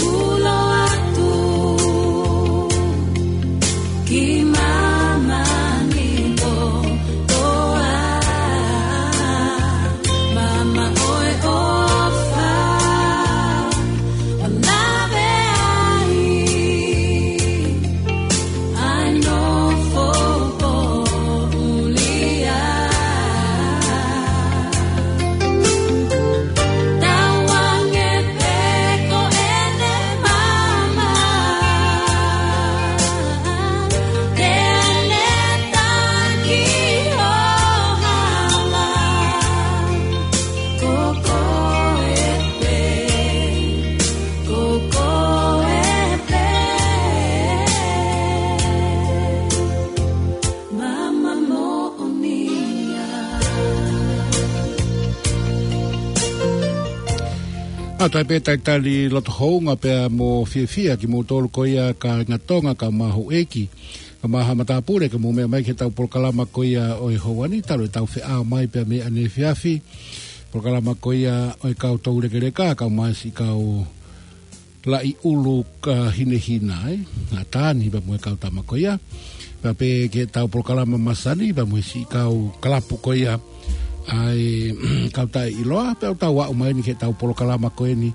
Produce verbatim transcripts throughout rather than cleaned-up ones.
Ulo atu ki māmani kotoa, māmani ʻofa ʻo nave ai. I know for Tauange pē ko ʻene maama, te ne taki hohala. Ko koe pē, ko koe pē. Maama moʻoni ia. ʻA ia pē talitali loto houngaʻia pea mo fiefia kimoutolu ko ia kāinga Tonga, kae ʻumaʻā houʻeiki, kae ʻumaʻā haʻa matāpule ke mou meʻa mai ki heʻetau polokalama ko ia ʻo e houa ni, talu ʻetau feʻao mai pea mei ʻaneefiafi. Polokalama ko ia ʻo e kau toulekeleka, kae ʻumaʻā siʻi kau laʻi ʻulu ka hinehina, ē? ʻA Tani pea mo e kau tama ko ia. Pea pē ki heʻetau polokalama masani, pea mo e siʻi kau kalapu ko ia ʻa e kau taʻeʻiloa, pea ʻoku tau aʻu mai eni ki heʻetau polokalama ko eni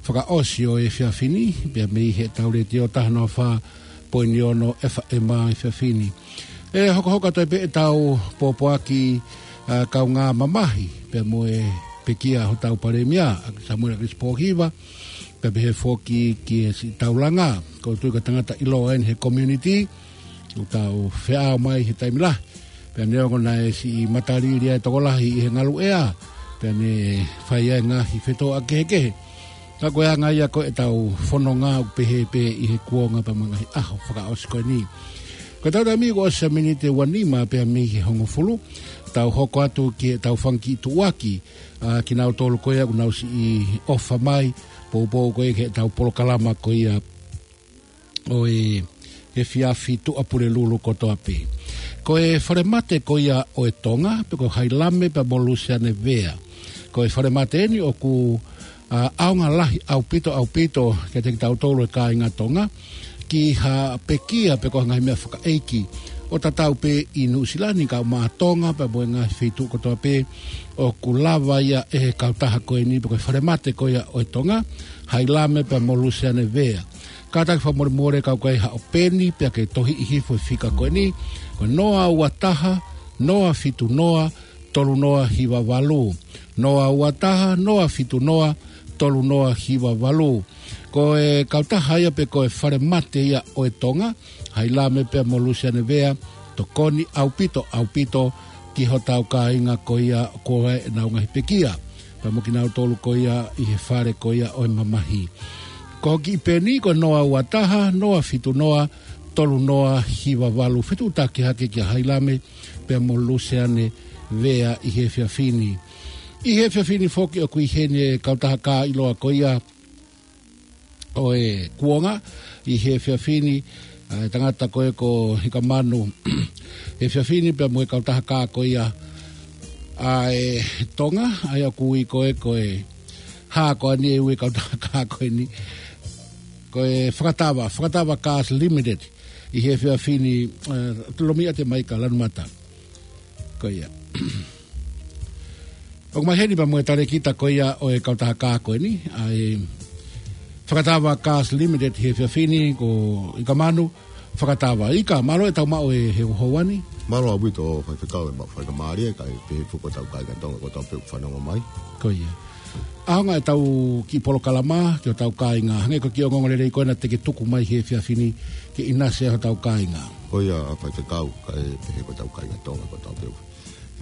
fakaʻosi ʻo e efiafi ni, pea mei heʻetau letiō taha noa fā poini ono F M ʻa e efiafi ni. ʻE hokohoko atu ai pē ʻetau pōpoaki, ʻa, kaungā mamahi, pea mo e pekia hotau palēmia, ʻa Samuela Kilisi Pōhiva, pea pehē foki ki he siʻi taulanga, ʻoku ou tui ko e tangata ʻiloa eni he community, ʻoku tau feʻao mai he taimi lahi, pea neongo naʻe siʻi matalili ʻa e tokolahi ʻi he ngaluʻea, pea ne fai ai ngaahi fetōʻaki kehekehe. Ka ko e anga ia ko ʻetau fononga ʻoku pehē pē ʻi he kuonga pea mo e ngaahi ʻaho fakaʻosi ko eni. Ko ʻetau taimi kuo ʻosi ʻa e miniti ʻe ua nima pea mei he hongofulu, tau hoko atu ki heʻetau fanga kiʻi tuʻuaki, ʻa kinautolu ko ia ʻoku nau siʻi ʻofa mai, poupou ko ia ki heʻetau polokalama ko ia ʻo e efiafi Tuʻapulelulu kotoa pē. Ko e falemate ko ia ʻo e Tonga, pe ko Hailame pea mo Luseane Vea. Ko e falemate eni ʻoku, ʻa, ʻaonga lahi ʻaupito, ʻaupito kiate kitautolu e kāinga Tonga, ki ha pekia pe ko ha ngaahi meʻa fakaʻeiki ʻo tatau pē ʻi Nuʻusila ni kae ʻumaʻā Tonga pea mo e ngaahi feituʻu kotoa pē ʻoku lava ia ʻe he kautaha ko eni pe ko e falemate ko ia ʻo e Tonga, Hailame pea mo Luseane Vea. Kātaki fakamolemole ka ʻoku ʻi ai haʻo peni pea ke tohiʻi hifo e fika ko eni, ko e noa ua taha, noa fitu noa, tolu noa hiva valu. Noa ua taha, noa fitu noa, tolu noa hiva valu. Ko e kautaha ia pe ko e falemate ia ʻo e Tonga, Hailame pea mo Luseane Vea, tokoni ʻaupito, ʻaupito ki hotau kāinga ko ia ko ē ʻenau ngaahi pekia, pea mo kinautolu ko ia ʻi he fale ko ia ʻo e mamahi. Ko hoʻo kiʻi peni ko e noa ua taha, noa fitu noa, tolu noa hiva valu. Fetuʻutaki hake kia Hailame pea mo Luseane Vea ʻi he efiafi ni. ʻI he efiafi ni foki ʻoku ʻi heni e kautaha kāʻiloa ko ia ʻo e kuonga ʻi he efiafi ni, ʻa e tangata ko ē ko Hikamanu he efiafi ni pea mo e kautaha kā ko ia ʻa e Tonga, ʻa ia ʻoku ui ko ē ko e hā ko eni e ui e kautaha kā ko eni, ko e Fakatava, Fakatava Cars Limited ʻi he efiafi ni, ʻa, lomiʻa te mai ka lanu mata. Ko ia. ʻOku mai heni pea mo e talēkita ko ia ʻo e kautaha kā ko eni, ʻa e Fakatava Cars Limited he efiafi ni, ko Ikamanu Fakatava. Ika, mālō e tau maʻu e he houa ni. Mālō ʻaupito faifekau e maʻu faingamālie, kae pehē foki ki hotau kāinga Tonga kotoa pē ʻoku fanongo mai. Ko ia. ʻAonga ʻetau kiʻi polokalama ki hotau kāinga, hangē ko e kiʻi ongoongolelei ko ena te ke tuku mai he efiafi ni ke ʻinasi ai hotau kāinga. Ko ia faifekau, kae pehē ki hotau kāinga Tonga kotoa pē.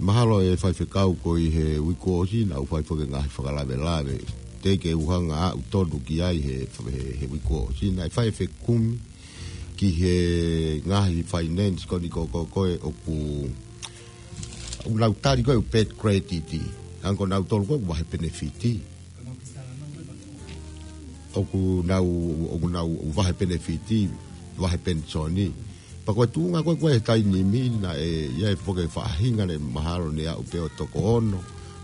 Mahalo e faifekau ko ē he uike kuo ʻosi naʻa ku fai foki e ngaahi fakalavelave. Teʻeki ke u hanga ʻo aʻu tonu ki ai he, he, he uike kuo ʻosi naʻe fai e fekumi ki he ngaahi finance ko eni ko, ko, ko ē ʻoku, ʻoku nau tali ko ē ʻū bad credit. Hangē ko nautolu ko ē ʻoku vahe penefiti. ʻOku nau, ʻoku nau vahe penefiti, vahe penisoni. Pea ko e tuʻunga ko ē ko ē he taimi ni naʻe ʻi ai foki e faʻahinga naʻe mahalo ne aʻu pē ʻo toko ono.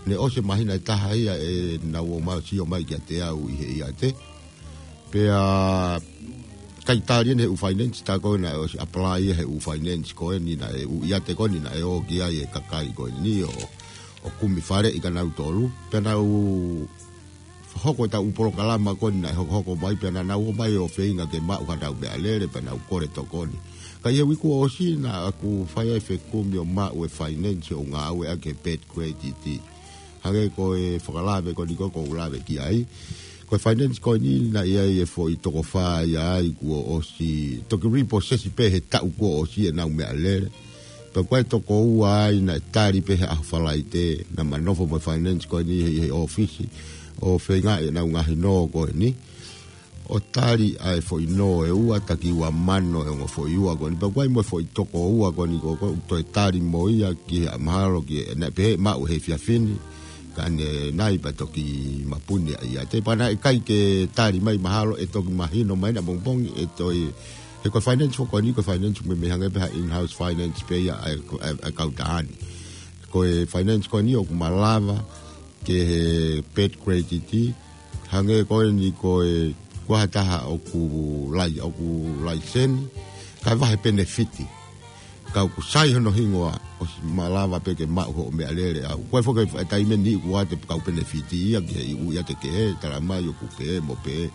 Ne ʻosi e māhina ʻe taha ia ʻenau ō mai ʻo sio mai kiate au ʻi he ʻiate. Pea ʻikai tali ʻeni he ʻū finance tā ko ē naʻe ʻosi apply ia he ʻū finance ko eni naʻe ʻū ʻiate ko eni naʻe ō ki ai e kakai ko eni ʻo, ʻo kumi faleʻi kia nautolu. Pea nau hoko ʻetau ʻū polokalama ko eni naʻe hokohoko mai pea naʻa nau ō mai ʻo feinga ke maʻu haʻanau meʻalele pea nau kole tokoni. Ka ʻi he uike kuo ʻosi naʻa ku fai ai e fekumi ʻo maʻu e finance ʻo ngāueʻaki he bad credit. Hangē ko e fakalave ko eni ko ē ʻoku ou lave ki ai. Ko e finance ko eni naʻe ʻi ai e foʻi toko fā ia ai kuo ʻosi toki repossess pē he taʻu kuo ʻosi ʻenau meʻalele. Pea ko e toko ua ai naʻe tali pē he ʻaho Falaite, naʻa ma nofo mo e finance ko eni he, he ʻōfisi ʻo feingaʻi ʻenau ngaahi nō ko eni ʻo tali ʻa e foʻi nō ʻe ua, taki ua mano ʻe ongo foʻi ua ko eni. Pea ko e mo e foʻi toko ua ko eni ko ē ʻoku toe tali mo ia ki he mahalo ki he, naʻe pehē maʻu he efiafi ni, ka ne nai pea toki mapuni ʻa ia. Te pea naʻe ʻikai ke tali mai mahalo ʻe toki mahino mai ʻapongipongi ʻe toe, he ko e finance foki ko eni, ko e finance meimei hangē pē ha in-house finance pē ia ʻa e, ʻa e, ʻa e kautaha ni. Ko e finance ko eni ʻoku malava ke he bad credit, hangē ko eni ko e, ko ha taha ʻoku lai, ʻoku laiseni, kae vahe penefiti. Ka ʻoku sai hono hingoa, ʻosi malava pē ke maʻu hoʻo meʻalele ʻau. Ko e foki e taimi ni ʻoku ʻiate kau penefiti ia ki he ʻū ʻiate kehe, tala mai ʻoku pehē mo pehē.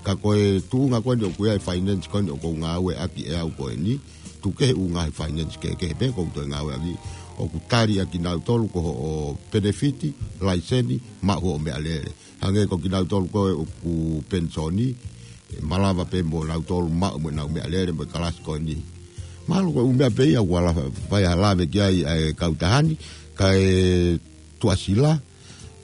Ka ko e tuʻunga ko eni ʻoku ʻi ai e finance ko eni ʻoku ou ngāueʻaki ʻe au ko eni, tuku kehe ʻū ngaahi finance kehekehe pē ʻoku ou toe ngāueʻaki, ʻoku tali ʻaki kinautolu ko hoʻo penefiti, laiseni, maʻu hoʻo meʻalele. Hangē ko kinautolu ko ē ʻoku penisoni, ʻe malava pē mo nautolu maʻu mo ʻenau meʻalele mo e kalasi ko eni. Mahalo ko e ʻū meʻa pē ia ʻoku ala fai ha lave ki ai ʻa e kautaha ni, kae Tuʻasila,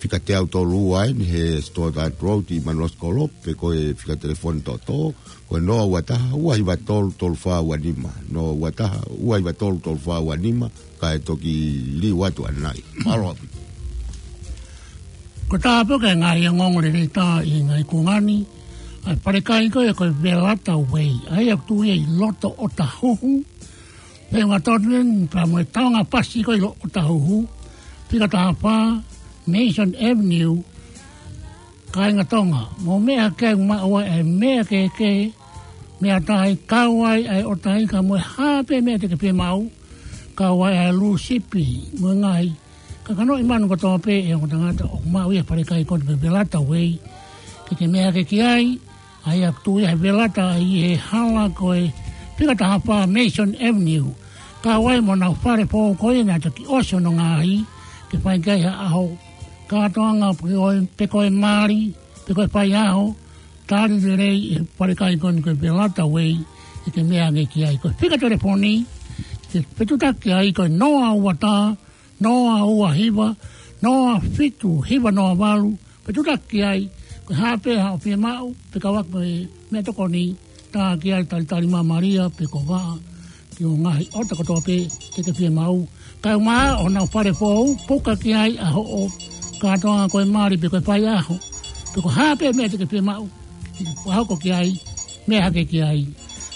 fika teau tolu ua eni he Stoddart Road ʻi Manosikolo, pe ko e fika telefoni toʻotoʻo, ko e noa ua taha, ua hiva tolu, tolu fā ua nima, noa ua taha, ua hiva tolu, tolu fā ua nima, kae toki liu atu ʻanenai. Mālō ʻaupito. Ko e taha pē ia e ngaahi ongoongo lelei tā ʻi he ngaahi kuonga ni, ʻa e falekai ko ē ko e Velata Way, ʻa ia ʻoku tuʻu ia ʻi loto ʻOtahuhu, pea ʻoku totonu eni pea mo e taonga pasi ko ē ʻi loto ʻOtahuhu, fika taha fā, Mason Avenue, kāinga Tonga, mou meʻa ke maʻu ʻa e meʻa kehekehe, meʻa tahi, kau ai ʻa e ʻotahi ka mo e hā pē meʻa te ke fie maʻu, kau ai ʻa e lūsipi, mo e ngaahi kakanoʻi manu kotoa pē ʻe he ongo tangata ʻoku maʻu ia he falekai ko eni ko e Velata Way, ke ke meʻa hake ki ai, ʻa ia ʻoku tuʻu ia he Velata ʻi he hala ko e fika taha fā Mason Avenue. Kau ai mo honau fale foʻou ko ia naʻe toki ʻosi hono ngaahi, ke fai ki ai ha ʻaho kātoanga pe ko e, pe ko e mali, pe ko e faiʻaho, tali lelei ʻe he falekai ko eni ko e Velata Way, ʻe ke meʻa hake ki ai. Ko e fika telefoni ke fetutaki ai ko e noa ua taha, noa ua hiva, noa fitu hiva noa valu, fetutaki ai, ko e hā pē haʻo fie maʻu, pe kau ai mo e meʻatokoni, tā ki ai talitali mamalia, pe ko e vaʻa, ki he ngaahi ʻota kotoa pē te ke fie maʻu. Kae ʻumaʻā honau fale foʻou, puka ki ai ʻa hoʻo kātoanga ko e mali pe ko e faiʻaho, pe ko e hā pē meʻa te ke fie maʻu, ke hoko ki ai, meʻa hake ki ai.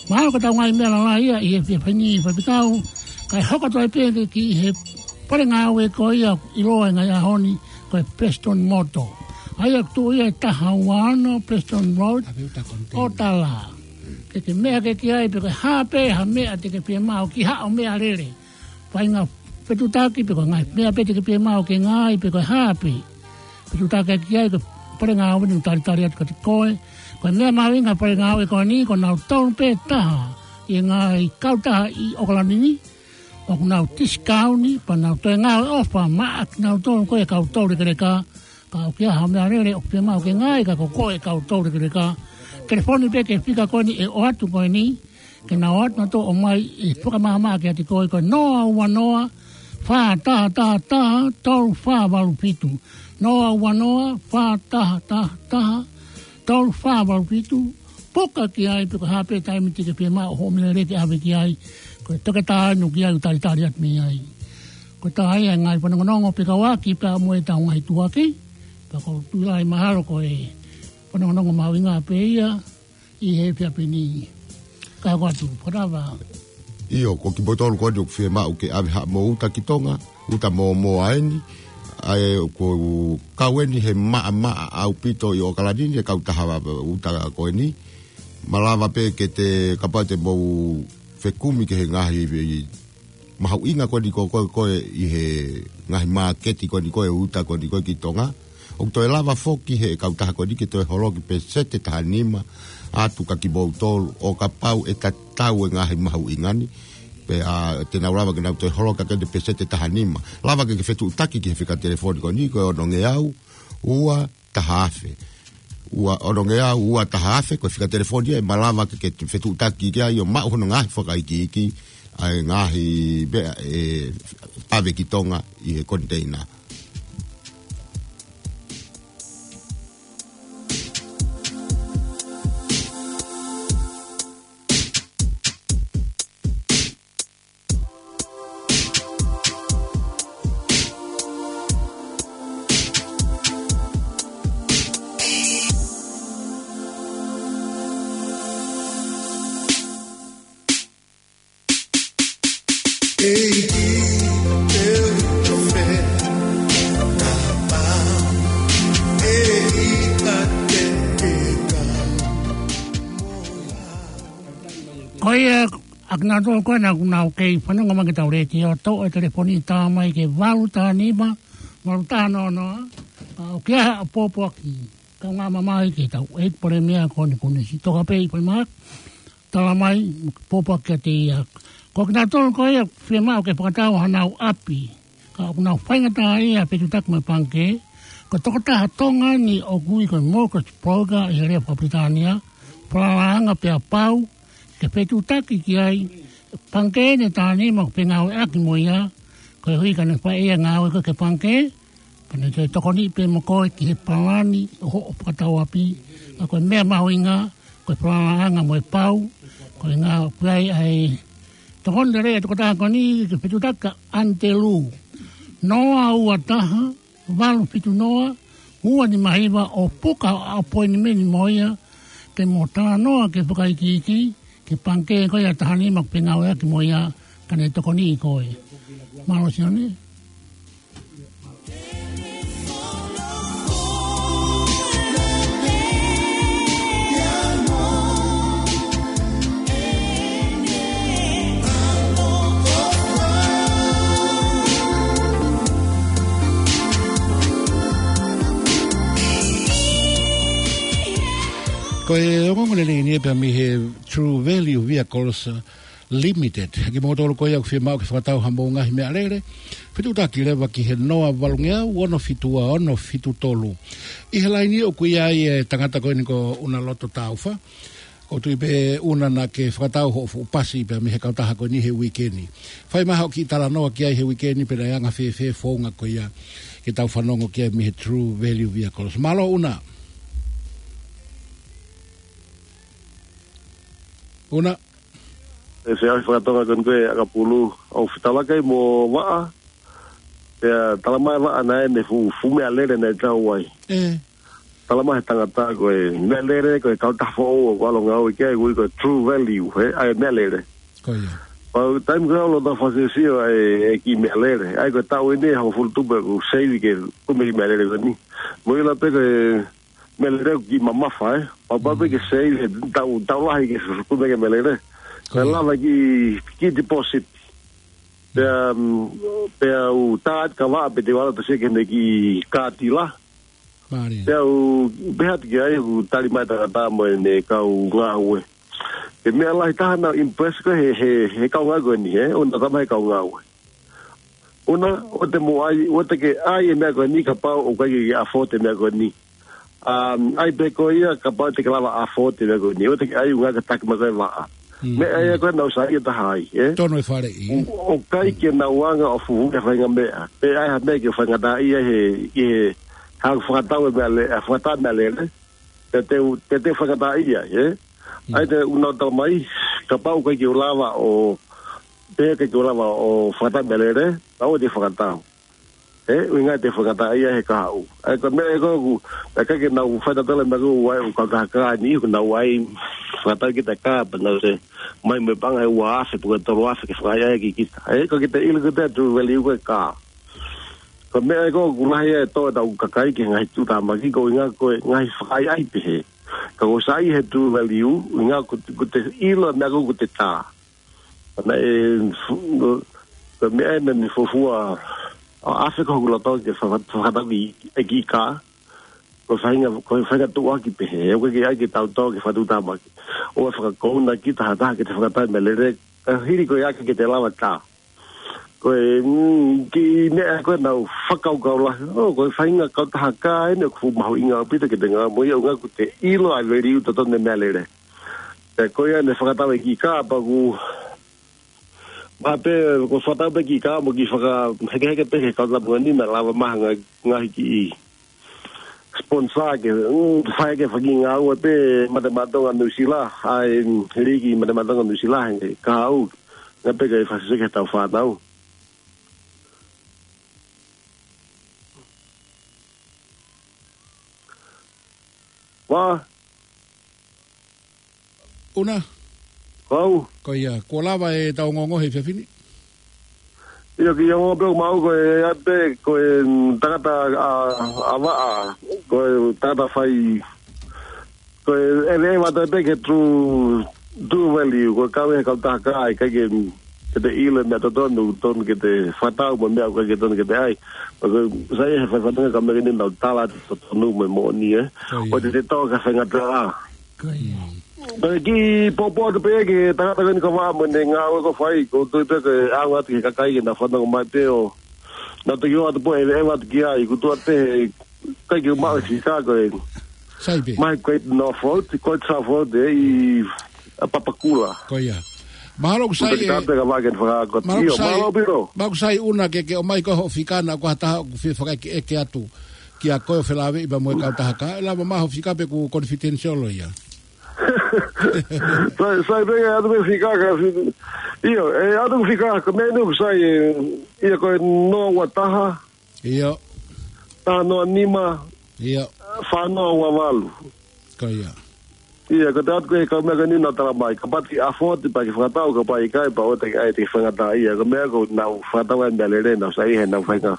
Mahalo ko ʻetau ngaahi meʻa lalahi ia ʻi he efiafi ni faifekau, kae hoko atu ai pē ki he fale ngāue ko ia ʻiloa ʻi he ngaahi ʻaho ni ko e Prestone Motor. ʻA ia ʻoku tuʻu ia ʻi he taha ua ono Prestone Road, ʻo tala. Ke ke meʻa hake ki ai pe ko e hā pē ha meʻa te ke fie maʻu ki haʻo meʻalele. Feinga fetutaki pe ko e ngaahi meʻa pē te ke fie maʻu ke ngaahi pe ko e hā pē. Fetutaki ki ai ko e fale ngāue ni ʻoku talitali atu kiate koe. Ko e meʻa mahuʻinga he fale ngāue ko eni ko nautolu pē taha ʻi he ngaahi kautaha ʻi ʻOkalani ni, ʻoku nau tisikauti pea nau toe ngāue ʻofa maʻa kinautolu ko e kau toulekeleka. Ka ʻoku ʻi ai haʻo meʻalele ʻoku fie maʻu ke ngaahi ka ko koe kau toulekeleka, telefoni pē ki he fika ko eni ʻe ʻoatu ko eni, ke nau ō atu nautolu ʻo ʻomai e fakamaʻamaʻa kiate koe ko e noa ua noa, fā taha taha taha, tolu fā valu fitu. Noa ua noa, fā taha taha taha, tolu fā valu fitu, puka ki ai pe ko e hā pē taimi te ke fie maʻu hoʻo meʻalele ke ʻave ki ai, ko e toketā ʻoku ʻi ai ʻoku talitali atu mei ai. Ko e taha ia e ngaahi fanongonongo fekauʻaki pea mo ʻetau ngaahi tuʻuaki, pea ʻoku ou tui lahi mahalo ko e fanongonongo mahuʻinga pē ia, ʻi he efiafi ni. Ka ko atu, fakatava. ʻIo, ko kimoutolu ko eni ʻoku fie maʻu ke ʻave haʻamou uta ki Tonga, uta mōmoa eni, ʻA e ko e kau eni he maʻamaʻa ʻaupito ʻi ʻOkalani ni e kautaha uta ko eni. Malava pē ke te kapau te mou fekumi ki he ngaahi mahuʻinga ko eni ko e, ko e, ko e ʻi he ngaahi māketi ko eni ko e uta ko eni ko e ki Tonga. ʻOku toe lava foki he kautaha ko eni ke toe holoki pēseti taha nima atu kia kimoutolu ʻo kapau ʻe tatau e ngaahi mahuʻinga ni. Pea te nau lava ke nau toe holoki ʻaki eni pēseti taha nima. Lava ke ke fetuʻutaki ki he fika telefoni ko eni ko e ono ngeau, ua taha afe. Ua, ono ngeau, ua taha afe, ko e fika telefoni ia ʻe malava ke ke fetuʻutaki ki ai ʻo maʻu hono ngaahi fakaikiiki, ʻa e ngaahi meʻa ʻe pave ki Tonga ʻi he koniteina. Ko ia, ʻa kinautolu ko ē naʻa nau kei fanongo mai ki heʻetau letiō, toʻo e telefoni, tā mai ki he valu taha nima, valu taha noa noa, ʻa, ʻoku ʻi ai haʻo pōpoaki, kaungā mamahi ki heʻetau ʻEiki Palēmia ko Nikunisi. Toka pē ʻEiki Palēmia, tala mai, pōpoaki kiate ia. Ko kinautolu ko ia ʻoku fiemaʻu ke fakatau hanau ʻapi, ka ʻoku nau faingataʻaʻia he fetuʻutaki mo e pangikē, ko e tokotaha Tonga ni ʻoku ui ko e mortgage broker ʻi he lea faka-Pilitānia, falalaʻanga pea pau ke fetuʻutaki ki ai, pangikē ʻe taha nima ʻoku ke ngāueʻaki mo ia, koeʻuhi ka ne fai ʻe ia e ngāue ko ē ki he pangikē, pea ne toe tokoniʻi pē mo koe ki he palani ʻo hoʻo fakatau ʻapi, ka ko e meʻa mahuʻinga, ko e falalaʻanga mo e pau, ko e ngāue ʻa e tokoni lelei ʻa e tokotaha ko eni ke fetuʻutaki kia Antelū. Noa ua taha, valu fitu noa, ua nima hiva ʻo puka ʻapoinimeni mo ia, ke mo talanoa ki he fakaikiiki, ki he pangikē ko ia ʻe taha nima ʻoku ke ngāueʻaki mo ia, ka ne tokoniʻi koe. Mālō Sione. Ko e ongoongo lelei eni pea mei he True Value Vehicles Limited. Kimoutolu ko ia ʻoku fiemaʻu ke fakatau hamou ngaahi meʻalele, fetuʻutaki leva ki he noa valu ngeau, ono fitu ua, ono fitu tolu. ʻI he laini ʻoku ʻi ai e tangata ko eni ko ʻUna Loto Taufa. ʻOku ou tui pē ʻUna naʻa ke fakatau hoʻo fuʻu pasi pea mei he kautaha ko eni he uike ni. Fai mai haʻo kiʻi talanoa ki ai he uike ni pe naʻe anga fēfē e founga ko ia ke tau fanongo ki ai mei he True Value Vehicles. Mālō ʻUna. ʻUna. ʻE se afi faka-Tonga ko eni ko e ʻakapulu, ʻoku ou fetaulaki mo e vaʻa, pea tala mai e vaʻa naʻe ʻi ai e fuʻu, fuʻu meʻalele naʻe tau ai. ʻE. Tala mai he tangata ko e meʻalele ko e kautaha foʻou ʻoku ʻalu ʻo ngāue ki ai ʻoku ui ko e True Value, he, ʻa e meʻalele. Ko ia. Pea taimi ko ē ʻoku ou loto fakasio ʻa e, e kiʻi meʻalele. ʻA ia ko e taʻu eni ʻe hongofulu tupu ʻeku save ke kumi e kiʻi meʻalele ko eni. Mou ʻilo pē ko e meʻalele ʻoku kiʻi mamafa, ē. Pau pē ke save he taʻu, taʻu lahi ke kumi e kiʻi meʻalele. Ko ia. Pea lava kiʻi, kiʻi deposit. Pea, mm, pea u tā atu ki he vaʻa pe te u ʻalu atu ʻo sio ki heʻene kiʻi kātila. Mālie. Pea u pehē atu ki ai, ʻoku tali mai e tangata mo ʻene kau ngāue. Ko e meʻa lahi taha naʻa ku impress ko ē he, he, he kau ngāue ko eni, he, ʻo na tama he kau ngāue. ʻUna, ʻoua te mou ʻai, ʻoua te ke ʻai e meʻa ko eni kapau ʻoku ʻikai ke ke afford e meʻa ko eni. Um, ʻai pē koe ia kapau te ke lava afford e meʻa ko eni. ʻOua te ke ʻai ʻuhinga ke taki mai koe e vaʻa. Mm, meʻa ia ko ē naʻa ku saiʻia taha ai, ē? Tonu e faleʻi, ē? ʻOku ʻikai ke nau anga ʻo fuhu e faʻahinga meʻa. Pe ʻai ha meʻa ke faingataʻaʻia he, he, ha fakatau e meʻalele, ha fakatau e meʻalele. Te te, te te faingataʻaʻia, ē? Mm. ʻAi te u nau tala mai, kapau ʻoku ʻikai ke u lava ʻo, pe ʻikai ke u lava ʻo fakatau e meʻalele, ʻoua te fakatau. Ē, ʻuhinga te faingataʻaʻia he kahaʻu. ʻAi ko e meʻa ē ko ē ʻoku, ʻikai ke nau fai tatala e meʻa ko ē ʻoku ʻi ai ʻoku kau ka ni, ʻoku nau ʻai fakatau kita e kā, pea nau ʻosi ʻomai mo e paʻanga ʻe ua afe, pe ko e tolu afe ke fakaʻaiʻai ʻaki kita. Ē, ko kita ʻilo kita e true value ko ē e kā. Ko e meʻa ē ko ē ʻoku lahi ʻa e tō ʻetau kakai ki he ngaahi tuʻutāmaki, ko e ʻuhinga ko e ngaahi fakaʻaiʻai pehē. Ka ʻoku sai he True Value, ʻuhinga ko, ko ʻete ʻilo e meʻa ko ē ʻoku te tā. Naʻe, ko e meʻa ē naʻa ne fuofua ʻo ʻave ko hoku loto ke fa-, fakatau ki, e kiʻi kā. Ko e faʻahinga, ko e faʻahinga tuʻuaki pehē, ʻoku ʻikai ke tau tō ki he fanga tuʻutāmaki. ʻOua ʻe fakakouna ki tahataha ke te fakatau e meʻalele, ka hili ko ia ke te lava tā. Ko e, mm, kiʻi meʻa ko ē naʻa ku fakakaukau lahi, ʻo, ko e faʻahinga kautaha kā eni ʻoku fuʻu mahuʻinga ʻaupito ke te ngāue mo ia, ʻuhinga ʻoku te ʻilo ʻa e value totonu e meʻalele. Pea ko ia naʻe fakatau e kiʻi kā pea ʻoku, ma pē, ko e fakatau pē kiʻi kā mo e kiʻi fakahekeheke pē ki he kau tāpuaki ni naʻa lava mai ha ngaahi, ngaahi kiʻi sponsor ke, mm, fai ke faki ngāue pē Mate Maʻa Tonga Nuʻusila, ʻa e, mm, liki Mate Maʻa Tonga Nuʻusila, he ka au, ngā pē ke fakasese ki heʻetau fānau. Wā. Una. Kau. Ko ia, kuo lava ʻetau ongoongo he efiafi ni. ʻIo, kiʻi ongo pē ʻoku maʻu ko e ʻa pē, ko e, mm, tangata ʻa, ʻa vaʻa, ko e tangata fai, ko e, ʻe, ʻe vata pē ki he True, True Value, ko e kau he kautaha kā, ʻikai ke, mm, ke te ʻilo e meʻa totonu, tonu ke te fakatau mo e meʻa ʻoku ʻikai ke tonu ke te ʻai. Pea ko e, sai he fai fatongia ka meke ni nau tala totonu mo e moʻoni, ē. Ko ia. ʻO te te tō ki he faingataʻa. Ko ia. Pea kiʻi poupou atu pē ki he tangata ko eni ka vaʻa mo ʻene ngāue ʻoku fai, ʻoku ou tui pē ko e ʻaonga atu ki he kakai ke nau fanongo mai pē ʻo nau toki ō atu pē ʻo ʻeveʻeva atu ki ai, ʻoku tuʻu atu pē he ʻikai ke maʻu e fika ko ē. Sai pē. Mai ko e Northwood, ko e Southwood, ē, ʻi Papakura. Ko ia. Mahalo ʻoku sai ʻe. Ka vaʻa ke fakakota. Mahalo ʻoku sai. ʻIo, mālō Piro. Mahalo ʻoku sai Una ke, ke ʻomai ko hoʻo fika naʻa ko ha taha ʻoku fie fakaʻekeʻeke atu kia koe ʻo felāveʻi pea mo e kautaha kā, ʻe lava mai hoʻo fika pe ʻoku confidential ia. Sai, sai pē ke ʻatu pē fika ka fi-, ʻio, ʻe ʻatu fika, ko e meʻa eni ʻoku sai ē, ʻio ko e noa ua taha, ʻio, taha noa nima, ʻio, fā noa ua valu. Ko ia. ʻIo, ko e ʻatu ko ē he kau meʻa ko eni naʻa tala mai, kapau te ke afford pea ke fakatau, kapau ʻikai pea ʻoua te ke ʻai, te ke faingataʻaʻia, ko e meʻa ko ē naʻa ku fakatau ai e meʻalele naʻa ku sai he naʻa ku faingataʻa.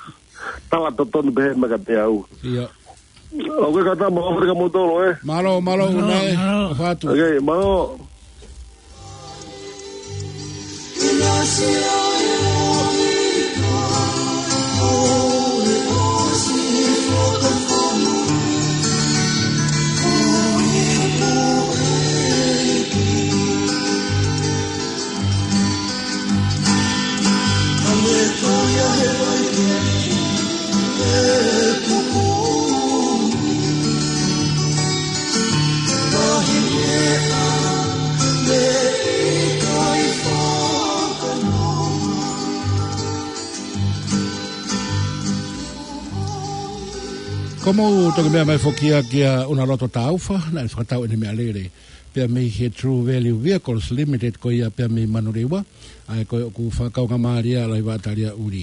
Tala totonu pē he meʻa kiate au. ʻIo. ʻOku ʻikai ke tama, ʻofa atu kia moutolu, ē? Mālō, mālō, Una ē. Mālō. ʻOfa atu. Ok, mālō. Ko e mou toki meʻa mai foki ia kia Una Loto Taufa, naʻe fakatau ʻene meʻalele pea mei he True Value Vehicles Limited ko ia pea mei Manurewa, ʻa ia ko ē ʻoku fakakaungāmālie ʻa Laivaʻa Taliaʻuli.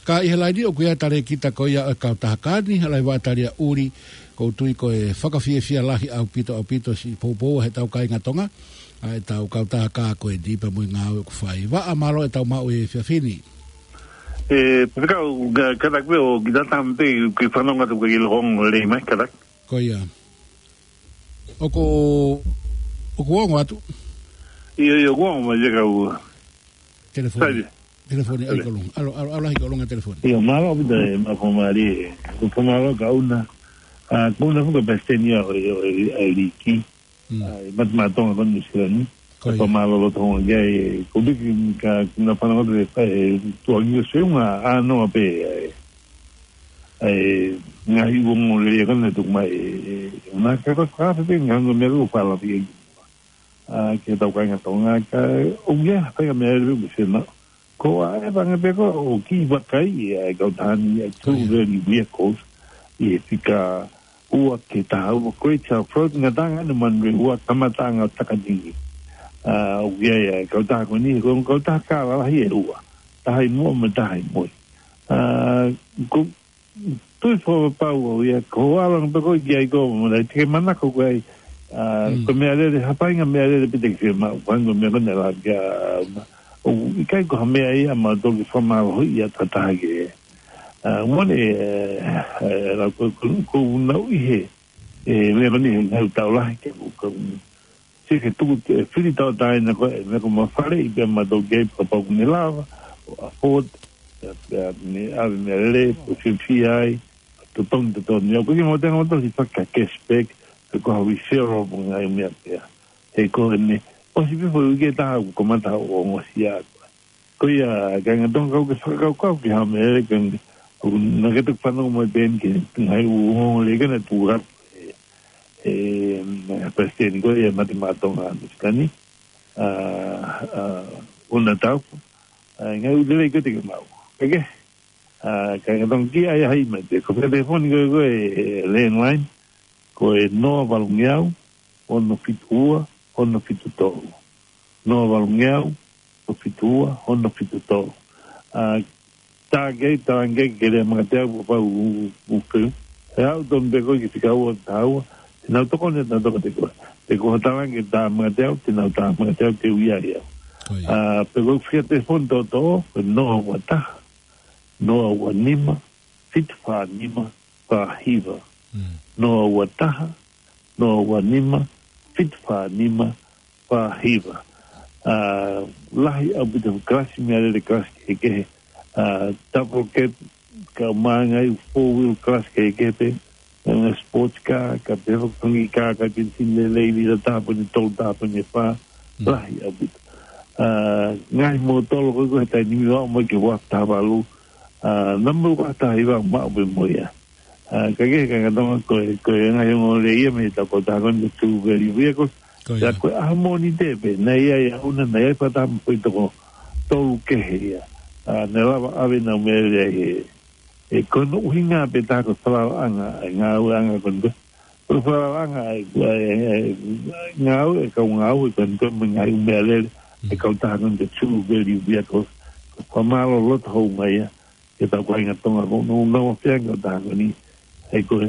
Ka ʻi he laini ʻoku ʻi ai e talēkita ko ia ʻo e kautaha kā ni, ʻa Laivaʻa Taliaʻuli, ʻoku ou tui ko e fakafiefia lahi ʻaupito, ʻaupito siʻi poupou ʻa hotau kāinga Tonga, ʻa ʻetau kautaha kā ko eni pea mo e ngāue ʻoku fai. Vaʻa, mālō ʻetau maʻu he efiafi ni. ʻE, pea ka, ka, kātaki pē ʻo kiʻi tatau pē, kiʻi fanongo atu ki he ongoongo lelei mai, kātaki. Ko ia. ʻOku, ʻoku ongo atu. ʻIo, ʻio, ʻoku ongo mai ia kau. Telefoni. Sai. Telefoni, ʻai Sai. Kolonga. ʻAlu, ʻalu, ʻalu lahi kolonga telefoni. ʻIo, mālō ʻaupito e mafo mali, ʻoku mālō kia Una. ʻA, ko Una foki ko e palesiteni ia ʻo, ʻo, ʻo, ʻo e liki. Mm. ʻA, ʻi Mate Maʻa Tonga ko Nuʻusila ni. Ko ia. Pea mālō loto hono ʻai, ko e piki ka, ka na fana ko te, e, tuangi ʻo se unga, ʻa, noa pē, e, e, ngaahi uongo lelei ko ena tuku mai, e, e, na ka, ka, ka, pē, ngaahi uongo meʻa ko fala pē. ʻA, ki hotau kāinga Tonga, ka, ʻoku ʻi ai ha faʻahinga meʻa lelei ʻoku se na. Ko e ʻai pē ngā pē ko, ʻoku kiʻi vakai, ʻa e kautaha ni, ʻa e True Value Vehicles, ʻi he fika ua ki he taha ua, ko e Southwood, ngataʻanga ʻa Manurewa, kamataʻanga ʻo Takitini. ʻA, ʻoku ʻi ai, ʻa e kautaha ko eni, ko e kautaha kā lalahi ʻe ua. Taha ʻi muʻa mo e taha ʻi mui. ʻA, ko, tui fakapapau au ia, ko e ʻalu ange pē koe ki ai ko, mo e te ke manako ko e, ʻa, Mm. ko e meʻalele, ha faʻahinga meʻalele pē te ke fiemaʻu, ko e hangē ko e meʻa ko ena ʻa e lava kia, ʻo, ʻikai ko ha meʻa ia mautolu ke fakamālohiʻi ʻa e taha ke, ʻA, mone, ʻe, ʻe, la ko, ko, ko unau ʻi he, ʻe, meʻa ko eni he ngaahi ʻaho lahi ke, ko, ko, se ke tuku, ʻe, fili tau taina ko e, meʻa ko mafale ʻi pea ma tau gei kapau ʻoku ne lava, ʻo afford, ʻe, ʻe, ne ʻave meʻalele, ko fiefia ai, totongi, totongi. ʻOku ke mau tenga mau tau si faka cashback, pe ko ha referral mo e ngaahi meʻa pea. He ko eni, ʻosi pē foʻi uike ʻe taha ʻoku kamata ʻo ongosia. Ko ia, kāinga Tonga kau ke fakakaukau ki ha meʻa ʻe kani, ʻoku na ke toki fanongo mai pē eni ki he ngaahi ʻū ongoongo lelei ke na tuku atu ʻe, ʻe, ʻe, Palesiteni ko ia Mate Maʻa Tonga Misikani, ʻa, ʻa, ʻo na tau, ʻa, ngaahi ʻū lelei ko ē te ke maʻu. Kae kehe, ʻa, kāinga Tonga ki ai hai mai pē, ko e telefoni ko ē ko e, ʻe, landline, ko e noa valungeau, ono fitu ua, ono fitu tolu. Noa valungeau, ono fitu ua, ono fitu tolu. ʻA, tā kei, tā kei ke lea Makateau, ko pau u, u, u ke. ʻE au tonu pē ko e ki fika ua, tā ua, te nau tokoni, te nau tokoni te koe. Pe ko ha tā kei tā Makateau, te nau tā Makateau, te u ʻi ai au. Ko ia. ʻA, pe ko e fika telefoni tō tō, ko e noa ua taha, noa ua nima, fitu fā nima, fā hiva. Mm. Noa ua taha, noa ua nima, fitu fā nima, fā hiva. ʻA, lahi ʻaupito kalasi meʻalele, kalasi kehekehe. ʻA, double cab, kae ʻumaʻā ngaahi four wheel kalasi kehekehe pē. Ngaahi sports car, kae pehē foki ngaahi kā, kae penisini lelei, lita taha poini tolu, taha poini fā. Mm. Lahi ʻaupito. ʻA, ngaahi mōtolo ko ē ko e taimi ni ʻoku ʻomai ki he ua taha valu. ʻA, namba ua taha hiva maʻu pē mo ia. ʻA, kae kehe kāinga Tonga ko e, ko e ngaahi ongoongo lelei ia mei he tokotaha ko eni ko e True Value Vehicles. Ko ia. Pea ko e ʻaho Mōnite pē, naʻe ʻi ai ʻa e ʻouna, naʻe ʻi ai e fā taha mo e foʻi toko tolu kehe ia. ʻA, naʻe lava ʻave ʻenau meʻalele ai he, he ko hono ʻuhinga pē taha ko e falalaʻanga ʻa e ngāueʻanga ko eni ko e. Ko e falalaʻanga ʻa e, ʻa e, ʻa e, ʻa e ngāue, ʻa e kau ngāue ko eni ko e mo e ngaahi ʻū meʻalele, ʻa e kautaha ko eni ko e True Value Vehicles. Ko e fakamālō loto houngaʻia ki he tau kāinga Tonga ko ē, ʻoku nau feangai ki he kautaha ko eni. ʻA ia ko e,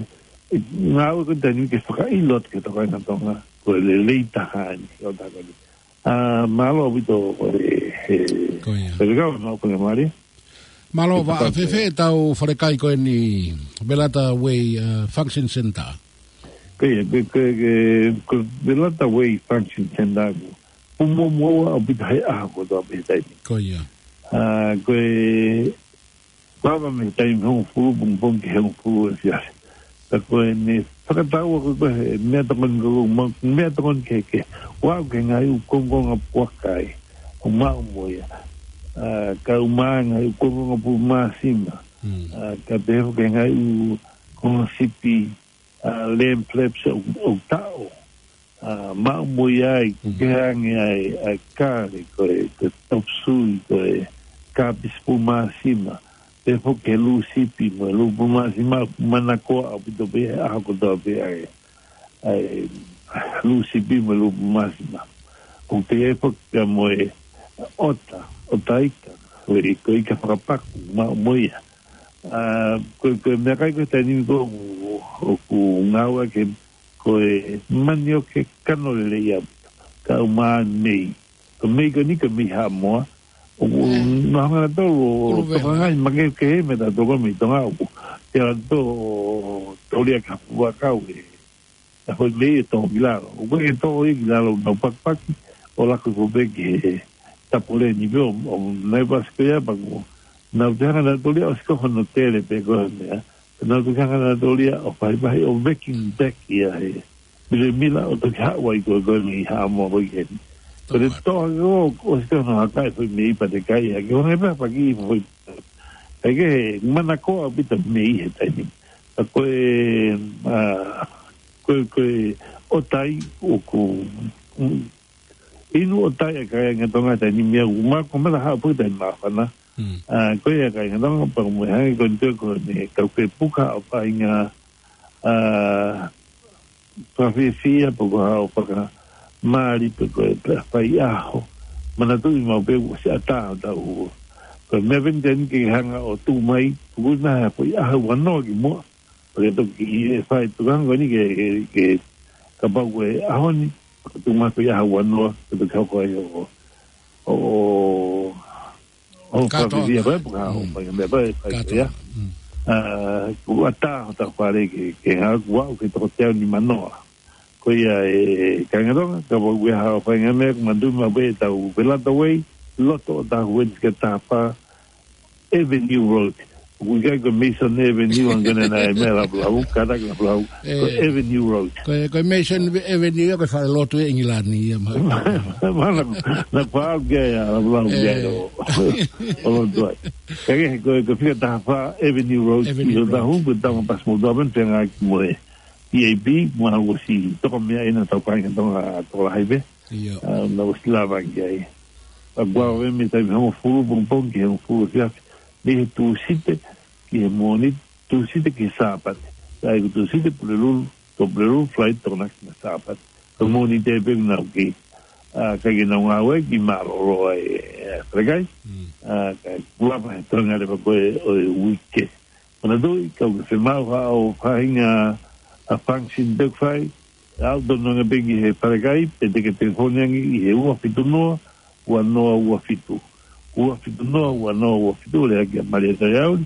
ʻe, ngāue ko eni taimi ni ke fakaʻilo atu ki he tau kāinga Tonga, ko e lelei taha eni ki he kautaha ko eni. ʻA, mālō ʻaupito, ʻe, ʻe, Ko ia. Pea kau, mau panga mari. Mālō, ʻe, Vaʻa, fēfē ʻetau falekai ko eni, Velata Way, ʻa, Function Center? Ko ia, ko, ko, ko, ko Velata Way Function Center ko e fuʻu muʻomuʻa ʻaupito he ʻaho kotoa pē he taimi. Ko ia. ʻA, ko e lava mei he taimi hongofulu pongipongi ki he hongofulu efiafi. Ka ko ʻene fakataua ko ē ko e meʻatokoni ko ē, ma-, meʻatokoni kehekehe. ʻOku aʻu ki he ngaahi ʻū kongokonga puaka ia ʻoku maʻu mo ia. ʻA, kae ʻumaʻā e ngaahi ʻū kongokonga pulu māsima. Mm. ʻA, kae pehē foki ki he ngaahi ʻū konga sipi, ʻa, lamb flaps ʻoku, ʻoku taʻo. ʻA, maʻu mo ia ai, Mm. ke hangē ai, ʻa e kale ko ē, ko e top sui ko ē, kapisi pulu māsima, pehē foki ki he lū sipi mo e lū pulu māsima, manakoa ʻaupito pē he ʻaho kotoa pē ʻa e, ʻa e lū sipi mo e lū pulu māsima. ʻOku ʻi ai foki pea mo e ʻota, ʻota ika, ko e, ko e ika fakapaku, maʻu mo ia. ʻA, ko e, ko e meʻakai ko ē he taimi ni ko ē ʻoku, ʻoku ngāueʻaki ko e manioke kano lelei ia, kae ʻumaʻā e mei. Ko e mei ko eni ko e mei Haʻamoa. ʻOku, ʻE. nau hanga ʻe nautolu ʻo Ulu vea. tokangaʻi makehe mei he taha toko mei Tonga ʻoku. Te ʻalu ʻo tōlia ki ha fuʻu vaʻakau ʻe ʻa hoʻi mei he tō ki lalo. ʻOku ʻikai ke tō ia ki lalo, nau pakipaki ʻo laku hifo pē ki he tapoleni pē ʻo, ʻo nai pasi ko ia pea ko ʻenau te hanga ʻe nautolu ia ʻo siko hono tele pē ko e meʻa. Nau te hanga ʻe nautolu ia ʻo vahevahe ʻo vacuum back ia he milemila ʻo toki haʻu ai ko e ko e mei Haʻamoa ko ē ki heni. Ko e tō hake ʻo, ʻo siko hono hakaʻi foʻi mei pea te kai hake. Ko e hangē pē ha paki foʻi. ʻIkai ke manakoa ʻaupito mei he taimi ni. Ka ko e, ʻa, ko e, ko e ʻotai ʻoku, mm, inu ʻotai ʻa e kāinga Tonga he taimi ni meʻa ʻoku ma-, ko e mata haʻu pē taimi māfana. Mm. ʻA, ko ia kāinga Tonga pea mo e hangē ko eni ko eni kau ke puka ʻo painga, ʻa, fakafiefia pe ko ha ʻo fakamali pe ko e pea fai ʻaho. Manatuʻi maʻu pē ʻoku siʻa taha ʻo tau. Ko e meʻa pē eni te ke hanga ʻo tuku mai, tuku na ha foʻi ʻaho ua noa ki muʻa. Pea ke toki ʻi he fai tuku hanga ko eni ke, ke, ke kapau ko e ʻaho ni, tuku mai foʻi ʻaho ua noa, ke toki hoko ai ʻo, ʻo, ʻo, ʻo Kātoa. fakafiefia ko e puka, ʻo Mm. fai meʻa ko e fai Kātoa. ia. Mm. ʻA, kuo ʻatā hotau fale ke, ke hā, kuo aʻu ki he toko teau nimanoa. Ko ia e kāinga Tonga, kapau ʻoku ʻi ai haʻo faʻahinga meʻa, ʻoku manatuʻi maʻu pē ʻetau Velata Way, loto ʻo taha ua fā taha fā Avenue Road. ʻOku ʻikai ko Mason Avenue, ʻa ia ko ena naʻe meʻa Lavulavu, kātaki Lavulavu. Ko e, Avenue Road. Ko e, ko e Mason Avenue ia ko e falelotu ʻi ʻIngilani ia ma. Mana, na pau ke ia, Lavulavu ke ia, ʻo, ʻo lotu ai. Ka ke, ko e, ko e fika taha fā Avenue Road, Avenue Road. Tahu, ko e tama pas mo taman, te ngā ki moe. T A P, mo ha ʻosi toko meʻa ʻi he tau kāinga Tonga tokolahi pē. ʻIo. ʻA, na ʻosi lava ki ai. ʻA, kuo ʻave mei he taimi hongofulu pongipongi ki he hongofulu efiafi. Mei he Tūsite ki he Mōnite, Tūsite ki he Sāpate. ʻA ia ko Tūsite Pulelulu, tō Pulelulu, Falaite Tokonaki mo e Sāpate. Ko Mōnite pē naʻa ku kei. ʻA, ka ke nau ngāue ki mālōlō ai, ʻa, Falekai. Mm. ʻA, ka kuo lava he toenga leva ko ē ʻo e uike. Manatuʻi, kapau ʻoku ke fiemaʻu haʻo faʻahinga ʻa function te ke fai, aʻu tonu ange pē ki he Falekai, pe te ke telefoni ange ʻi he ua fitu noa, ua noa ua fitu. Ua fitu noa, ua noa ua fitu, lea kia Malia Taiauli,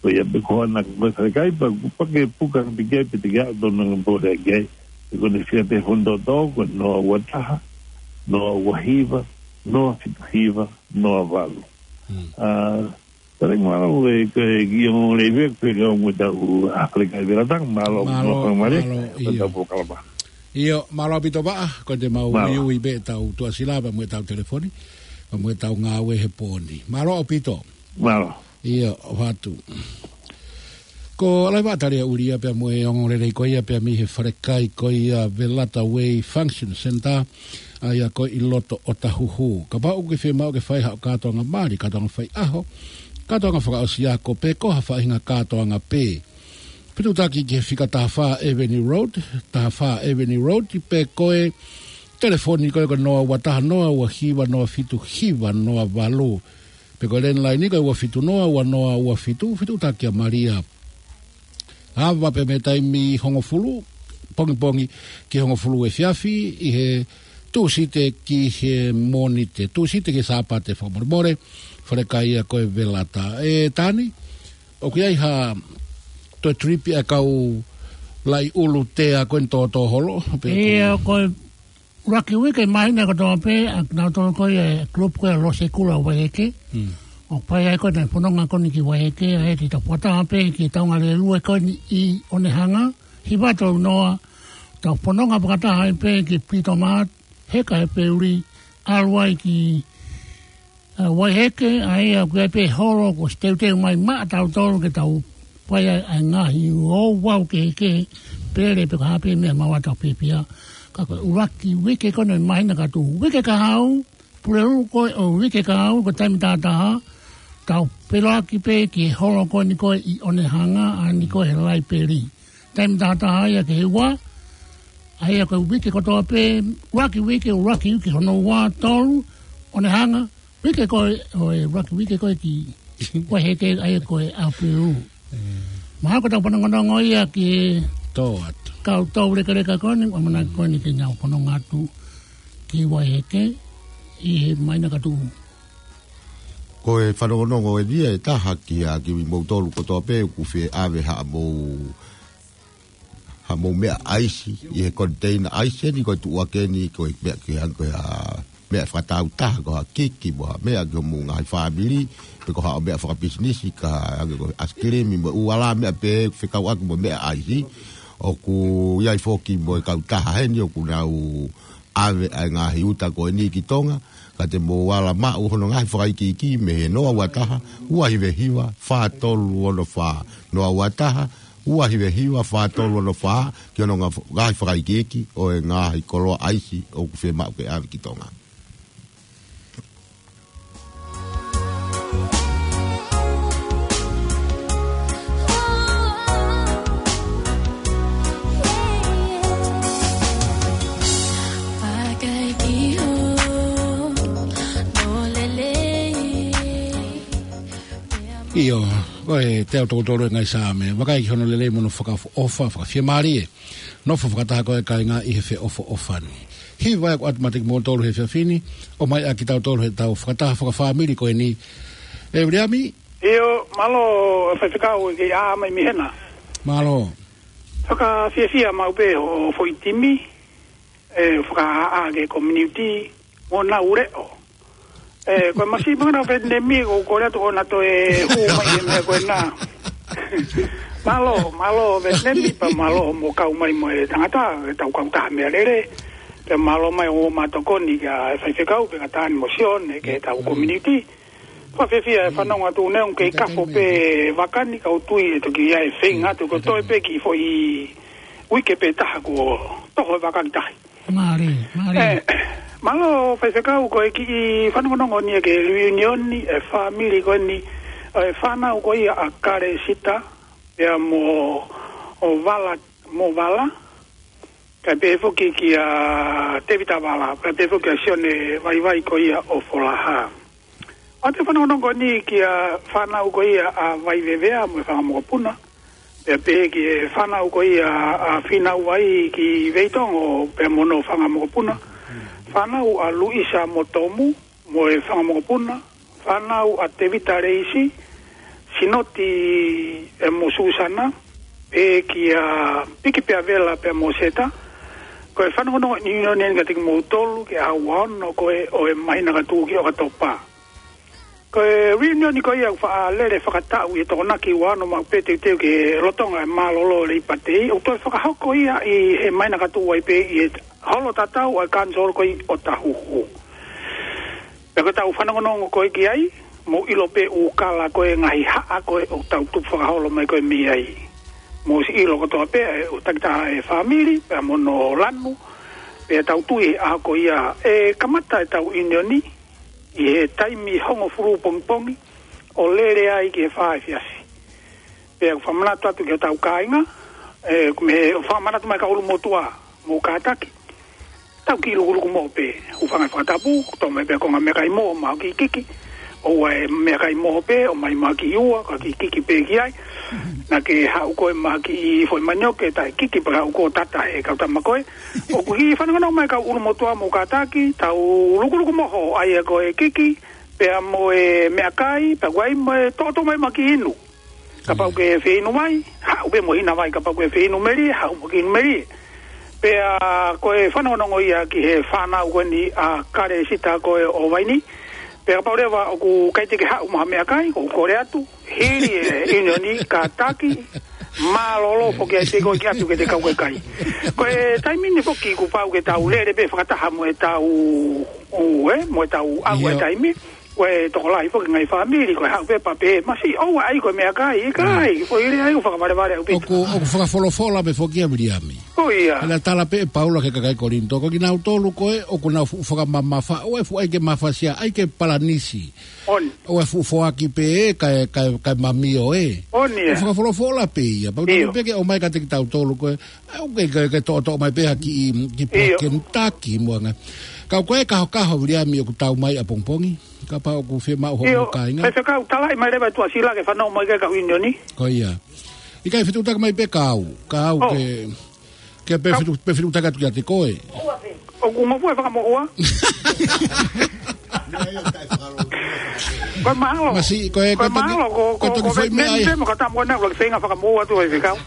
ko ia pē ko ena ko e Falekai, pea kuo pau ke puka ange pē ki ai, pe te ke aʻu tonu ange pē lea ki ai, pe ko ʻene fika telefoni tōtō, ko e noa ua taha, noa ua hiva, noa fitu hiva, noa valu. Hmm. ʻA, Tale ngā lau e, ke, ki ʻo le ve, ke ke ʻo mo tau, ʻa, Falekai Velata, mālō, mālō, mālō, mālō, mālō, ʻio. Tau polokalama. ʻIo, mālō ʻaupito Vaʻa, ko ʻete mau mālō. Uiui pē ʻetau tuʻasila, pea mo ʻetau telefoni, pea mo ʻetau ngāue he pō ni. Mālō ʻaupito. Mālō. ʻIo, ʻoatu. Ko Laiva Talia Ulia pea mo e ongoongolelei ko ia pea mei he Falekai ko ia Velata Way Function Centre, ʻa ia ko ē ʻi loto ʻo Tahuhu. Kapau ʻoku ke fiemaʻu ke fai haʻo kātoanga mali, kātoanga faiʻaho, kātoanga fakaʻosi ako, pe ko ha faʻahinga kātoanga pē. Fetuʻutaki ki he fika taha fā Avenue Road, taha fā Avenue Road, pe ko e telefoni ko ē ko e noa ua taha noa ua hiva noa fitu hiva noa valu. Pe ko e landline ko e ua fitu noa ua noa ua fitu, fetuʻutaki kia Malia. Ava pē mei he taimi hongofulu pongipongi ki he hongofulu efiafi, ʻi he Tūsite ki he Mōnite, Tūsite ki he Sāpate fakamolemole, Falekai ia ko e Velata. ʻE Tani, ʻoku ʻi ai ha toe trip ʻa e kau Laʻiulu Tea ko eni tōtō holo, pe ʻoku ʻIo, ko e ʻuluaki uike māhina kotoa pē, ʻa kinautolu ko ia e group ko ia Losekula Vaieke. Hmm. ʻOku fai ai ko ē ʻenau fononga ko eni ki Vaieke, ʻa ia te tau fakataha pē ki he taungalelue ko eni ʻi ʻOnehanga, hiva tolu noa, tau fononga fakataha ai pē ki Pito Mart, heka he feuli, ʻalu ai ki ʻa, Vaieke, ʻa ia ko e pē holo kuo ʻosi teuteu mai maʻa tautolu ke tau fai ai ʻa e ngaahi ouau kehekehe, pele pe ko e hā pē meʻa maʻa tau pēpia. Ka ko e ʻuluaki uike ko eni māhina ka tuʻu. Uike kahaʻu, Pulelulu ko ē ʻo uike kahaʻu, ko e taimi taha taha, tau feʻiloaki pē ki he holo ko eni ko ē ʻi ʻOnehanga, ʻa eni ko ē he laipeli. Taimi taha taha ia ki he ua, ʻa ia ko e uike kotoa pē, ʻuluaki uike, ʻuluaki uike hono ua, tolu, ʻOnehanga, uike ko ē, ʻo e ʻuluaki uike ko ē ki Vaieke, ʻa ia ko e ʻApilu. Mm. Mahalo ko ʻetau fanongonongo ia ki he Tō atu. Kau tau lekaleka ko eni, ʻamanaki ko eni ke nau fanongo atu ki Vaieke, ʻi he māhina ka tuʻu. Ko e fanongonongo eni ia ʻe taha kia kimoutolu kotoa pē, ʻoku fie ʻave haʻamou haʻamou meʻa ʻaisi, ʻi he koniteina ʻaisi eni ko e tuʻu ake eni ko e meʻa ki hanga ko e hā meʻa fakatāutaha ko ha kiki mo ha meʻa ki homou ngaahi fāmili, pe ko haʻo meʻa fakapisinisi ka hangē ko e ʻaisikilimi mo e ʻū ala meʻa pē fekauʻaki mo e meʻa ʻaisi, ʻoku ʻi ai foki mo e kautaha heni ʻoku nau ʻave ʻa e ngaahi uta ko eni ki Tonga, ka te mou ala maʻu hono ngaahi fakaikiiki mei he noa ua taha, ua hiva hiva, fā tolu ono fā, noa ua taha, ua hiva hiva, fā tolu ono fā, ki hono nga-, ngaahi fakaikiiki ʻo e ngaahi koloa ʻaisi ʻoku fiemaʻu ke ʻave ki Tonga. ʻIo, ko e teau tokotolu e ngaahi Saame, vakai ki hono lelei mo hono fakaʻofa, fakafiemālie. Nofo fakataha ko ē kāinga ʻi he feʻofoʻofani. Hiva ʻeku ʻoatu maʻa kimoutolu he efiafi ni, ʻomai ʻa kitautolu he tau fakataha fakafāmili ko eni. ʻE Viliami, ʻIo, mālō, Faifekau, ʻoku ke ʻā mai mei hena. Mālō. Fakafiefia maʻu pē hoʻo foʻi timi, ʻe fakaʻā ki he community, mo nau leʻo. ʻE, ko e masiʻi mangana Vetinemi, ʻoku ou kole atu ʻoua naʻa toe hū mai he meʻa ko ena. Mālō, mālō Vetinemi, pea mālō hoʻomo kau mai mo e tangata, ʻetau kautaha meʻalele. Pea mālō mai hoʻomo tokoni kia Faifekau, pea ka tani mo Sione, ki heʻetau community. Fakafiefia e fanongo atu neongo ʻoku kei kafo pē vaka ni, ka ʻoku ou tui ʻe toki ʻi ai e feinga atu, ko e toe pē kiʻi foʻi uike pē taha kuo toho e vaka ki tahi. Mālie, mālie. ʻE, mālō Faifekau, ko e kiʻi fanongonongo ni ia ki he reunion ʻa e fāmili ko eni, ʻa e fānau ko ia ʻa Kalesita, pea mo, ʻo Vala, mo Vala, kae pehē foki kia Tevita Vala, kae pehē foki kia Sione Vaivai ko ia ʻo Folaha. ʻOatu e fanongonongo ni ki he fānau ko ia ʻa Vaivevea mo e fanga mokopuna. Pea pehē ki he fānau ko ia ʻa Fīnauvai ki Veitongo pea mo hono fanga mokopuna. Fānau ʻa Luisa mo Tomu mo e fanga mokopuna. Fānau ʻa Tevita Leisi, Sinoti ʻe mo Susana, pea kia Piki pea Vela pea mo Seta. Ko e fanongonongo ni ʻunioni eni kiate kimoutolu ki he ʻaho ua ono ko ē ʻo e māhina ka tuʻu ki ʻOkatopa. Ko e reunion ko ia ʻoku faʻa lele fakataʻu ʻi he Tokonaki ua ono maʻu pē teuteu ki he lolotonga e mālōlō Leipa Tei, ʻoku toe fakahoko ia ʻi he māhina ka tuʻu ai pē ʻi he holo tatau ʻa e kanisolo ko ia ʻo Tahuhu. Pea ko ʻetau fanongonongo ko ē ki ai, mou ʻilo pē ʻū kala ko ē ngaahi haʻa ko ē ʻoku tau tupu fakaholo mai ko ē mei ai. Mou ʻosi ʻilo kotoa pē ʻa e ʻū takitaha e fāmili, pea mo hono lanu, pea tau tui he ʻaho ko ia ʻe kamata ʻetau ʻunioni, ʻi he taimi hongofulu pongipongi, ʻo lele ai ki he fā efiafi. Pea ʻoku fakamanatu atu ki hotau kāinga, ʻe, ʻoku mou fakamanatu mai kau ʻulumotuʻa, mou kātaki. Tau kiʻi lukuluku moho pē, hūfanga he fakatapu, tō mai pē ko e ngaahi meʻakai moho, maʻu kiʻi kiki. ʻOua ʻe meʻakai moho pē, ʻomai maʻu kiʻi ua, ka kiʻi kiki pē ki ai. Naʻa ke haʻu koe maʻu kiʻi foʻi manioke, taʻe kiki pē haʻu ko tata he kau tama ko ē. ʻOku kiʻi fanongonongo mai kau ʻulumotuʻa mou kātaki, tau lukuluku moho, ʻa ia ko e kiki, pea mo e meʻakai, pea ʻoku ʻi ai mo e toʻotoʻo mai maʻu kiʻi inu. Kapau ʻoku ke fie inu mai, haʻu pē mo e hina vai, kapau ʻoku ke fie inu melie, haʻu mo e kiʻi inu melie. Pea ko e fanongonongo ia ki he fānau ko eni ʻa Kalesita ko ē ʻo Vaini. Pea kapau leva ʻoku ʻikai te ke haʻu mo ha meʻakai, ʻoku ou kole atu, hili e ʻunioni kātaki, mālōlō foki ai pē koe ke ʻatu ke te kau ke kai. Ko e taimi ni foki kuo pau ke tau lele pē fakataha mo ʻetau, ʻū, ē, mo ʻetau ʻalu e taimi. Ko e tokolahi foki ngaahi fāmili, ko e haʻu pē pea pehē, masiʻi ʻoua ʻai ko e meʻakai, ʻikai, ko e lea ʻoku fakavalevale ʻaupito. ʻOku, ʻoku fakafolofola pē foki ʻa Viliami. Ko ia. Pea tala pē ʻe Paula ki he kakai Kolinitō, ko kinautolu ko ē, ʻoku nau fuʻu fakamamafa, ʻoua ʻe fuʻu ʻai ke mafasia, ʻai ke palanisi. ʻOua ʻe fuʻu foaki pē ē, kae, kae, kae mamio ē. ʻOku fakafolofola pē ia, pau tau pē ke ʻomai kiate kitautolu ko ē, ʻoku ke, ke, ke toʻotoʻo mai pē ha kiʻi, kiʻi puha Kentucky mo e ngaahi. Ka ko e kahokaho Viliami ʻoku tau mai ʻapongipongi. Kapau ʻoku fiemaʻu hoʻomo kāinga. Faifekau, talaʻi mai leva ʻe Tuʻasila ke fanongo mai ki he kau ʻunioni. Ko ia. ʻIkai fetuʻutaki mai pē kau, kau ke, ke pē fetuʻu, pē fetuʻutaki atu kiate koe. ʻOku ngofua e fakamoʻua. Ko e mahalo. Masiʻi, ko e, ko e mahalo, ko, ko e toki foʻi meʻa ia.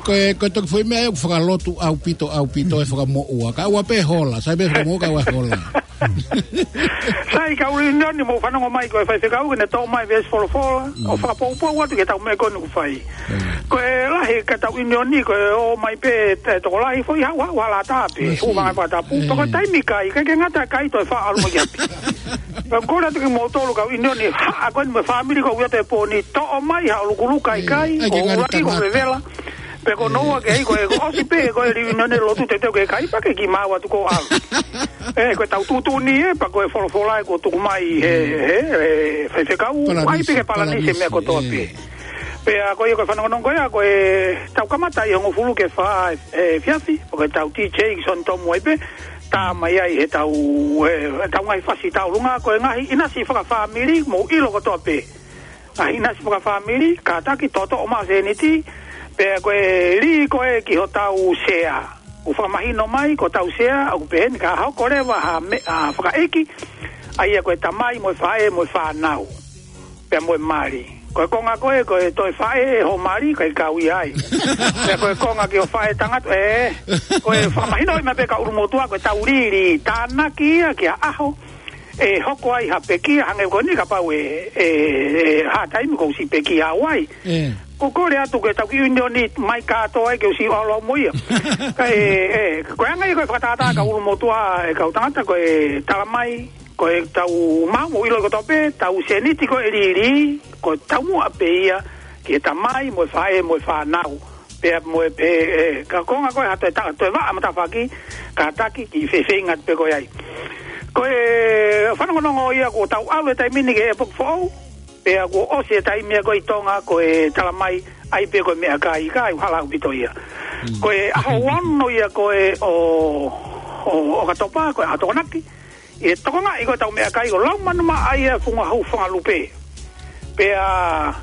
Ko e toki foʻi meʻa ia ʻoku fakalotu ʻaupito, ʻaupito e fakamoʻua. Ka ʻoua pē hola, sai pē fakamoʻua ka ʻoua hola. Sai kau ʻunioni mou fanongo mai ko e Faifekau ke ne toʻo mai veesi folofola, ʻo fakapoupou atu ki heʻetau meʻa ko eni ʻoku fai. Ko e lahi ka tau ʻunioni, ko e ō mai pē e tokolahi foʻi haʻu, haʻu hala tā pē, hūfanga he fakatapu. Pea ko e taimi kai, ʻikai ke ngata kai toe faʻa ʻalu mai ki ʻapi. Pea kole atu kimoutolu kau ʻunioni, haʻa ko eni mo e fāmili ko ia te pōni, toʻo mai haʻo lukuluku kai, ko e ʻuluaki ko e vevela. Pea ko hono ua ke ʻai ko e, ko e ʻosi pē, ko e reunion e lotu teuteu ke kai, pea ke kiʻi maʻu atu ko ʻalu. ʻE, ko e tau tuʻutuʻuni ē, pea ko e folofola ē kuo tuku mai he, he, he Faifekau, ʻai pē ke palanisi e meʻa kotoa pē. Pea ko ia ko e fanongonongo ko ia, ko e tau kamata ʻi he hongofulu ki he fā efiafi, ko e tau DJ ki Sione Tomu ai pē, tā mai ai heʻetau, ʻetau ngaahi fasi tauʻolunga, ko e ngaahi ʻinasi fakafāmili, mou ʻilo kotoa pē. Ngaahi ʻinasi fakafāmili, kātaki toʻotoʻo maʻu sēniti, pea ko e lī ko ē ki hotau sea. ʻOku fakamahino mai, ko hotau sea, ʻoku pehē ni ka hoko leva ha meʻa fakaʻeiki, ʻa ia ko e tamai mo e faʻē mo e fānau. Pea mo e mali. Ko e konga ko ē, ko e toe faʻē ho mali, ʻikai kau ia ai. Pea ko e konga ki ho faʻē tangata, ē, ko e fakamahinoʻi mai pē kau ʻulumotuʻa, ko e tau lili tānaki ia ki ha ʻaho ʻe hoko ai ha pekia, hangē ko eni kapau ʻe, ʻe, ʻe, ha taimi kuo ʻosi pekia au ai. Ē. Ko e kole atu ke tau kiʻi ʻiunioni mai kātoa ai ke ʻosi ʻalu mo ia. Ka ʻe, ē, ko e anga ia ko e fakatātā kau ʻulumotuʻa ʻe kau tangata ko e tala mai, ko e tau mau mo ʻilo kotoa pē, tau sēniti ko e lili, ko e taumuʻa pē ia, ki he tamai, mo e faʻē, mo e fānau. Pea mo e pē, ē, ka konga ko ē ha toe ta-, toe vaʻa matafaki, kātaki, kiʻi fefeinga pē ko ē ai. Ko e fanongonongo ia kuo tau ʻalu he taimi ni ki he ʻepoki foʻou, pea kuo ʻosi e taimi ia ko ē ʻi Tonga, ko e tala mai, ʻai pē ko e meʻakai, ka ʻoku hala ʻaupito ia. Mm. Ko e ʻaho ono ia ko ē ʻo, ʻo, ʻo ʻOkatopa, ko e ʻaho Tokonaki, ʻe tokongaʻi ko ē ʻetau meʻakai ʻo Laumanu Maʻa ia Funga Hau Fanga Lupe. Pea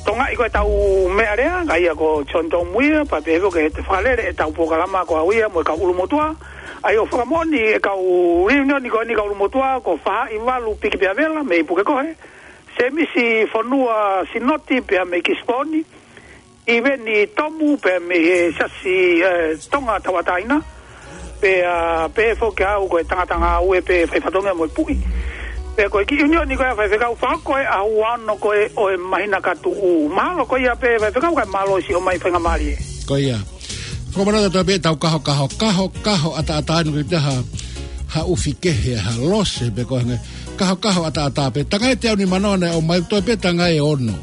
tokongaʻi ko ē ʻetau meʻalea, ka ia ko John Tomu ia, pea pehē foki ʻe fakalele ʻetau polokalama ko au ia mo e kau ʻulumotuʻa. ʻA ia ʻoku fakamoʻoni ʻe kau reunion ko eni kau ʻulumotuʻa, ko Fahaʻivalu Piki Peavela, mei Pukekohe. Semisi Fonua Sinoti, pea mei Kisiponi. ʻIveni Tomu pea mei he Siasi, ē, Tonga Tauʻatāina. Pea, pehē foki au ko e tangata ngāue pē fai fatongia mo e puʻi. Pea ko e kiʻi ʻiunioni ko ē ʻa e faifekau fakahoko e ʻaho ono ko ē ʻo e māhina ka tuʻu. Mahalo ko ia pē faifekau kae mālō siʻi ʻomai faingamālie. Ko ia. Fakamanatu atu pē ʻetau kaho, kaho, kaho, kaho ʻataʻatā ni ko e taha ha ʻufi kehe, ha lose pē ko e hangē. Kaho, kaho ʻataʻatā pē. Tangai ʻe teau nima noa naʻe ʻomai, toe pē tangai ʻe ono.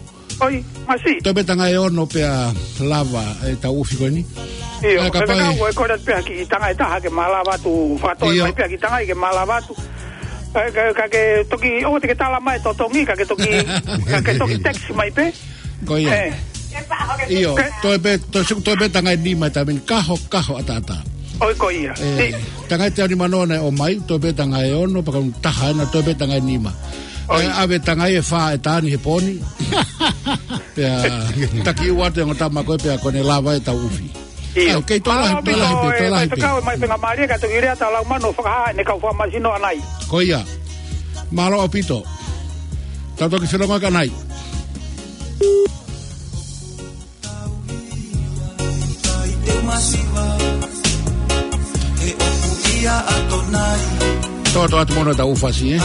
ʻOi, masiʻi. Toe pē tangai ʻe ono pea lava ʻetau ʻufi ko eni. ʻIo, ʻe, kapau ʻe fekau ʻe kole pē ha kiʻi tangai ʻe taha ke malava atu, fakatoi, ʻio, mai pē ha kiʻi tangai ke malava atu. Ē, ka, ka ke toki, ʻoua te ke tala mai totongi, ka ke toki, ka ke toki text mai pē. Ko ia. Ē. ʻIo, ē, toe pē, toe su-, toe pē tangai ʻe nima ʻi he taimi ni, kaho, kaho ʻataʻatā. ʻOi, ko ia. Ē, ni. Tangai ʻe teau nima noa naʻe ʻomai, toe pē tangai ʻe ono, pea ko e taha ena, toe pē tangai ʻe nima. ʻOi. Ē, ʻave tangai ʻe fā ʻe taha ni he pō ni. Pea taki ua atu e ongo tama ko ē pea ko ʻene lava ʻetau ʻufi. ʻIo. ʻAi, kei toe lahi, mālō toe lahi pē, ʻaupito, toe lahi pē. Faifekau mai faingamālie ka toki lea ʻa Laumanu ʻo fakahā ʻene kau fakamāsino ʻanai. Ko ia. Mālō ʻaupito. Tau toki felongoaki ʻanai. Tō, tō atu mono ʻetau ʻū fasi, ē?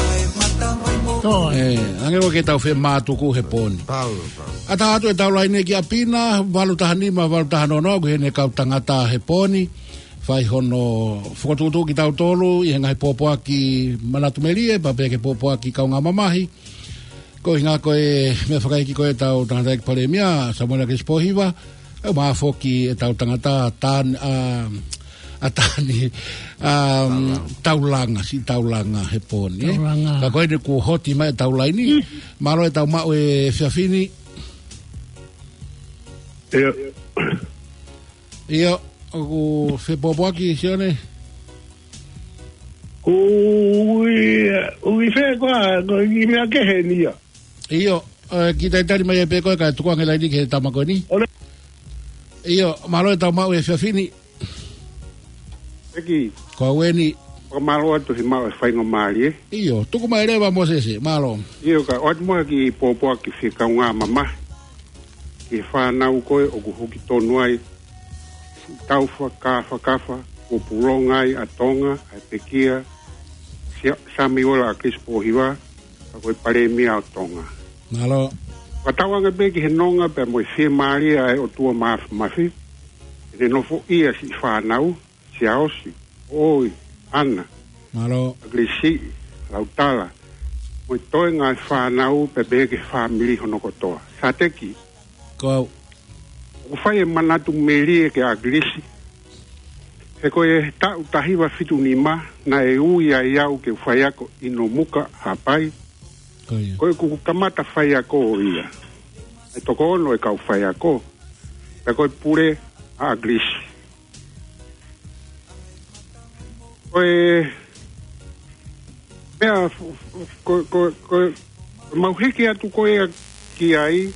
Tō. Ē, hangē ʻoku ke tau femātuku he pō ni. Pau, pau. ʻAtā atu ʻetau laine ki ʻapi na, valu taha nima, valu taha noa noa, ko ʻene kau tangata he pō ni. Fai hono fokotuʻutuʻu kitautolu, ʻi he ngaahi pōpoaki manatu melie, pea pehē ki he pōpoaki kaungā mamahi. Ko e ʻuhinga ko e meʻa fakaiki ko ē ʻetau tangataʻeiki palēmia, Samuela Akilisi Pōhiva, ʻe mafoki ʻetau tangata Tan-, ʻa, ʻa Tani, ʻa, Taulanga, siʻi Taulanga he pō ni, ē? Taulanga. Ka ko eni kuo hoti mai ʻetau laine. Mm. Mālō ʻetau maʻu e efiafi ni. ʻIo. ʻIo, ʻoku fepōpoaki, Sione? Ko e ui, ui fē koā, ko e kiʻi meʻa kehe eni ia. ʻIo, ē, kiʻi talitali mai pē koe kae tuku ange laine ki he tama ko eni. ʻOle. ʻIo, mālō ʻetau maʻu e efiafi ni. ʻEiki. Ko au eni. Fakamālō atu he maʻu e faingamālie. ʻIo, tuku mai leva Mōsese, mālō. ʻIo, kae ʻoatu muʻa ha kiʻi pōpoaki fie kaungā mamahi ki he fānau ko ē ʻoku huki tonu ai siʻi tau fakakafakafa, kuo pulonga ai ʻa Tonga, ʻa e pekia, Sia-, Samiuela Akilisi Pōhiva, ka ko e palēmia ʻo Tonga. Mālō. Fakatauange pē ki he nonga pea mo e fiemālie ʻa e ʻOtua Māfimafi, ʻene nofoʻia siʻi fānau, Siaosi, ʻOi, ʻAna, mālō. ʻAkilisi, Lautala, mo e toenga e fānau pea pehē ki he fāmili hono kotoa. Sateki. Ko au. ʻOku fai e manatu melie kia ʻAkilisi. He ko e taʻu taha hiva fitu nima, naʻe ui ai au ke u faiako ʻi Nomuka, Haʻapai. Ko ia. Ko ʻeku kamata faiako ia. ʻE toko ono e kau faiako. Pea ko e pule ʻa ʻAkilisi. Ko e meʻa fu-, fu-, ko, ko, ko, mau hiki atu ko ia ki ai,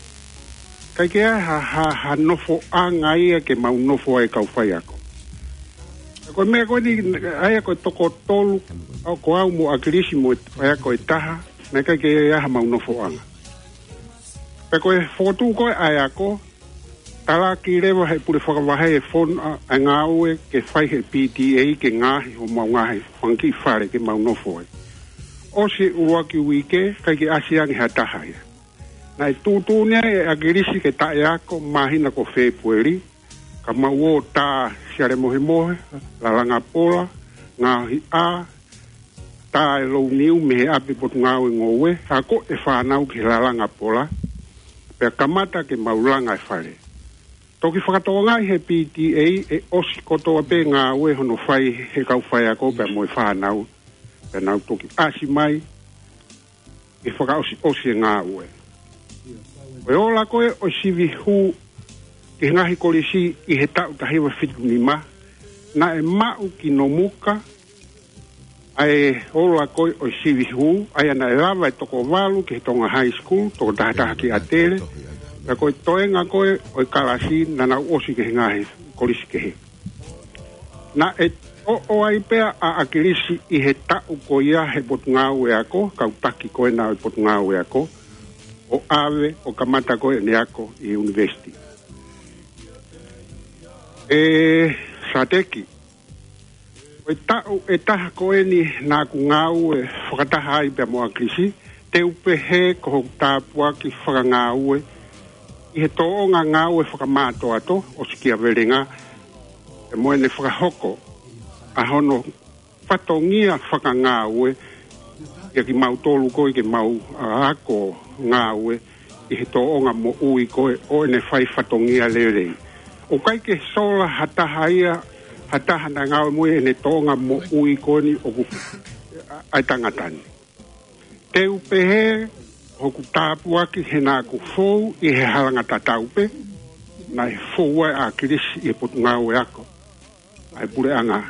ʻikai ke ʻi ai ha, ha, ha nofoʻanga ia ke mau nofo ai kau faiako. Ko e meʻa ko eni, ʻa ia ko e toko tolu, ʻa ko au mo ʻAkilisi mo e faiako ʻe taha, naʻe ʻikai ke ʻi ai ha mau nofoʻanga. Pea ko e fokotuʻu ko ē ʻa e ako, talaki leva ʻe he pule fakavahe e fono ʻa, ʻa e ngāue ke fai ʻe he P T A ke ngaohi homau ngaahi fanga kiʻi fale ke mau nofo ai. ʻOsi e ʻuluaki uike, ʻikai ke ʻasi ange ha taha ia. Naʻe tuʻutuʻuni ai ʻe ʻAkilisi ke taʻe ako māhina ko Fēpueli, ka mau ō tā siale mohemohe, lalanga pola, ngaohi ʻā, tā e louniu mei he ʻapi Potungāue Ngoue, akoʻi e fānau ki he lalanga pola, pea kamata ke mau langa e fale. Toki fakatokangaʻi ʻe he P T A ʻe ʻosi kotoa pē ngāue hono fai ʻe he kau faiako pea mo e fānau, pea nau toki ʻasi mai ke fakaʻosiʻosi e ngāue. Ko e ola ko ē ʻo e sivi hū ki he ngaahi kolisi ʻi he taʻu taha hiva fitu nima, naʻe maʻu ki Nomuka ʻa e ola ko ē ʻo e sivi hū, ʻa ia naʻe lava e toko valu ki he Tonga High School, toko taha taha ki ʻAtele, pea ko e toenga ko ē ʻo e kalasi naʻa nau ʻosi ki he ngaahi kolisi kehe. Naʻe ʻoʻo ai pē ʻa ʻAkilisi ʻi he taʻu ko ia he Potungāue Ako, kau taki ko ena ʻo e Potungāue Ako, ʻo ʻave ʻo kamata ko ē ʻene ako ʻi he university. ʻE Sāteki, ko e taʻu ʻe taha ko eni naʻa ku ngāue fakataha ai pea mo ʻAkilisi, te u pehē ko hoku tāpuaki fakangāue ʻi he tōʻonga ngāue fakamātoato ʻo Sikiavelenga, pea mo ʻene fakahoko ʻa hono fatongia fakangāue ʻia kimautolu ko ē ke mau, ʻa, ako ngāue ʻi he tōʻonga moʻui ko ē ʻo ʻene fai fatongia lelei. ʻOku ʻikai ke sola ha taha ia, ha taha naʻe ngāue mo ia ʻi heʻene tōʻonga moʻui ko eni ʻoku, ʻa, ʻa e tangata ni. Te u pehē hoku tāpuaki he naʻa ku fou ʻi he halanga tatau pē, naʻe fou ai ʻa ʻAkilisi ʻi he Potungāue Ako ʻa e puleʻanga.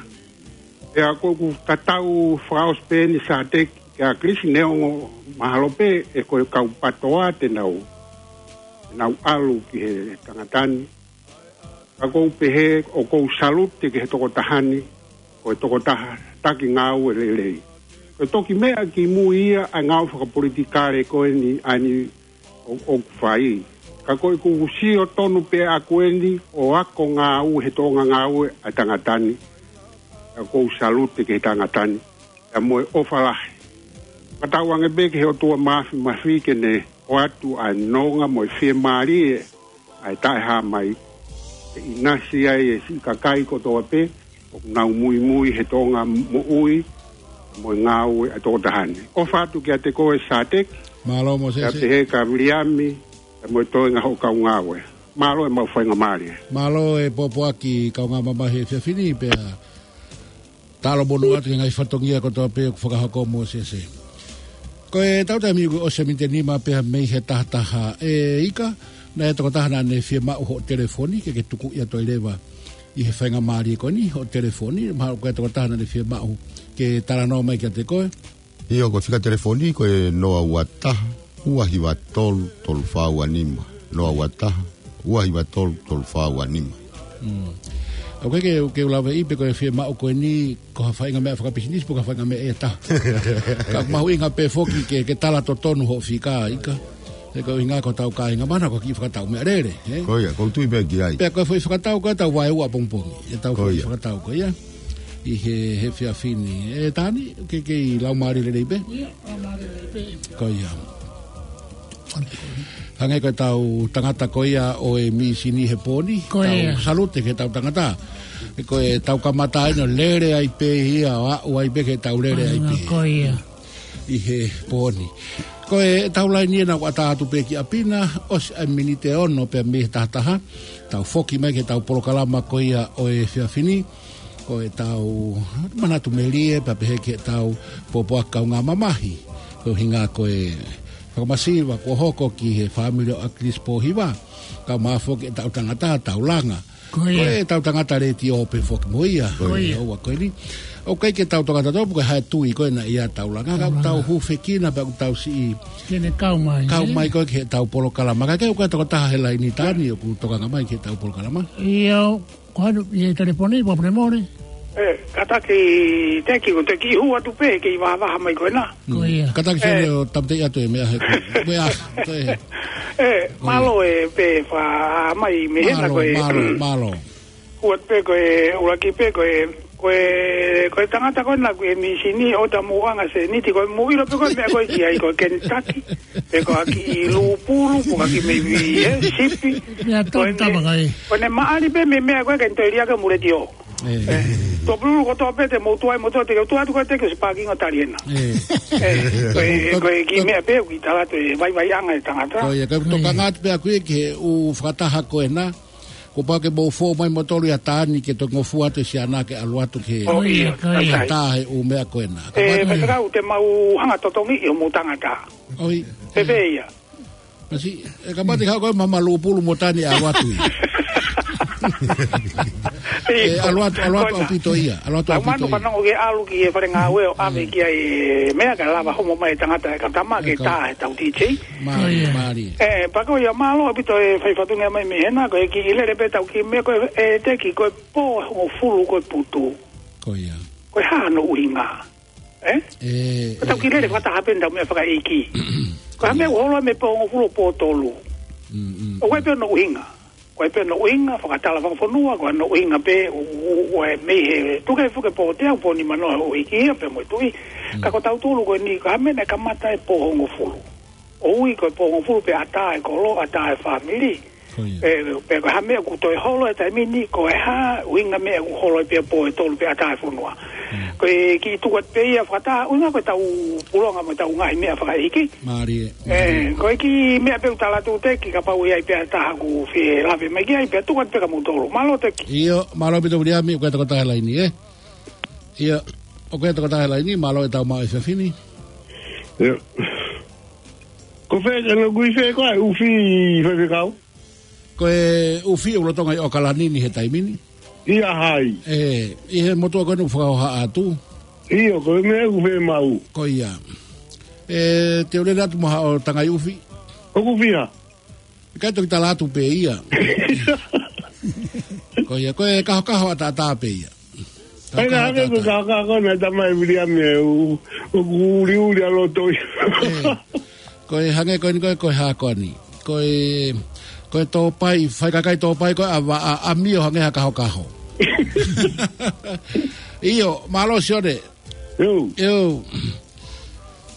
Pea ʻoku ou tatau fakaʻosi pē eni Sāteki kia ʻAkilisi, neongo mahalo pē ʻe ko e kau PATOA te nau, te nau ʻalu ki he tangata ni. Ka ʻoku ou pehē ʻoku ou salute ki he tokotaha ni, ko e tokotaha taki ngāue lelei. Ko e toki meʻa kimui ia ʻa e ngāue fakapolitikale ko eni ʻa eni ʻo, ʻoku fai. Ka ko ʻeku sio tonu pē ʻaku eni ʻo ako ngāue he tōʻonga ngāue ʻa e tangata ni. Ka ʻoku ou salute ki he tangata ni. Pea mo e ʻofa lahi. Fakatauange pē ki he ʻOtua Māfimafi ke ne ʻoatu ʻa e nonga mo e fiemālie ʻa e taʻehāmai. ʻE ʻinasi ai e siʻi kakai kotoa pē ʻoku nau muimui he tōʻonga moʻui mo e ngāue ʻa e tokotaha ni. ʻOfa atu kiate koe Sāteki. Mālō Mōsese. Kiate he ka Viliami, pea mo e toenga hoʻo kau ngāue. Mālō e mau faingamālie. Mālō e pōpoaki kaungā mamahi he efiafi ni pea talomonū atu ki he ngaahi fatongia kotoa pē ʻoku fakahoko Mōsese. Ko e tau taimi kuo ʻosi e miniti ʻe nima pea mei he taha taha ʻe Ika, naʻe tokotaha naʻa ne fiemaʻu hoʻo telefoni, ke ke tuku ia toe leva ʻi he faingamālie ko eni, hoʻo telefoni, mahalo ko e tokotaha naʻa ne fiemaʻu ke talanoa mai kiate koe. ʻIo, ko e fika telefoni, ko e noa ua taha, ua hiva tolu, tolu fā ua nima. Noa ua taha, ua hiva tolu, tolu fā ua nima. Mm. ʻOku ʻikai ke, ke u lave ʻi pe ko e fiemaʻu ko eni, ko ha faʻahinga meʻa fakapisinisi, pe ko ha faʻahinga meʻa ʻe taha. Ka ʻoku mahuʻinga pē foki ke, ke tala totonu hoʻo fika, Ika. He ko e ʻuhinga ko hotau kāinga mahalo ko e kiʻi fakatau meʻalele, ē? Ko ia, ʻoku ou tui pē ki ai. Pea ko e foʻi fakatau ko ē ʻetau vaeua pongipongi. ʻEtau Ko foʻi ia. fakatau ko ia. ʻI he, he efiafi ni. ʻE Tani, ke, ke ʻi laumālie lelei pē? ʻIo, laumālie lelei pē. Ko ia. Hangē ko ʻetau tangata ko ia ʻo e mīsini he pō ni. Ko ia. Tau salute ki heʻetau tangata. He ko ʻetau kamata ʻeni ʻo lele ai pē ia, ʻo aʻu ai pē ki heʻetau lele ai pē. Ko ia. ʻI he pō ni. Ko ʻetau laini ʻe nau ʻatā atu pē ki ʻapi na, ʻosi ʻa e miniti ʻe ono pea mei he taha taha, tau foki mai ki heʻetau polokalama ko ia ʻo e efiafi ni, ko ʻetau manatu melie pea pehē ki heʻetau pōpoaki kaungā mamahi, ko e ʻuhinga ko e fakamasiva kuo hoko ki he fāmili ʻo ʻAkilisi Pōhiva, kae ʻumaʻā foki ʻetau tangata, tau langa. Ko ia. Ko ʻetau tangata letiō pē foki mo ia. Ko ia. ʻOua ko eni. ʻOku ʻikai ke tau tokanga tautolu pe ko e hā e tui ko ē naʻe ʻi ai ʻetau langa. Ka ʻoku tau hūfekina pea ʻoku tau siʻi Ke ne kau mai, kau ē? mai ko ē ki heʻetau polokalama. Ka ʻoku ʻikai ko e tokotaha he laini Tani ʻoku tokanga mai ki heʻetau polokalama. ʻIo, ko hanu ʻi he telefoni, pea pule mole. ʻE, kātaki Teki, ko Teki hū atu pē, kei vahavaha mai ko ena. Ko ia. Kātaki Fele ʻo tāmateʻi atu e meʻa he ko e, ko e, ʻE, mālō e pē fa mai mei hena. Mālō, ko e mālō, mālō. Kuat pē ko e, ʻuluaki pē ko e, ko e, ko e tangata ko ena ko e mīsini ʻo tamuʻanga sēniti, ko e mui ʻilo pē ko e meʻa ko e ki ai ko e Kentucky, pe ko e kiʻi lūpulu, ko e kiʻi mei vi, ʻe, sipi. Ia, ko e tau ne, tama kai. Ko e ne maʻali pē mei meʻa ko e Kentucky lia ke muleti o. ʻE. Tuʻapululu kotoa pē te mou tuai mo te ke tuai atu ko e te ke se pākinga tali ena. ʻE. ʻE, ko e, ko e kiʻi meʻa pē ʻoku ʻi tala atu e vaivaiʻanga e tangata. Ko ia, ka tokanga atu pē ʻaku ia ki he ʻū fakataha ko ena. Kuo pau ke mou fou mai moutolu ia Taani ke toki ngofua atu e siana ke ʻalu atu ke ʻo ia, ko ia. Ka tā he ʻū meʻa ko ena. Ka ʻe, pea te kau te mau hanga totongi ʻi homou tangata. ʻOi. Pē pē ia. Masi, ʻe ka mate kau ko e mama lūpulu mo Taani ʻalu atu ia. ʻE, ʻalu atu, ʻalu atu ʻaupito ia. ʻAlu atu ʻaupito ia. Lau manu fanongo ke ʻalu ki he fale ngāue ʻo ʻave ki ai e meʻa ka lava homo mai e tangata e ka tama ke tā he tau D J. Mālie, mālie. ʻE, pea ko ia mālō ʻaupito e fai fatongia mai mei hena, ko e kiʻi lele pē tau kiʻi meʻa ko e, ʻe, teki, ko e pō hongofulu ko e putu. Ko ia. Ko e hā hono ʻuhinga. ʻE? ʻE, ko tau kiʻi lele fakataha pē tau meʻa fakaʻeiki. Ko e hā e meʻa ʻoku holo mei he pō hongofulu ʻo pō tolu. Mm, mm. ʻOku ʻi ai pē hono ʻuhinga. Ko e pē hono ʻuhinga, fakatala fakafonua, ko hono ʻuhinga pē, ʻo, ʻo, ʻo e mei he, tuku ke fuke pō teau pō nimanoa ʻo ʻeiki ia pē mo e tuʻi. Mm. Ka ko tautolu ko eni, ko e hā e meʻa naʻe kamata e pō hongofulu. ʻOku ui ko e pō hongofulu pē ʻatā e kolo, ʻatā e fāmili. Ko ia. ʻE, pea ko e hā e meʻa ʻoku toe holo he taimi ni, ko e hā ʻuhinga meʻa ʻoku holo pē pō ʻe tolu pē ʻatā e fonua. Mm. Ko e kiʻi tuku atu pē ia fakataha, ʻuhinga ko e tau pulonga mo e tau ngaahi meʻa fakaʻeiki. Mālie. ʻE, ko e kiʻi meʻa pē ʻoku tala atu teki kapau ʻe ʻi ai pē ha taha ʻoku fie lave mai ki ai pea tuku atu pē kia moutolu. Mālō teki. ʻIo, mālō ʻaupito Viliami, ʻoku ʻi ai e tokotaha he laini, ʻe? ʻIo, ʻoku ʻi ai e tokotaha he laini, mālō e tau maʻu e efiafi ni. ʻIo. Ko fē, ʻa e ʻuhinga ko e ʻufi faifekau? Ko e ʻufi ʻoku lolotonga ʻi ʻAokalani ni he taimi ni. ʻIa hai? ʻE, ʻi he motuʻa ko ena ʻoku fakahoha atu. ʻIo, ko e meʻa ʻoku fiemaʻu. Ko ia. ʻE, te u lele atu mo haʻo tangai ʻufi. ʻOku fiha? ʻIkai, toki tala atu pē ia. Ko ia, ko e kahokaho ʻataʻatā pē ia. ʻAi, na hake ko e kahokaho ko ena, tamai Viliami, ʻoku, ʻoku uliuli ʻa loto ia. ʻE, ko e hangē ko eni ko e, ko e hā ko eni. Ko e, ko e tōpai, fai kakai tōpai ko e ʻa va-, ʻa, ʻamio hangē ha kahokaho. ʻIo, mālō Sione. ʻIo. ʻIo.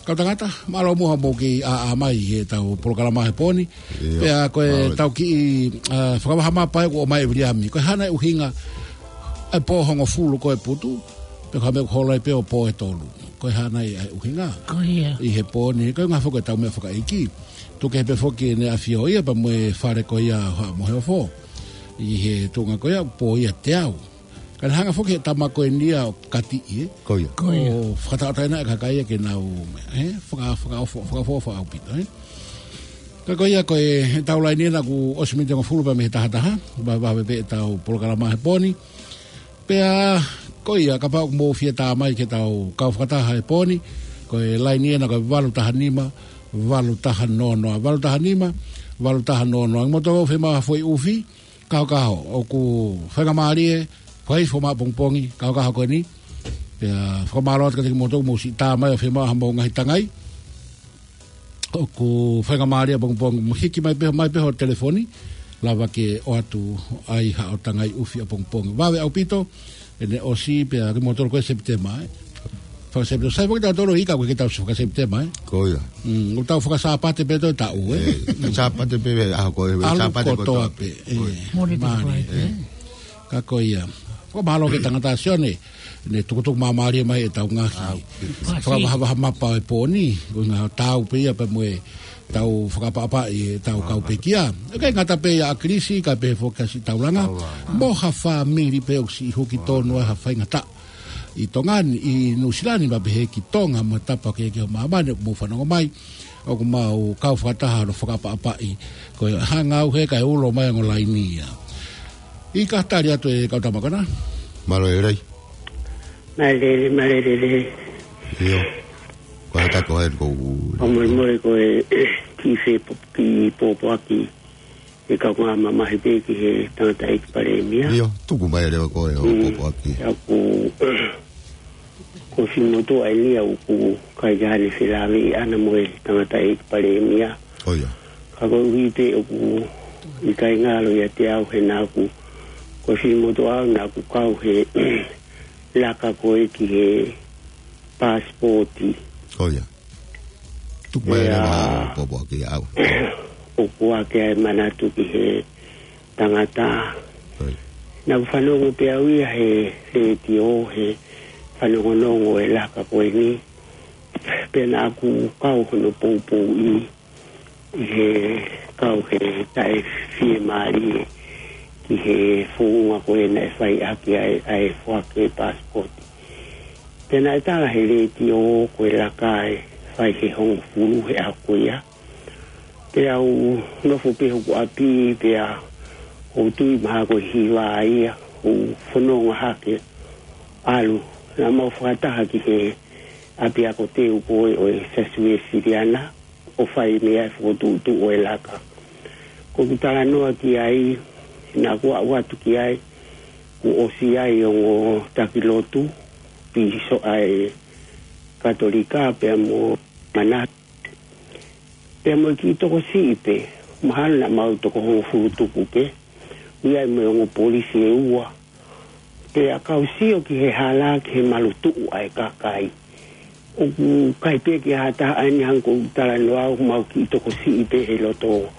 Kau tangata, mālō muʻa hoʻomou kiʻi ʻā, ʻā mai he tau polokalama he pō ni. ʻIo. Pea ko e tau kiʻi, ʻa, fakavaha mapa ʻoku ʻomai ʻe Viliami. Ko e hā nai e ʻuhinga e pō hongofulu ko e putu, pea ko e hā e meʻa ʻoku holo ai pē ʻo pō ʻe tolu. Ko e hā nai e ʻuhinga. Ko ia. ʻI he pō ni, ko e ngaahi foʻi ko e tau meʻa fakaʻeiki. Tuku kehe pē foki ʻene ʻafio ia pea mo e fale ko ia ʻo Haʻa Moheofo. ʻI he tuʻunga ko ia, pō ia teau. Ka ne hanga foki he tama ko eni ia ʻo kati ʻi he. Ko ia. Ko ia. ʻO fakataʻotaʻoina e kakai ia ke nau, ʻe, faka-, fakaofo, fakaofo, fakaʻaupito, ʻe. Ka ko ia ko e, he tau laini ena kuo ʻosi miniti hongofulu pē mei he taha taha, vave, vave pē ʻetau polokalama he pō ni. Pea, ko ia, kapau ʻoku mou fie tā mai ki he tau kau fakataha he pō ni, ko e laini ena ko e valu taha nima, valu taha noa noa, valu taha nima, valu taha noa noa. Mo tau fiemaʻu ha foʻi ʻufi, kahokaho, ʻoku faingamālie, fai fo maʻa pongipongi, kahokaho ko eni. Pea fakamālō atu kiate kimoutolu ʻoku mou siʻi tā mai ʻo fiemaʻu haʻamou ngaahi tangai. ʻOku faingamālie pongipongi, mo hiki mai pē, mai pē ho telefoni, lava ke ʻoatu ai haʻo tangai ʻufi ʻa pongipongi. Vave ʻaupito, ʻene ʻosi pea kimoutolu ko e Sepitema, ʻe. Faka-Sepitema, sai foki tautolu ʻi ka ko e ke tau faka-Sepitema, ʻe. Ko ia. Mm, ʻoku tau faka-Sāpate pē toe taʻu, ʻe. ʻE, Sāpate pē, ʻaho ko e, ʻalu Sāpate kotoa kotoa pē, ʻe. Ko ia. Monday to Mālie, Friday, ʻe. Ka ko ia. Fakamālō ki he tangata Sione, ne tukutuku māmālie mai ʻetau ngaahi. ʻAu. Fakavaha, vaha mapa e pō ni, ko e ngaahi tau pē ia pea mo e tau fakaʻapaʻapaʻi ʻetau kau pekia. ʻIkai ngata pē ia ʻa Kilisi, ka pehē foki ʻa Siʻitaulanga. Taulanga. Mo ha fāmili pē ʻoku siʻi huki tonu ai ha faingataʻa. ʻI Tonga ni, ʻi Nuʻusila ni, pea pehē ki Tonga, mo e tapa kehekehe ʻo māmani, ʻoku mou fanongo mai. ʻOku mau kau fakataha hono fakaʻapaʻapaʻi. Ko e hanga au he kae ulo mai ongo laini ia. ʻIkai, tali atu e kau tama ko ena. Mālō e lelei. Mālō e lelei, mālō e lelei. ʻIo. Ko e hā e taha ko ē ʻoku ou. Ko e molemole ko e kiʻi fe po-, kiʻi pōpoaki. ʻE kau ngā mamahi pē ki he tangataʻeiki palēmia. ʻIo, tuku mai leva ko e hoʻo pōpoaki. ʻA ia ko, ko Simoto ai nia ʻoku ʻikai ke ne felāveʻi ʻana mo e tangataʻeiki palēmia. ʻO ia. Ka koeʻuhi pē ʻoku ʻikai ngalo ʻiate au he naʻa ku, ko e finemotuʻa au naʻa ku kau he laka ko ē ki he paasipooti. ʻIo. Tuku mai leva ʻa e pōpoaki ʻaʻau. ʻOku ʻi ai e manatu ki he tangata. ʻIo. Naʻa ku fanongo pē au ia he letiō he fanongonongo e laka ko eni. Pea naʻa ku kau hono poupouʻi ʻi he kau he taʻefiemālie ki he founga ko ē naʻe fai ʻaki ʻa e, ʻa e foaki e paasipooti. Pea naʻe tala he letiō ko e laka ʻe fai he hongofulu he ʻaho ko ia. Pea u nofo pē hoku ʻapi pea u tui mahalo ko e hiva ia, u fononga hake ʻalu. Naʻa mau fakataha ki he ʻapiako teu ko ē ʻo e Siasi Uēsiliana ʻo fai mei ai e fokotuʻutuʻu ʻo e laka. Ko ʻeku talanoa ki ai, naʻa ku aʻu atu ki ai, kuo ʻosi ʻi ai e ongo taki lotu, pīsope ʻa e Katolika pea mo e manatu. Pea mo e kiʻi tokosiʻi pē, mahalo naʻa mau toko hongofulu tupu pē, ʻi ai mo e ongo polisi ʻe ua. Pea kau sio ki he hala ki he malu tuʻu ʻa e kakai. ʻOku ʻikai pē ke ʻi ai ha taha ʻaeni hangē ko ʻeku talanoa ʻoku mau kiʻi tokosiʻi pē he loto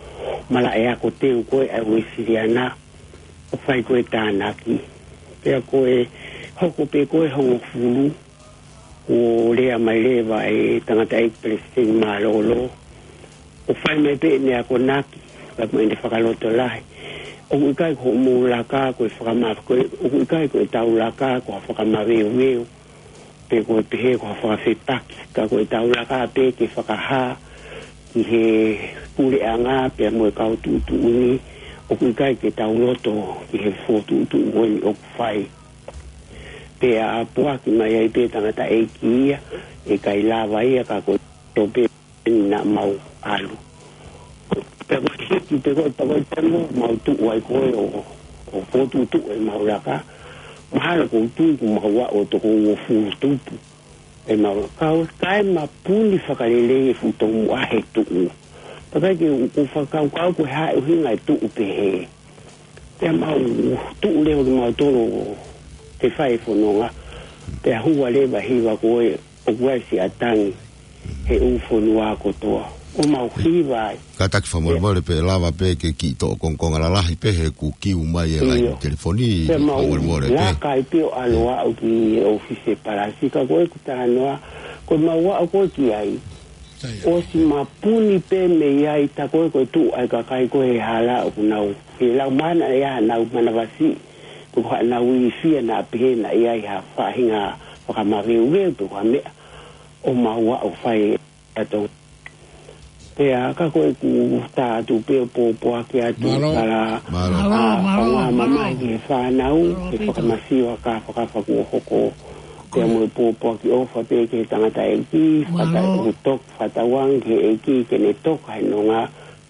malaʻe ako teu ko ē ʻa e Uēsiliana ʻo fai ko ē tānaki. Pea ko e hoko pē ko ē hongofulu, kuo lea mai leva e tangataʻeiki Palesiteni Mālōlō ʻo fai mai pē ʻene akonaki, pea mo ʻene fakalotolahi. ʻOku ʻikai ko hoʻomou laka ko e fakama-, ko e, ʻoku ʻikai ko ʻetau laka ko ha fakamaveuveu, pe ko e pehē ko ha fakafepaki, ka ko ʻetau laka pē ke fakahā ki he puleʻanga pea mo e kau tuʻutuʻuni, ʻoku ʻikai ke tau loto ki he fokotuʻutuʻu ko eni ʻoku fai. Pea poaki mai ai pē tangataʻeiki ia, ʻe ʻikai lava ia ka ko e tope naʻa mau ʻalu. Pea ko e hiki pē ko e tau ai pē mo mau tuʻu ai ko ē ʻo, ʻo fokotuʻutuʻu ʻemau laka. Mahalo ʻoku ou tui kuo mau aʻu ʻo toko uofulu tupu ʻemau laka. Ka ʻoku ʻikai mapuni fakalelei e fuʻu tomuʻa he tuʻu. Pea ʻikai ke u, u fakakaukau ko e hā e ʻuhinga e tuʻu pehē. Pea mau tuʻu leva kimautolu ke fai e fononga. Pea hua leva hiva ko ē ʻoku ʻi ai e siʻa tangi he ʻū fonua kotoa. ʻO mau hiva ai. Kātaki fakamolemole pē, lava pē ke kiʻi toʻo kongokonga lalahi pē he kuo kiu mai e laini telefoni. Pea mau fakamolemole pē. Laka ai pē ʻo ʻalu aʻu ki he ʻōfisi e palasi, ka ko ʻeku talanoa, ko ʻemau aʻu ko ē ki ai, ʻosi mapuni pē mei ai, tā ko ē ko e tuʻu ʻa e kakai ko ē he hala ʻoku nau, he lau mana ʻe ʻa nau manavasiʻi, pe ko haʻanau ilifia naʻa pehē naʻe ʻi ai ha faʻahinga fakamaveuveu pe ko ha meʻa, ʻo mau aʻu ʻo fai atu. Pea ka ko ʻeku tā atu pē ʻo pōpoaki atu. Mālō. Tala, mālō. Mālō, ʻa, mālō, ʻa mālō. Mamahi ki he fānau, mālō, he ʻaupito. Fakamasiva ka fakafakua hoko. Pea mo e pōpoaki ʻofa pē ki he tangataʻeiki, mālō. Fakata-, ʻoku toka, fakatauange ki he ʻEiki ke ne toka he nonga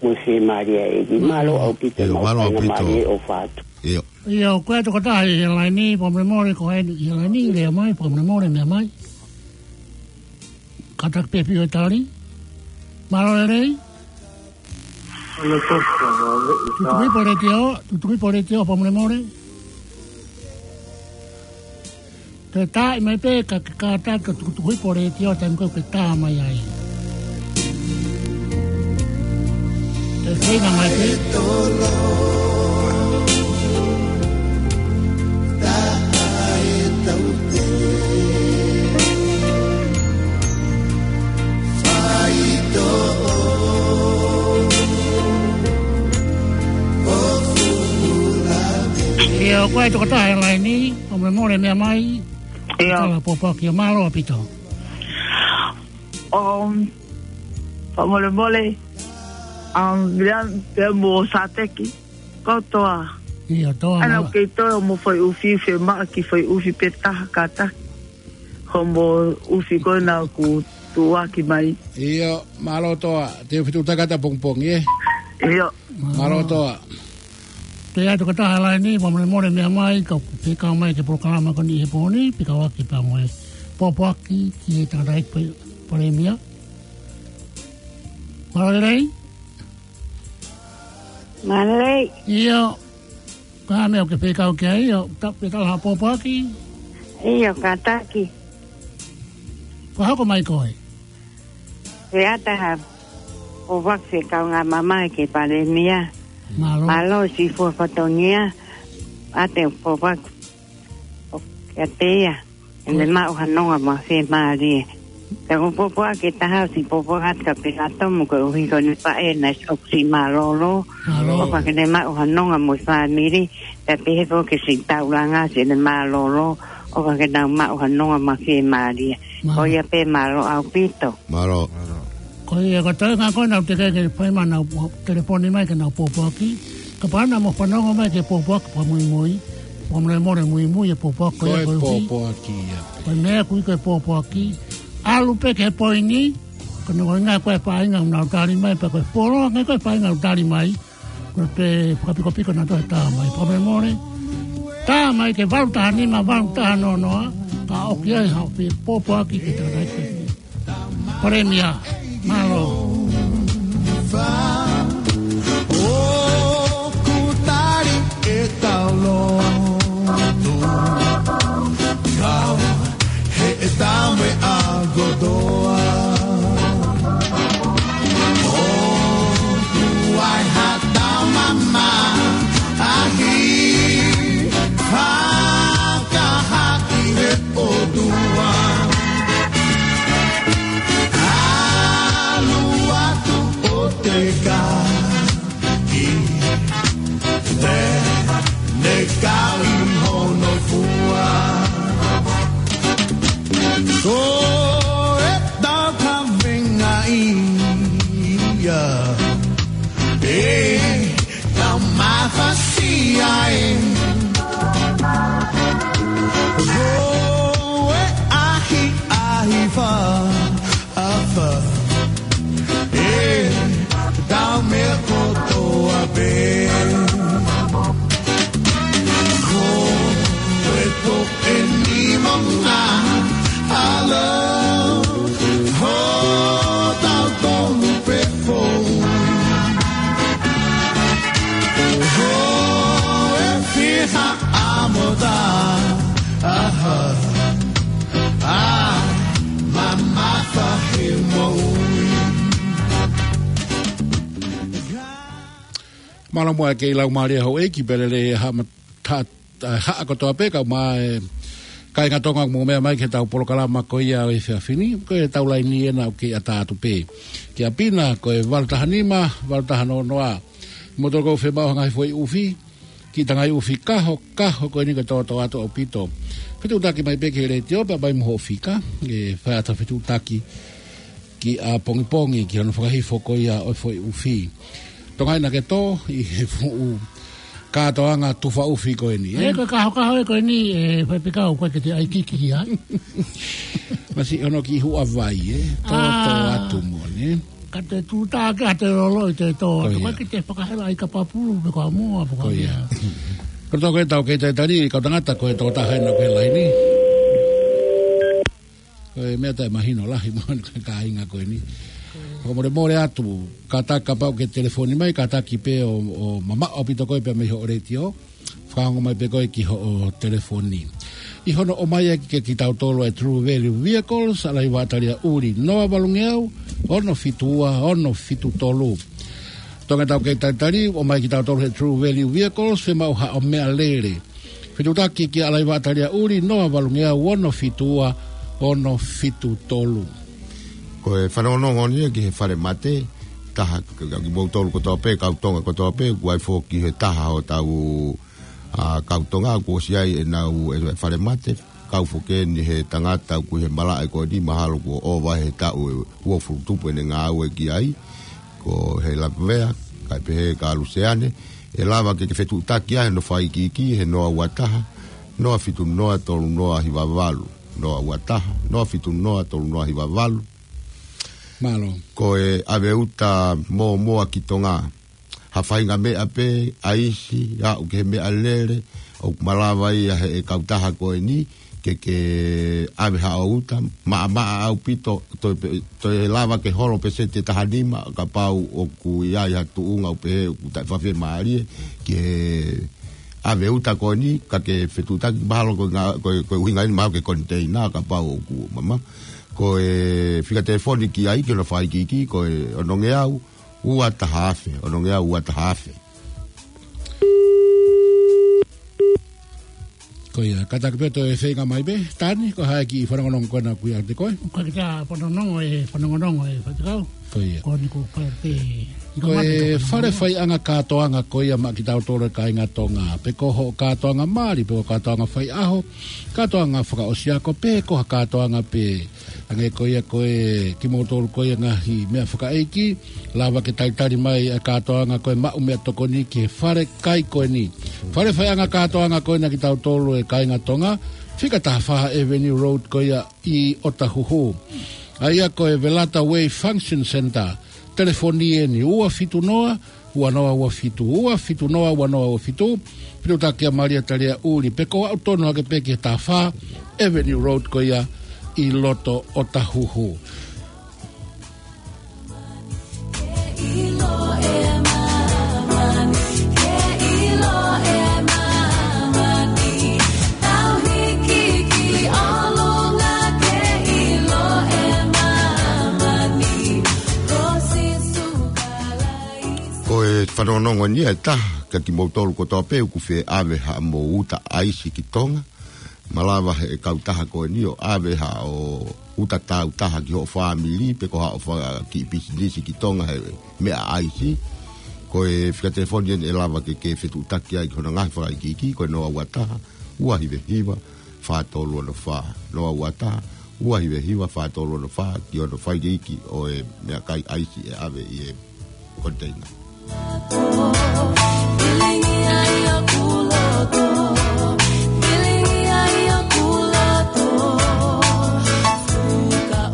mo e fiemālie ʻa e ʻEiki. Mālō. Mālō ʻaupito. ʻIo, mau mālō faingamālie ʻaupito. ʻOfa atu. ʻIo. ʻIo, ko e tokotaha ʻi he laini, fakamolemole, ko eni ʻi he laini, lea mai, fakamolemole, meʻa mai. Kātaki pē pio e tali. Mālō e lelei. Mālō e lelei. Tutuku hifo e letiō, tutuku hifo e letiō, fakamolemole. Toe tā mai pē ka, ka, ka, ka tukutuku hifo e letiō, taimi ko ē ke tā mai ai. Toe feinga mai pē. ʻIo, ko e tokotaha ʻi he laini, fakamolemole, meʻa mai. ʻIo. Tala pōpoaki, mālō ʻaupito. Um, fakamolemole, um, Viliami pea mo Sāteki, kau Toa. ʻIo, Toa. Ana mālō. Kei toe mo fai ʻufi, fiemaʻu ke fai ʻufi pē taha kātaki. Ko mo ʻufi ko ē naʻa ku tuʻuaki mai. ʻIo, mālō Toa, te u fetuʻutaki atu ʻapongipongi, ē? ʻIo. Mālō Toa. Toe ʻi ai e tokotaha ʻi he laini, fakamolemole, meʻa mai, kau, fekau mai ki he polokalama ko eni he pō ni, fekauʻaki pea mo e pōpoaki ki he tangataʻeiki Palēmia. Mālō e lelei. Mālō. ʻIo. Ko e hā e meʻa ʻoku ke fekau ki ai, ʻio, ta-, pe tala ha pōpoaki? ʻIo, kātaki. Ko e hā, hoko mai koe. Pea ʻatā ha pōpoaki fekau ngā mamae ki he Palēmia. Mālō. Mālō siʻi fua fatongia. ʻAtā e pōpoaki ʻoku ʻiate ia. ʻEne maʻu ha nonga mo ha fiemālie. Pea ko e pōpoaki ʻe taha ʻoku ou pōpoaki atu kia Pilatomu koeʻuhi ko ʻene faʻē naʻe ʻosi mālōlō. Mālō. ʻOfa ke ne maʻu ha nonga mo e fāmili. Pea pehē foki ki he siʻi taulanga siʻene mālōlō. ʻOfa ke nau maʻu ha nonga mo ha fiemālie. Mālō. Ko ia pē, mālō ʻaupito. Mālō. Ko ia ko e toenga ko ē naʻa ku teʻeki ke fai mai, nau telefoni mai ke nau pōpoaki. Kapau naʻa mou fanongo mai ki he pōpoaki fakamuimui, fakamolemole muimui e pōpoaki ko ia koeʻuhi. Ko e pōpoaki ia. Ko e meʻa ʻoku ui ko e pōpoaki. ʻAlu pē ki he poini, ko hono ʻuhinga ko e faʻahinga ʻoku nau tali mai, pea ko e fuoloa ange ko e faʻahinga ʻoku tali mai. Ko e pē fakapikopiko naʻa toe tā mai. Fakamolemole. Tā mai ki he valu taha nima, valu taha noa noa, ka ʻoku ʻi ai haʻo pōpoaki ke tā mai ki he Palēmia. Mālō. ʻOku tali ʻetau lotu. Kau he ʻetau meʻa kotoa. ʻOku ʻi ai haʻatau mamahi fakahā ki he ʻOtua. ʻAlu atu ʻo teka ki te ne kau ʻi hono fua. Ko ʻetau kavenga ia, ʻe tau mafasia ē. Ko e ʻahiʻahi fa afa. ʻE tau meʻa kotoa pē. Ko e toʻe ni mo ngā ʻalo. Hotau tonu pē foʻi. Ko e fiha ʻa mota. Aha. ʻA, mamafa he moʻui. Mālō muʻa e kei laumālie houʻeiki pea lelei e haʻa ma-, ta-, ta-, haʻa kotoa pē kae ʻumaʻā e kāinga Tonga ʻoku mou meʻa mai ki heʻetau polokalama ko ia ʻo e efiafi ni, ko ʻetau laini ena ʻoku kei ʻatā atu pē. Kia Pina, ko e valu taha nima, valu taha noa noa. Mou toki fiemaʻu ha ngaahi foʻi ʻufi, kiʻi tangai ʻufi kaho, kaho ko eni ke tōtōatu ʻaupito. Fetuʻutaki mai pē ki he letiō, pea mai mo hoʻo fika, ʻe fai atu ha fetuʻutaki ki ʻapongipongi, ki hono fakahifo ko ia ʻo e foʻi ʻufi. Tonga ina ke tō, ʻi he fuʻu kātoanga tufa ʻufi ko eni, ē? ʻE, ko e kaho, kaho ē ko eni, ʻe, faifekau, ko e ke te ʻai kiki ai. Masi hono kiʻi huʻa vai, ē? Tō, tō atu mo, nē? Ka te tūtā ke ʻa te lolo ʻi te tō. Ko ia. Ko e ke te fakahela ʻi ka papulu, pe ko a mua, pe ko ia. Ko ia. Ko e tō ko e tau kei talitali, kau tangata ko e tō taha ena ko e laini. Ko e meʻa taʻemahino lahi mo e kāinga ko eni. Fakamolemole atu, kātaki kapau ke telefoni mai, kātaki pē ʻo, ʻo mamaʻo ʻaupito koe pea mei hoʻo letiō. Fakaongo mai pē koe ki hoʻo telefoni. ʻI hono ʻomai ʻaki kia kitautolu e True Value Vehicles, ʻa Laiva ʻAtalia ʻUli, noa valungeau, ono fitu ua, ono fitu tolu. Tonga tau kei talitali, ʻomai kitautolu he True Value Vehicles, fiemaʻu haʻo meʻalele. Fetuʻutaki kia Laiva ʻAtalia ʻUli, noa valungeau, ono fitu ua, ono fitu tolu. Ko e fanongonongo ni ki he fale mate, taha, kimoutolu kotoa pē, kau Tonga kotoa pē, kuo ʻi ai foki he taha hotau ʻa, kau Tonga, kuo ʻosi ʻi ai ʻenau, e fale mate, kau foki eni he tangata ʻoku ʻi he malaʻe ko eni, mahalo kuo ʻova he taʻu ʻe uofulu tupu ʻene ngāue ki ai, ko Heilavea, kae pehē kia Luseane, ʻe lava ke ke fetuʻutaki ai hono fakaikiiki, he noa ua taha, noa fitu noa tolu noa hiva valu, noa ua taha, noa fitu noa tolu noa hiva valu. Mālō. Ko e ʻave uta mōmoa ki Tonga. Ha faʻahinga meʻa pē, ʻaisi, aʻu ki he meʻalele, ʻoku malava ia he kautaha ko eni, ke ke ʻave haʻo uta, maʻamaʻa ʻaupito, toe pe-, toe lava ke holo peseti ʻe taha nima, kapau ʻoku ʻi ai ha tuʻunga ʻoku pehē ʻoku taʻe fafiemālie, ke ʻave uta ko eni, ka ke fetuʻutaki mahalo ko e ngā-, ko e, ko e ʻuhinga eni mahalo ki he koniteina, kapau ʻoku mama. Ko e fika telefoni ki ai, ki hono fakaikiiki, ko e onongeau, ua taha afe, onongeau, ua taha afe. Ko ia, kātaki pē toe feinga mai pē, Tani, ko e hā e kiʻi fanongonongo ko ena ʻoku ʻiate koe? Ko e kiʻi fanongonongo ē, fanongonongo ē, faifekau. Ko ia. Ko eni ko e fale pē, Ko e fale faiʻanga kātoanga ko ia maʻa kitautolu e kāinga Tonga. Pe ko hoʻo kātoanga mali, pe ko e kātoanga faiʻaho, kātoanga fakaʻosiako, pe ko ha kātoanga pē. Hangē ko ia ko e kimoutolu ko ia ngaahi meʻa fakaʻeiki, lava ke talitali mai e kātoanga ko e maʻu meʻatokoni ki he fale kai ko eni. Fale faiʻanga kātoanga ko ena kitautolu e kāinga Tonga, fika taha fā Avenue Road ko ia ʻi ʻOtahuhu. ʻA ia ko e Velata Way Function Centre, telefoni eni ua fitu noa, ua noa ua fitu, ua fitu noa, ua noa ua fitu, fetuʻutaki kia Malia Talia ʻUli, pe ko e aʻu tonu hake pē ki he taha fā Avenue Road ko ia ʻi loto ʻOtahuhu. Ko e fanongonongo eni ʻe taha, kia kimoutolu kotoa pē ʻoku fie ʻave haʻamou uta ʻaisi ki Tonga. Malava ʻe he kautaha ko eni ʻo ʻave haʻo uta tāutaha ki hoʻo fāmili, pe ko haʻo faka-, kiʻi pisinisi ki Tonga he meʻa ʻaisi. Ko e fika telefoni eni ʻe lava ke ke fetuʻutaki ai ki hono ngaahi fakaikiiki, ko e noa ua taha, ua hiva hiva, fā tolu ono fā. Noa ua taha, ua hiva hiva, fā tolu ono fā, ki hono fakaikiiki ʻo e meʻakai ʻaisi ʻe ʻave ʻi he koniteina.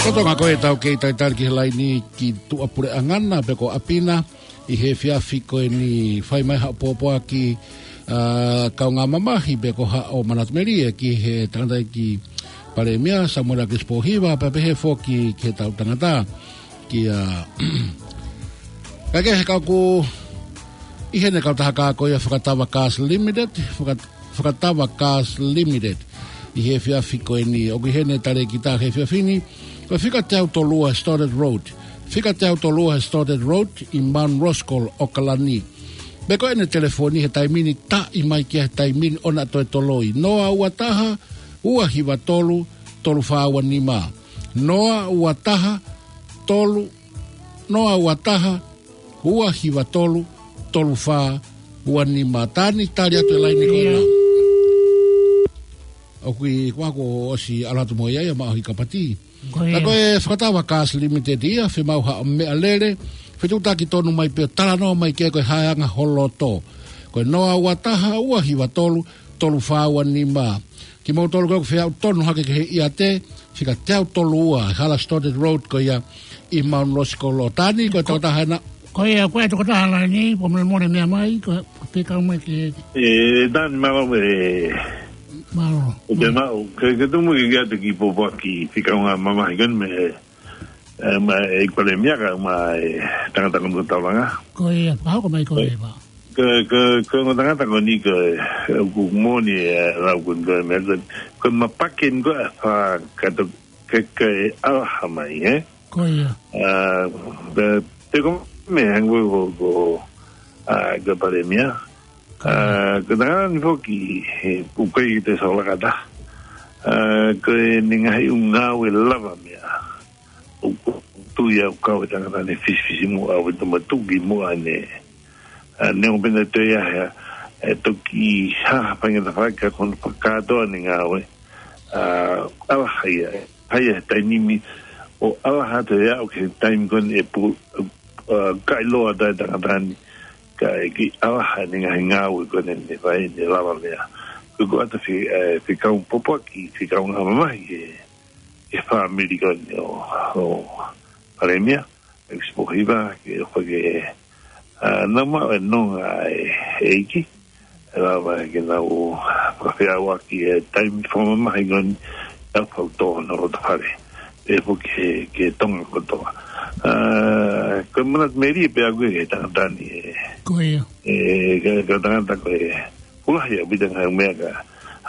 Ko Tonga ko ē ʻoku tau kei talitali ki he laini ki tuʻapuleʻanga na pe ko ʻapi na, ʻi he efiafi ko eni fai mai haʻo pōpoaki, ʻa, kaungā mamahi pe ko haʻo manatu melie ki he tangataʻeiki Palēmia, Samuela Kisipo Hiva, pea pehē foki ki he tau tangata, kia, ka ke he kau ku, ʻi heʻene kautaha ko ia Fakatava Cars Limited, Faka-, Fakatava Cars Limited, ʻi he efiafi ko eni, ʻoku ʻi heʻene talēkita he efiafi ni, ko e fika teau tolu ua Stoddard Road, fika teau tolu ua Stoddard Road, ʻi Mount Roskill, ʻAokalani. Pe ko ʻene telefoni he taimi ni taʻi mai ki he taimi ni ʻo na toe toloi. Noa ua taha, ua hiva tolu, tolu fā ua nima. Noa ua taha, tolu, noa ua taha, ua hiva tolu, tolu fā ua nima. Tani, tali atu e laini ko ena. ʻOku ʻi, kuo ʻosi ʻalu atu mo ia ia maʻa ʻohi kapati. Ko ia. Ka ko e Fakatava Cars Limited ia, fiemaʻu haʻo meʻalele, fetuʻutaki tonu mai pē ʻo talanoa mai ki ai ko e hā e anga ho loto. Ko e noa ua taha, ua hiva tolu, tolu fā ua nima. Kimoutolu ko ē ʻoku fie aʻu tonu hake ki he ʻiate, fika teau tolu ua, hala Stoddard Road ko ia ʻi Mount Roskill. Tani, ko e tokotaha ena. Ko ia, ko e tokotaha laini, pō mole mole meʻa mai, ko e fekau mai ki he ʻE, Tani, mālō e. Mālō. ʻOku te maʻu, ke, ke tumu ke kiate ki pōpoaki fika kaungā mamahi ko eni mei he, ʻe, mei he Palēmia kae ʻumaʻā e tangata ko eni ko Taulanga. Ko ia, fakahoko mai ko ia. Ko, ko, ko e ongo tangata ko eni ko e, ʻoku moʻoni e lau ko eni ko e meʻa ko e, ko e mapake eni ko e fā kato ke, ke ʻalaha mai, ē? Ko ia. ʻA, te, te ko e meʻa hangē ko, ko, ʻa, ko e Palēmia. ʻA, ko e tangata ni foki, he, ʻoku ʻikai te saulakata. ʻA, ko ʻene ngaahi ʻū ngāue lavameʻa. ʻOku ou tui au kau e tangata ni fisifisimuʻa ʻo e tama tuki muʻa ne. ʻA, neongo pē naʻe toe ʻi ai ha, e toki hā ha faingataʻa ka ko hono fakakātoa ʻene ngāue. ʻA, ʻalaha ia, ʻa ia he taimi ni, ʻo ʻalaha atu ia ʻo ki he taimi ko eni ʻe pu-, ʻa, kailoa atu e tangata ni, kae kiʻi ʻalaha ʻene ngaahi ngāue ko eni ne fai, ne lavameʻa. Ko e ʻoatu fi-, ʻe, fekau pōpoaki, fekau ngā mamahi, ʻe, ʻe fāmili ko eni ʻo, ʻo Palēmia, ʻe Kisipo Hiva, ke ʻofa ke, ʻa, nau maʻu e nonga ʻa e ʻEiki, ʻE lava ke nau fakafeʻauaki e taimi fakamamahi ko eni ʻa e fau tō ʻo e loto fale. Pea foki ki he, ki he Tonga kotoa. Ah, ko e manatu melie pē ʻaʻaku ki he tangata ni ē. Ko ia. Ē, ko e, ko e tangata ko ē. Pulahi ʻaupito ngaahi meʻa ka.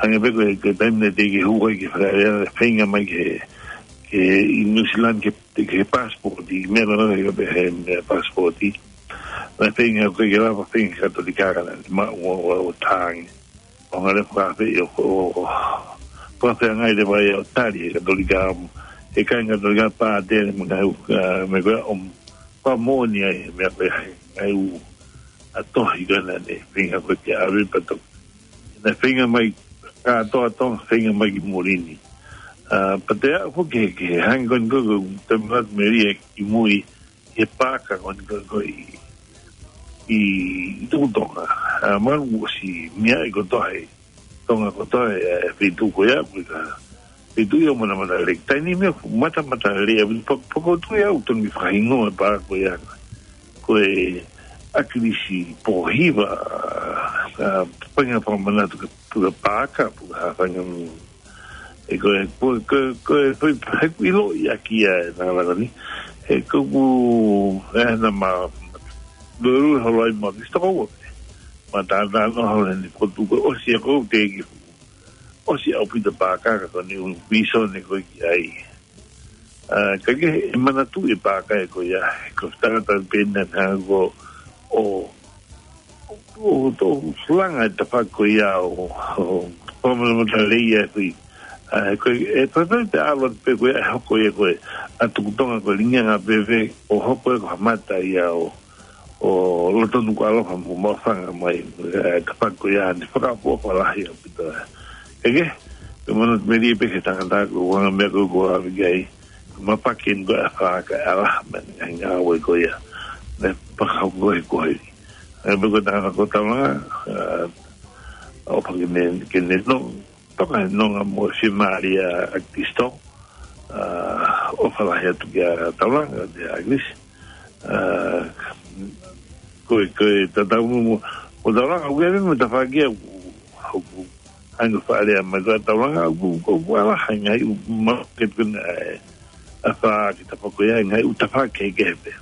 Hangē pē ko e, ko e taimi naʻe teʻeki ke hū ai ke fakalea, feinga mai ke, ke ʻi New Zealand ke, ke passport, ʻi meʻa ko ē naʻe pehē meʻa passport. Naʻe feinga ko ē ke lava feinga Katolika ka naʻe maʻu ʻo, ʻo, ʻo tangi. ʻO ngale fakafeʻi ʻo, ʻo, ʻo, fakafeangai leva ia ʻo tali ʻe he Katolika mo e kāinga Katolika pātele mo e ngaahi, ah, meʻa ko ē ʻo fakamoʻoni ai, meʻa ko ē ʻa e ngaahi ʻū ʻa e tohi ko ē naʻe feinga ko ē ke ʻave pea toki. Naʻe feinga mai kātoa Tonga, feinga mai ki muli ni. Ah, pea te aʻu foki ki he, ki he hangē ko eni ko e, ko e manatu melie ki mui, he paaka ko eni ko e, ko e ʻi, ʻi Tuʻi Tonga. Ah, malu ʻosi meaʻi kotoa ʻe Tonga kotoa ʻe, ʻe feituʻu ko ia, ko e ka feituʻu ia ʻo Matamatalelei. Taimi ni meʻa Matamatalelei, ʻa, pa-, pea ko e tuʻu ia ʻoku tonu ke fakahingoa e paaka ko ia. Ko e ʻAkilisi Pōhiva, ah, painga fakamanatu ke, ke paaka, ke ha fanga ʻe ko e, ko e, ko e, ko e, he ʻiloʻi ʻaki ia e nālaka ni. He ko ʻeku, ē, naʻa ma, lulu holo ai ma, ki stoko ua. Ma tātā no holo ni ko tu ko ʻosi ʻa ko te ki. ʻOsi ʻaupito paaka ka ko eni ʻū vīsone ko ē ki ai. Ah, ka ke he manatu e paaka ē ko ia, ko e tangata pē naʻe hanga ko ʻo ʻo, ʻo, ʻo langa e tafaʻaki ko ia ʻo, ʻo, ʻo Matamatalelei ʻa e kui. Ah, ko e, e, pa, pa, pe alo pe ko ia, ʻe hoko ia ko e, ʻa Tuʻi Tonga ko e lingianga pē pē, ʻo hoko ia ko ha mata ia ʻo, ʻo Lotonukuʻalofa mo Maʻufanga mai, e, tafaʻaki ko ia, ne fakaʻofoʻofa lahi ʻaupito. Ke ke, ke manatu melie pē ki he tangata ko e anga meʻa ko ē ʻoku ʻave ki ai. Mapaki eni ko e ʻafā ka e ʻalaha mai ʻa e ngāue ko ia. Naʻe fakahoko he ko eni. Ē, pea ko e tangata ko Taulanga, ah, ʻofa ke ne, ke ne nonga, toka he nonga mo e fiemālie ʻa Kristo, ah, ʻofa lahi atu kia Taulanga, kia ʻAkilisi. Ah, ko e, ko e tatau mo, mo, mo Taulanga, ʻoku ʻi ai mo e tafaʻaki ʻoku, ʻoku, ʻa e ngaahi fakalea mai ko ē ʻa Taulanga, ʻoku, ʻoku, ʻoku ʻalaha e ngaahi ʻū ma-, ke tuna, ē, ʻafā ki he tafaʻaki ko ia, ngaahi ʻū tafaʻaki kehekehe pē.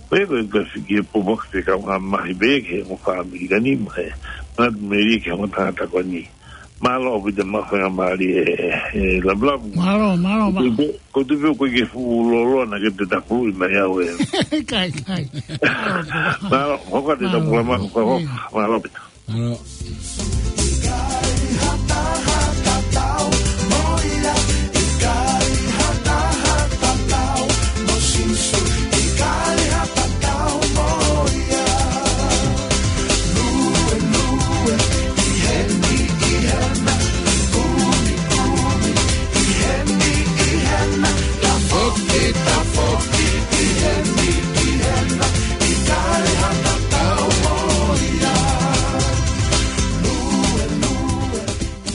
Ko ia ko e, ko e fiki e popoke fekau ngā mahi pē ki he mo fāmili ka ni mo e, manatu melie ki he mo tangata ko eni. Mālō ʻaupito mo e faingamālie ē, ē, Lavulavu. Mālō, mālō, mālō. Ko tu pe, ko tu pe ko ke fuʻu lolo na ke te tapu i mai au ē. Kai, kai. Mālō, hoko atu e tapu lama, hoko, hoko. Mālō ʻaupito. Mālō.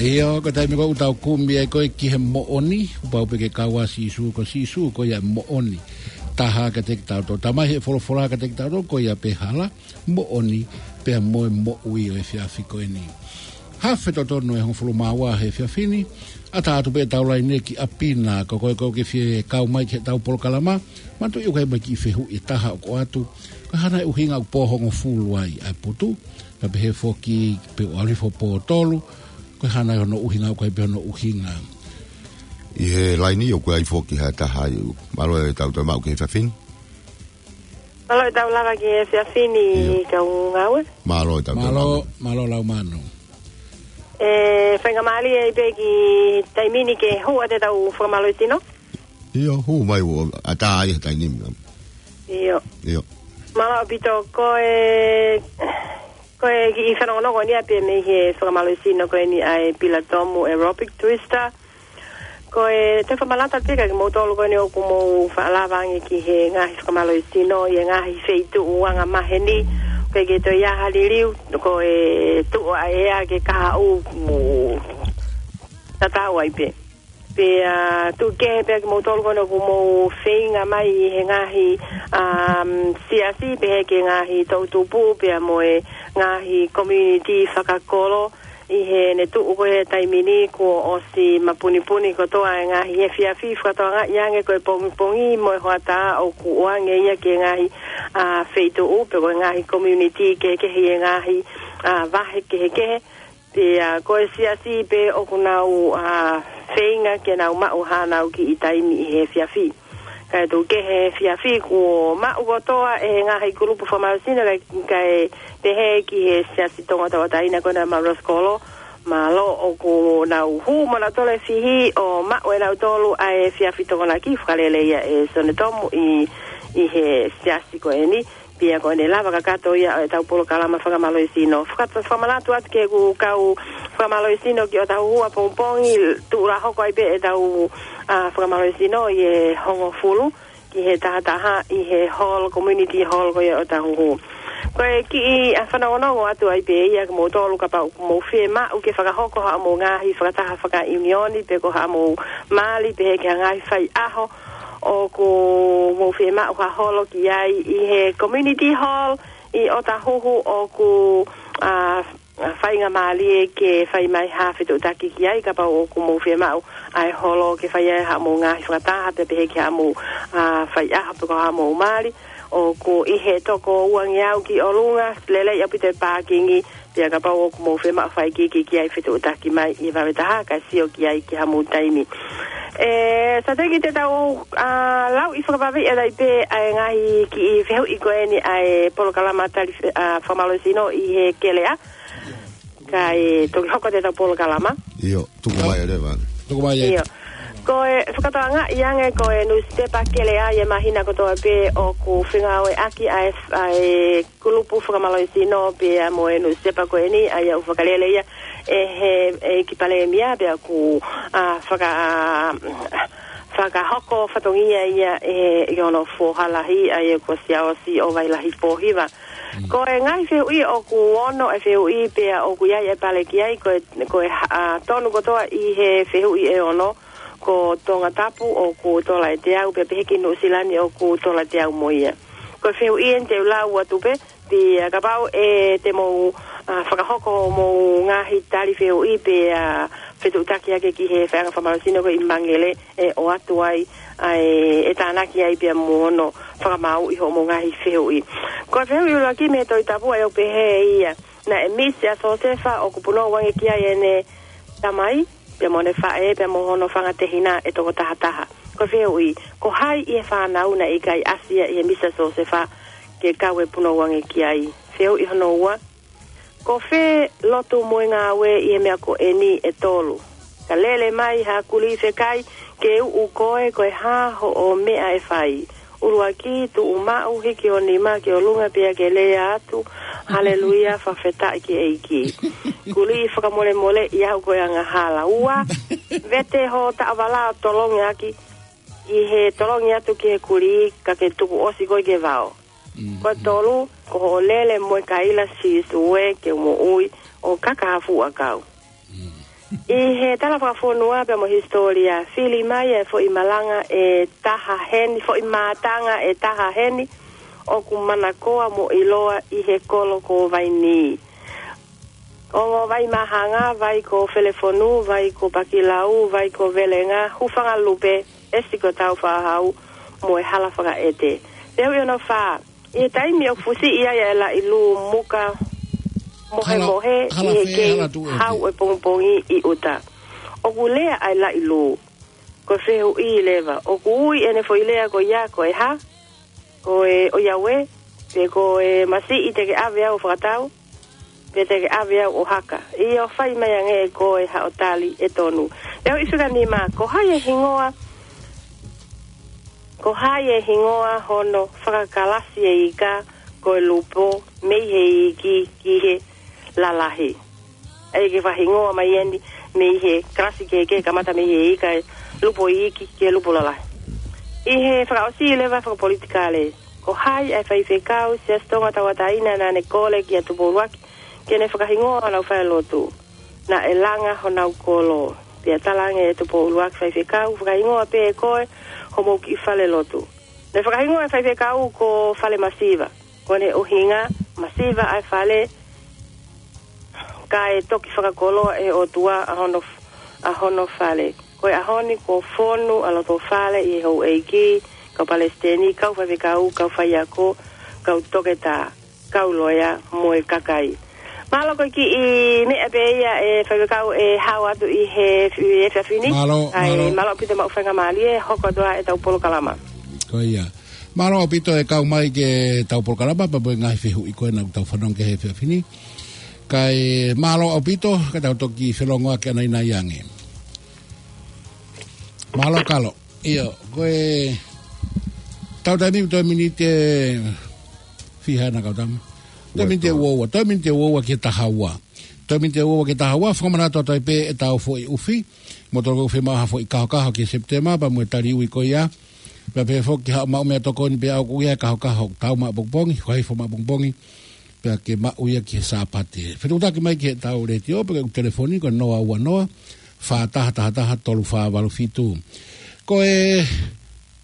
ʻIo, ko e taimi ko ē ʻoku tau kumi ai ko ē ki he moʻoni, ʻoku pau pē ke kau ʻa Sīsū, ko Sīsū ko ia e moʻoni. Taha kiate kitautolu. Talamai he folofola kiate kitautolu ko ia pē hala, moʻoni, pea mo e moʻui ʻo e efiafi ko eni. Hafe totonu e hongofulu mā ua he efiafi ni, ʻatā atu pē ʻetau laine ki ʻapi na, ko koe ʻoku ke fie kau mai ki heʻetau polokalama, manatuʻi ʻoku ʻi ai mo e kiʻi fehuʻi ʻe taha ʻoku ʻoatu, ko e hā nai e ʻuhinga ʻoku pō hongofulu ai ʻa e putu, ka pehē foki pe ʻoku ʻalu hifo pō tolu, ko e hā nai hono ʻuhinga, ʻoku ʻi ai pē hono ʻuhinga. ʻI he laine ʻoku ʻi ai foki ha taha ai, mālō e tau tau maʻu ki he efiafi ni. Mālō e tau lava ki he efiafi ni. ʻIo. Kau ngāue. Mālō e tau tau Mālō, maʻu. Mālō Laumano. E, faingamālie ai pē ki he taimi ni ke hū atu ʻetau fakamālō tino. ʻIo, hū mai ʻo ʻatā ai he taimi ni. ʻIo. ʻIo. Mālō ʻaupito ko e, ko e kiʻi fanongonongo ni ʻa pē mei he fakamālō tino ko eni ʻa e Pilatomu Aerobic Twister. Ko e te fakamanatu pē kia kimoutolu ko eni ʻoku mou faʻa lava ange ki he ngaahi fakamālō tino ʻi he ngaahi feituʻu anga maheni. Ko e ke toe ʻi ai ha liliu, ko e tuʻu ʻa e ʻea ke kahaʻu mo tatau ai pē. Pea tuku kehe pea kimoutolu ko ena ʻoku mou feinga mai ʻi he ngaahi, um, siasi, pehē ki he ngaahi toʻutupu, pea mo e ngaahi community fakakolo, ʻi heʻene tuʻu ko ē he taimi ni kuo ʻosi mapunipuni kotoa e ngaahi efiafi fakatokangaʻi ange ko e pongipongi mo e hoʻatā ʻoku ʻoange ia ki he ngaahi, a, feituʻu pe ko e ngaahi community kehekehe ʻi he ngaahi, a, vahe kehekehe. Pea ko e siasi pē ʻoku nau, a, feinga ke nau maʻu haʻanau kiʻi taimi ʻi he efiafi. Kae tuku kehe he efiafi kuo maʻu kotoa ʻe he ngaahi kulupu fakamālohisino kae, kae pehē ki he Siasi Tonga Tauʻatāina ko ena Maroskolo. Mālō ʻoku nau hū mo nau tole fihi ʻo maʻu ʻe nautolu ʻa e efiafi Tokonaki, fakalele ia ʻe Sione Tomu ʻi, ʻi he siasi ko eni. Pea ko ʻene lava kakato ia ʻo ʻetau polokalama fakamālohisino. Faka-, fakamanatu atu ki heʻeku kau fakamālohisino ki ʻOtahuhu ʻapongipongi, tuʻu lā hoko ai pē ʻetau, a, fakamālohisino ʻi he hongofulu ki he tahataha ʻi he hall, community hall ko ia ʻOtahuhu. Ko e kiʻi, a, fanongonongo atu ai pē ia kiate kimoutolu kapau ʻoku mou fiemaʻu ke fakahoko haʻamou ngaahi fakataha fakaʻiunioni pe ko haʻamou mali pehē ki ha ngaahi faiʻaho ʻoku mou fiemaʻu ha holo ki ai ʻi he community hall ʻi ʻOtahuhu ʻoku, a, faingamālie ke fai mai ha fetuʻutaki ki ai kapau ʻoku mou fiemaʻu ʻa e holo ke fai ai haʻamou ngaahi fakataha pea pehē ki haʻamou, a, faiʻaho pe ko haʻamou mali. ʻOku ʻi he toko uangeau ki ʻolunga, lelei ʻaupito e pākingi, pea kapau ʻoku mou fiemaʻu fai iiki ki ai fetuʻutaki mai ʻi he vave taha kae sio ki ai ki haʻamou taimi. ʻE, Sateki, te tau, a, lau ʻi fakavave ʻe lai pē ʻa e ngaahi kiʻi fehuʻi ko eni ʻa e polokalama tali fe-, a, fakamālohisino ʻi he kelea. Kae toki hoko atu ʻetau polokalama. ʻIo, tuku mai ʻe Leva. Tuku mai ʻe. ʻIo. Ko e fakatokangaʻi ange ko e nusipepa kelea ʻi he māhina kotoa pē ʻoku fengāueʻaki ʻa e, ʻa e kulupu fakamālohisino pea mo e nusipepa ko eni, ʻa ia ʻoku fakalele ia ʻe he, ʻEiki Palēmia pea ʻoku, a, faka-, a, fakahoko fatongia ia ʻe, ʻe hono foha lahi, ʻa ia ko Siaosi ʻOvailahi Pōhiva. Mm. Ko e ngaahi fehuʻi ʻoku ono e fehuʻi pea ʻoku ʻi ai e pale ki ai, ko e, ko e, a, tonu kotoa ʻi he fehuʻi ʻe ono, ko Tongatapu ʻoku tola ʻe teau, pea pehē ki Nuʻusila ni ʻoku tola ʻe teau mo ia. Ko e fehuʻi eni te u lau atu pē, pea kapau ʻe te mou, a, fakahoko hoʻomou ngaahi tali fehuʻi pea, a, fetuʻutaki hake ki he faiʻanga fakamālohisino ko ʻi Mangele ʻe ʻoatu ai, ʻa e, ʻe tānaki ai pea mo hono fakamāuʻi hoʻomou ngaahi fehuʻi. Ko e fehuʻi ʻuluaki mei he Tohi Tapu ʻoku pehē ia: Naʻe misi ʻa Siosefa ʻoku punou ange ki ai ʻene tamai, pea mo ʻene faʻē, pea mo hono fanga tehina ʻe toko tahataha. Ko e fehuʻi, ko hai ʻi he fānau naʻe ʻikai ʻasi ia ʻi he misi ʻa Siosefa ke kau e punou ange ki ai? Fehuʻi hono ua, ko fē lotu mo e ngāue ʻi he meʻa ko eni ʻe tolu? Ka lele mai ha kulī fekai ke uʻu koe, ko e hā hoʻo meʻa ʻe fai? ʻUluaki, tuʻu maʻu, hiki ho nima ki ʻolunga pea ke lea atu, Haleluia, fakafetaʻi ki he ʻEiki. Kulī, fakamolemoleʻi au ko e angahala. Ua, vete ho taʻovala ʻo tolongi ʻaki, ʻi he tolongi atu ki he kulī, ka ke tuku ʻosi koe ki he vao. Mm. Ko e tolu, ko hoʻo lele mo e kaila Sīsū ē ke u moʻui, ʻo kaka ha fuʻu ʻakau. Mm. ʻI he tala fakafonua pea mo e hisitōlia, fili mai e foʻi malanga ʻe taha heni, foʻi mātanga ʻe taha heni, ʻoku manakoa mo ʻiloa ʻi he kolo ko Vainī. Ongo Vaimahanga, Vai ko Felefonu, Vai ko Pakilau, Vai ko Velenga, Hūfangalupe, ʻEsi ko Tāufaʻāhau, mo e Hala Fakaʻete. Fehuʻi hono fā, ʻi he taimi ʻoku fusiʻi ai e laʻi lū muka mohemohe, hala, hala ʻi he fē, kei hala tuʻu ʻete. Hau e pongipongi ʻi ʻuta, ʻoku lea ai e laʻi lū. Ko e fehuʻi leva, ʻoku ui ʻene foʻi lea ko ia ko e hā? Ko e ʻoiauē, pe ko e masiʻi te ke ʻave au ʻo fakatau, pe te ke ʻave au ʻo haka? ʻIo, fai mai ange ʻe koe haʻo tali ʻe tonu. Fehuʻi fika nima, ko hai e hingoa, ko hai e hingoa hono fakakalasi e ika ko e lupo mei he iiki ki he lalahi? ʻE ke fakahingoa mai eni mei he kalasi kehekehe, kamata mei he ika e lupo iiki ki he lupo lalahi. ʻI he fakaʻosi leva fakapolitikale, ko hai ʻa e faifekau Siasi Tonga Tauʻatāina naʻa ne kole kia Tupou ʻUluaki ke ne fakahingoa honau falelotu? Naʻe langa honau kolo. Pea talaange ʻe Tupou ʻUluaki Faifekau, fakahingoa pē ʻe koe homou kiʻi fale lotu. Naʻe fakahingoa e faifekau ko Fale Masiva. Ko ʻene ʻuhinga, masiva ʻa e fale, kae toki fakakoloa ʻe he ʻOtua ʻa hono, ʻa hono fale. Ko e ʻaho ni kuo fonu ʻa Lotofale ʻi he houʻeiki, kau palesiteni, kau faifekau, kau faiako, kau toketā, kau loea mo e kakai. Mālō ko e kiʻi meʻa pē ia ʻe faifekau ʻe hao atu ʻi he, ʻi he efiafi ni. Mālō, ʻAi, mālō. Mālō ʻaupito maʻu faingamālie, hoko atu ʻetau polokalama. Ko ia. Mālō ʻaupito e kau mai ki heʻetau polokalama, pea mo e ngaahi fehuʻi ko ē naʻa tau fanongo ki he efiafi ni. Kae mālō ʻaupito, ka tau toki felongoaki ʻanainai ange. Mālō Kalo. ʻIo, ko e tau taimi, toe miniti ʻe fiha ʻena kau tama. Toe miniti ʻe uaua, toe miniti ʻe uaua ki he taha ua. Toe miniti ʻe uaua ki he taha ua, fakamanatu atu ai pē ʻetau foʻi ʻufi. Mou tolokau fiemaʻu ha foʻi kahokaho ki Sepitema, pea mo e tali ui ko ia. Pea pehē foki haʻo maʻu meʻatokoni pea ʻoku ʻi ai e kahokaho tau maʻapongipongi, fakahifo maʻapongipongi. Pea ke maʻu ia ki he Sāpate. Fetuʻutaki mai ki heʻetau letiō, pe ko e telefoni ko e noa ua noa, fā taha taha taha, tolu fā valu fitu. Ko e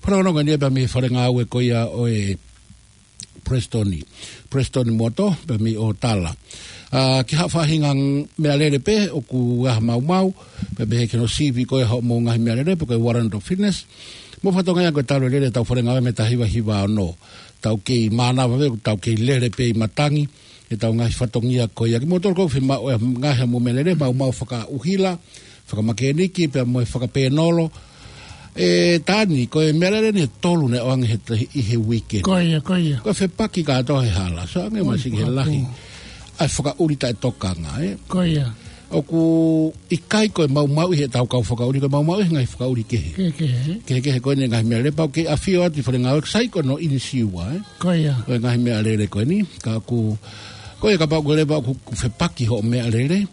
fononga ni pea mei he fale ngāue ko ia ʻo e Palesiteni. Palesiteni Moto, pea mei ʻo Tala. ʻA, ki ha faʻahinga meʻalele pē, ʻoku ʻi ai ha maumau, pea pehē ki hono sivi ko ē hoʻomou ngaahi meʻalele, pe ko e warrant of fitness. Mo e fatongia ko e talu e lele ʻetau fale ngāue mei he taha hiva hiva ono. Tau kei mānava pē, tau kei lele pē ʻi matangi, ʻetau ngaahi fatongia ko ia. Kimoutolu ʻoku fiemaʻu e ngaahi ʻa mo e meʻalele, maumau fakaʻuhila, fakamakēniki, pea mo e fakapēnolo. ʻE Tani, ko e meʻalele ni ʻe tolu naʻe ʻoange he, ʻi he uike. Ko ia, ko ia. Ko e fepaki kātoa he hala. So ange Oi, masi ki he papa. lahi. ʻA e fakaʻuli taʻetokanga, ē? Ko ia. ʻOku ʻikai ko e maumau ʻi heʻetau kau fakaʻuli, ko e maumau ʻi he ngaahi fakaʻuli kehe. Kehekehe, ē? Kehekehe ko eni ngaahi meʻalele pau ke afio atu ʻi fale ngāue, sai ko hono inisiua, ē? Ko ia. Ko e ngaahi meʻalele ko eni, ka ʻoku, ko ia kapau ko e leva ʻoku fepaki hoʻo meʻalele,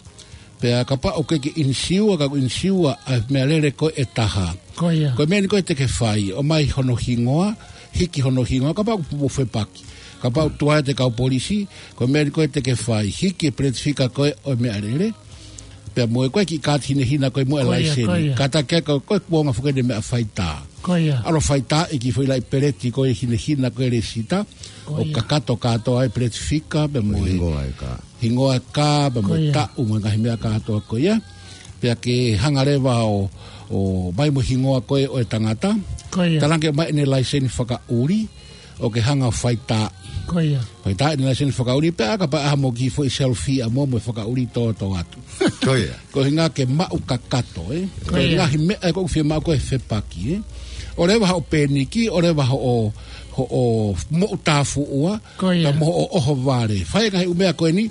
pea kapau ʻoku ke inisiua, ka ʻoku inisiua ʻa e meʻalele ko ē ʻe taha. Ko ia. Ko e meʻa ni ko ē te ke fai, ʻomai hono hingoa, hiki hono hingoa, kapau ʻoku mou fepaki. Kapau ʻoku tuai ʻete kau polisi, ko e meʻa ni ko ē te ke fai, hiki e peleti fika ko ē ʻo e meʻalele. Pea mo e ko e kiʻi kaati hinehina ko ē mo e Ko ia, laiseni. ko ia. Kātaki ko e, ko e kuonga foki eni e meʻa faitā. Ko ia. ʻAlu faitā e kiʻi foʻi laʻi peleti ko ē hinehina ko ē lēsisita. Ko ʻO ia. kakato kātoa ai e peleti fika, pea mo e Hingoa e kā. hingoa kā, pea mo Ko e ia. taʻu, mo e ngaahi meʻa kātoa ko ia. Pea ke hanga leva ʻo, ʻo ʻomai mo e hingoa ko ē ʻo e tangata. Ko ia. Talaange mai ʻene laiseni fakaʻuli, ʻo ke hanga ʻo faitā. Ko ia. Faitā ʻene laiseni fakaʻuli, pea kapau ʻe ʻai haʻamou kiʻi foʻi selfie ʻa moutolu mo e fakaʻuli tōtō atu. Ko ia. Ko e ʻuhinga ke maʻu kakato, ē? Ko Ko e ia. ngaahi meʻa ē ʻoku fiemaʻu ko e fepaki, ē? ʻOleva hoʻo pēniki, ʻoleva hoʻo, hoʻo moʻutāfuʻua, Ko ia. pea mo hoʻo ʻohovale. Fai e ngaahi ʻū meʻa ko eni,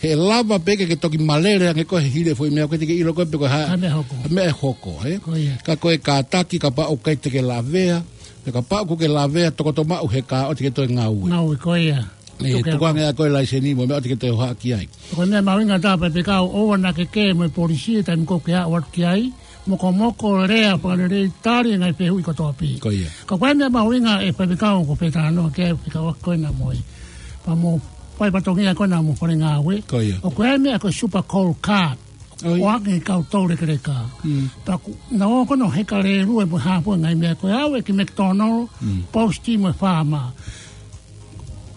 he lava pē ke ke toki malele ange ko ē he hili e foʻi meʻa ko ē te ke ʻilo ko ē pe ko e hā, Hā meʻa hoko. hā meʻa ʻe hoko, ē? Ko ia. Ka ko e kātaki kapau ʻoku ʻikai te ke lavea, pea kapau ʻoku ke lavea, tokoto maʻu he kā ʻoua te ke toe ngāue. Ngāue, ko ia. ʻE, Toki tuku ange ʻa ko e laiseni mo e meʻa ʻoua te ke toe hohaʻa ki ai. Ko e meʻa mahuʻinga taha pē pea kapau ʻoua naʻa ke kē mo e polisi, taimi ko ē ʻoku ke aʻu atu ki ai, mokomoko, lea fakalelei, tali e ngaahi fehuʻi kotoa pē. Ko ia. Ka ko e meʻa mahuʻinga ē faifekau ʻoku ou talanoa ki ai, fekauʻaki ko ena mo e. Pea mo e fatongia ko ena mo e fale ngāue. Ko ia. ʻOku ʻi ai e meʻa ko e super coal card. ʻOi. ʻOange ki he kau toulekeleka. Mm. Pea ʻoku nau ō ko ena ʻo heka lēlue mo e hā fua e ngaahi meʻa ko ē, aʻu ki he McDonald, Mm. Post mo e Farmer.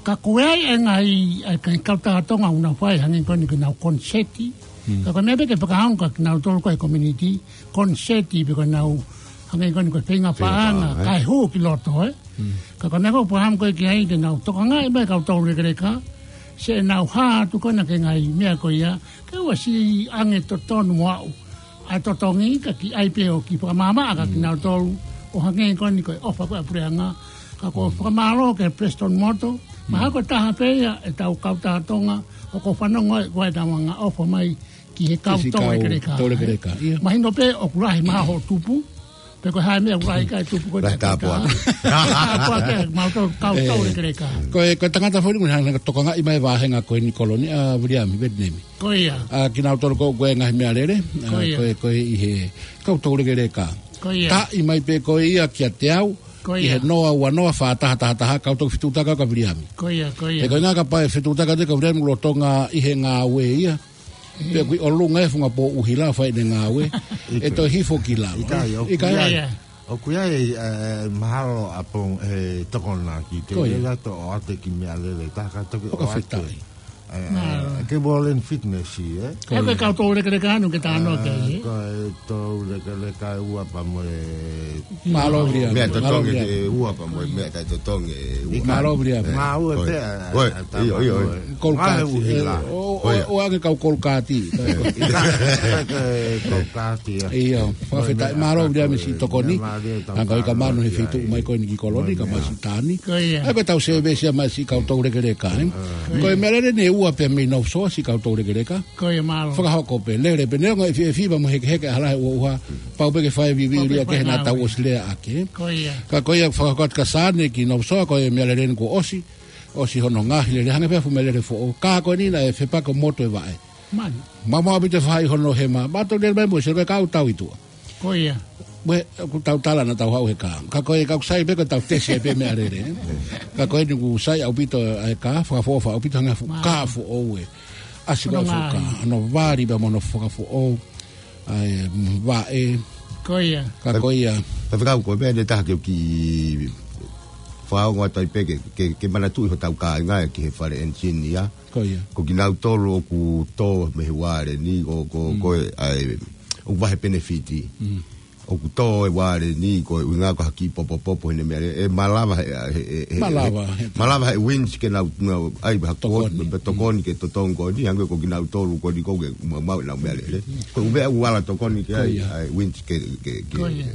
Ka ko e ʻai e ngaahi, ʻa e ngaahi kau taha Tonga ʻoku nau fai hangē ko eni ko ʻenau koniseti. Mm. Ka ko e meʻa pē ke fakaongo kia kinautolu ko ē he community, koniseti pe ko ʻenau, hangē ko eni ko e feinga Feinga paʻanga, paʻanga, ē? kae hū ki loto, ē? Mm. Ka ko e meʻa ʻoku ou fakaʻamu ko ē ki ai ke nau tokangaʻi mai e kau toulekeleka, siʻenau hā atu ko ena ki he ngaahi meʻa ko ia, ke ʻoua siʻi ange totonu mo aʻu ʻa e totongi ka kiʻi ʻai pē ʻo kiʻi fakamaʻamaʻa kia Mm. kinautolu, ʻo hangē ko eni ko e ʻofa ko ē ʻa e puleʻanga, ka ʻoku ou Mm. fakamālō kia Palesiteni Moto, Mm. mahalo ko e taha pē ia ʻetau kau taha Tonga, ʻoku ou fanongo ai ko ē ʻenau angaʻofa mai ki he kau Ki he kau toulekeleka. toulekeleka, ia. Mahino pē ʻoku lahi mahalo hoʻo tupu, pe ko e hā e meʻa ʻoku lahi ki ai e tupu ko ē Lahi te tāpuaki. peka. Tāpuaki, mautolu kau Ē. toulekeleka. Ko e, ko e tangata foʻi ni, ʻoku ne hanga ʻo tokangaʻi mai e vāhenga ko eni Kolo ni, ʻa Viliami, Vietinemi. Ko ia. ʻA kinautolu ko ē ngaahi meʻalele, ʻa, Ko ia. ko e, ko e ʻi he kau toulekeleka. Ko ia. Taaʻi mai pē ko ia kiate au, Ko ʻi ia. he noa ua noa fā taha taha taha, ka u toki fetuʻutaki au kia Viliami. Ko ia, ko ia. He ko e ʻuhinga kapau ʻe fetuʻutaki au kia Viliami lolotonga ʻi he ngāue ia. Pea ʻoku ʻi ʻolunga e funga pō ʻuhila fai ʻene ngāue. ʻE toe hifo ki lalo. ʻIkai, ʻoku ʻikai. ʻIkai. ʻIkai. ʻOku ʻi ai, ē, mahalo ʻapō, ē, tokonaki ke Ko ia. Lele atu ʻo ʻoatu ki meʻalele taha ka toki ʻoatu. Fakafetaʻi. Ē, Mālō. Ke World and Fitness, ē? Ko ia. Ko e kau toulekeleka ʻanai ke tāno ke, ē? Ko e toulekeleka ua pea mo e Mālō, Viliami. Meʻa Mālō, totongi Viliami. Ke ua pea mo e meʻa taʻetotongi ʻe ua. Mālō, Viliami. Ē, Ngāue ko e. Pē, ā, Ko e. ʻA, ʻa, ʻIo, ʻio, ʻio. Ngāue Kolokati, ʻuhila. Ē, ʻo, Ko ia. ʻO, ʻo ange kau kolokati. ʻIkai, ʻikai, ʻikai, kolokati, ā. ʻIo, fakafetaʻi. Ko e meʻa Mālō, Viliami, ko e siʻi tokoni. Meʻa mālie tau Ange ʻi ka manu he tānaki fitu ai. Mai ko eni ki Koloni, Ko e ka meʻa. Masi tani. Ko ia. ʻA ia ko e tau sēvesi ia mai siʻi kau toulekeleka, ē? Ko ia. Ko e meʻalele ʻe ua pē mei North Shore siʻi kau toulekeleka. Ko ia, mālō. Fakahoko pē, lele pē, neongo e efiafi pea mo e hekeheke ʻaho lahi ʻuha ʻuha. Pau pē ke fai vivilia Pau pē ke he naʻa tau ngāue. ʻOsi lea ake. Ko ia. Ka ko ia fakahoko atu kia Sane ki North Shore, ko e meʻalele eni kuo ʻosi. ʻOsi hono ngaohi lele, hangē pē ha fuʻu meʻalele foʻou. Ka ko eni naʻe fepaki motu e vaʻe. Mani. Maumau ʻaupito e faʻahi hono hema. Mātou lele mai mo e sio ko e kau tau ʻi tuʻa. Ko ia. Mo e, ʻoku tau tala naʻa tau haʻu he kā. Ka ko e, ka ʻoku sai pē ko e tau tesi ai pē meʻalele, ē. Ka ko eni ʻoku sai ʻaupito ʻa e kā, fakaʻofoʻofa ʻaupito hangē ha fuʻu Mālō. Kā foʻou ē. ʻAsi ko e Hono fuʻu kā, ngaahi. Hono vali pea mo hono fakafoʻou ʻa e vaʻe. Ko ia. Ka ko ia. Faifekau, ko e meʻa ʻe taha ke u kiʻi fakaongo atu ai pē ke, ke, ke manatuʻi hotau kāinga ē ki he fale ʻenisini ia. Ko ia. Ko kinautolu ʻoku tō mei he uale ni, ko, ko, Mm. ko e, ʻa e, ʻoku vahe penefiti. Mm. ʻOku tō e uale ni, ko e ʻuhinga ko ha kiʻi popopopo heʻene meʻalele, ʻe malava he, he, he, he, Malava he, he. Malava he winch ke nau, nau, ʻai, ha Tokoni. kuo, pe tokoni ke totongi ko eni, hangē ko kinautolu ko eni ko ke maumau ʻenau meʻalele. Ko e ʻū meʻa ʻoku ala tokoni ki ai, Ko ia. ʻa e winch ke, ke, ke. Ko ia.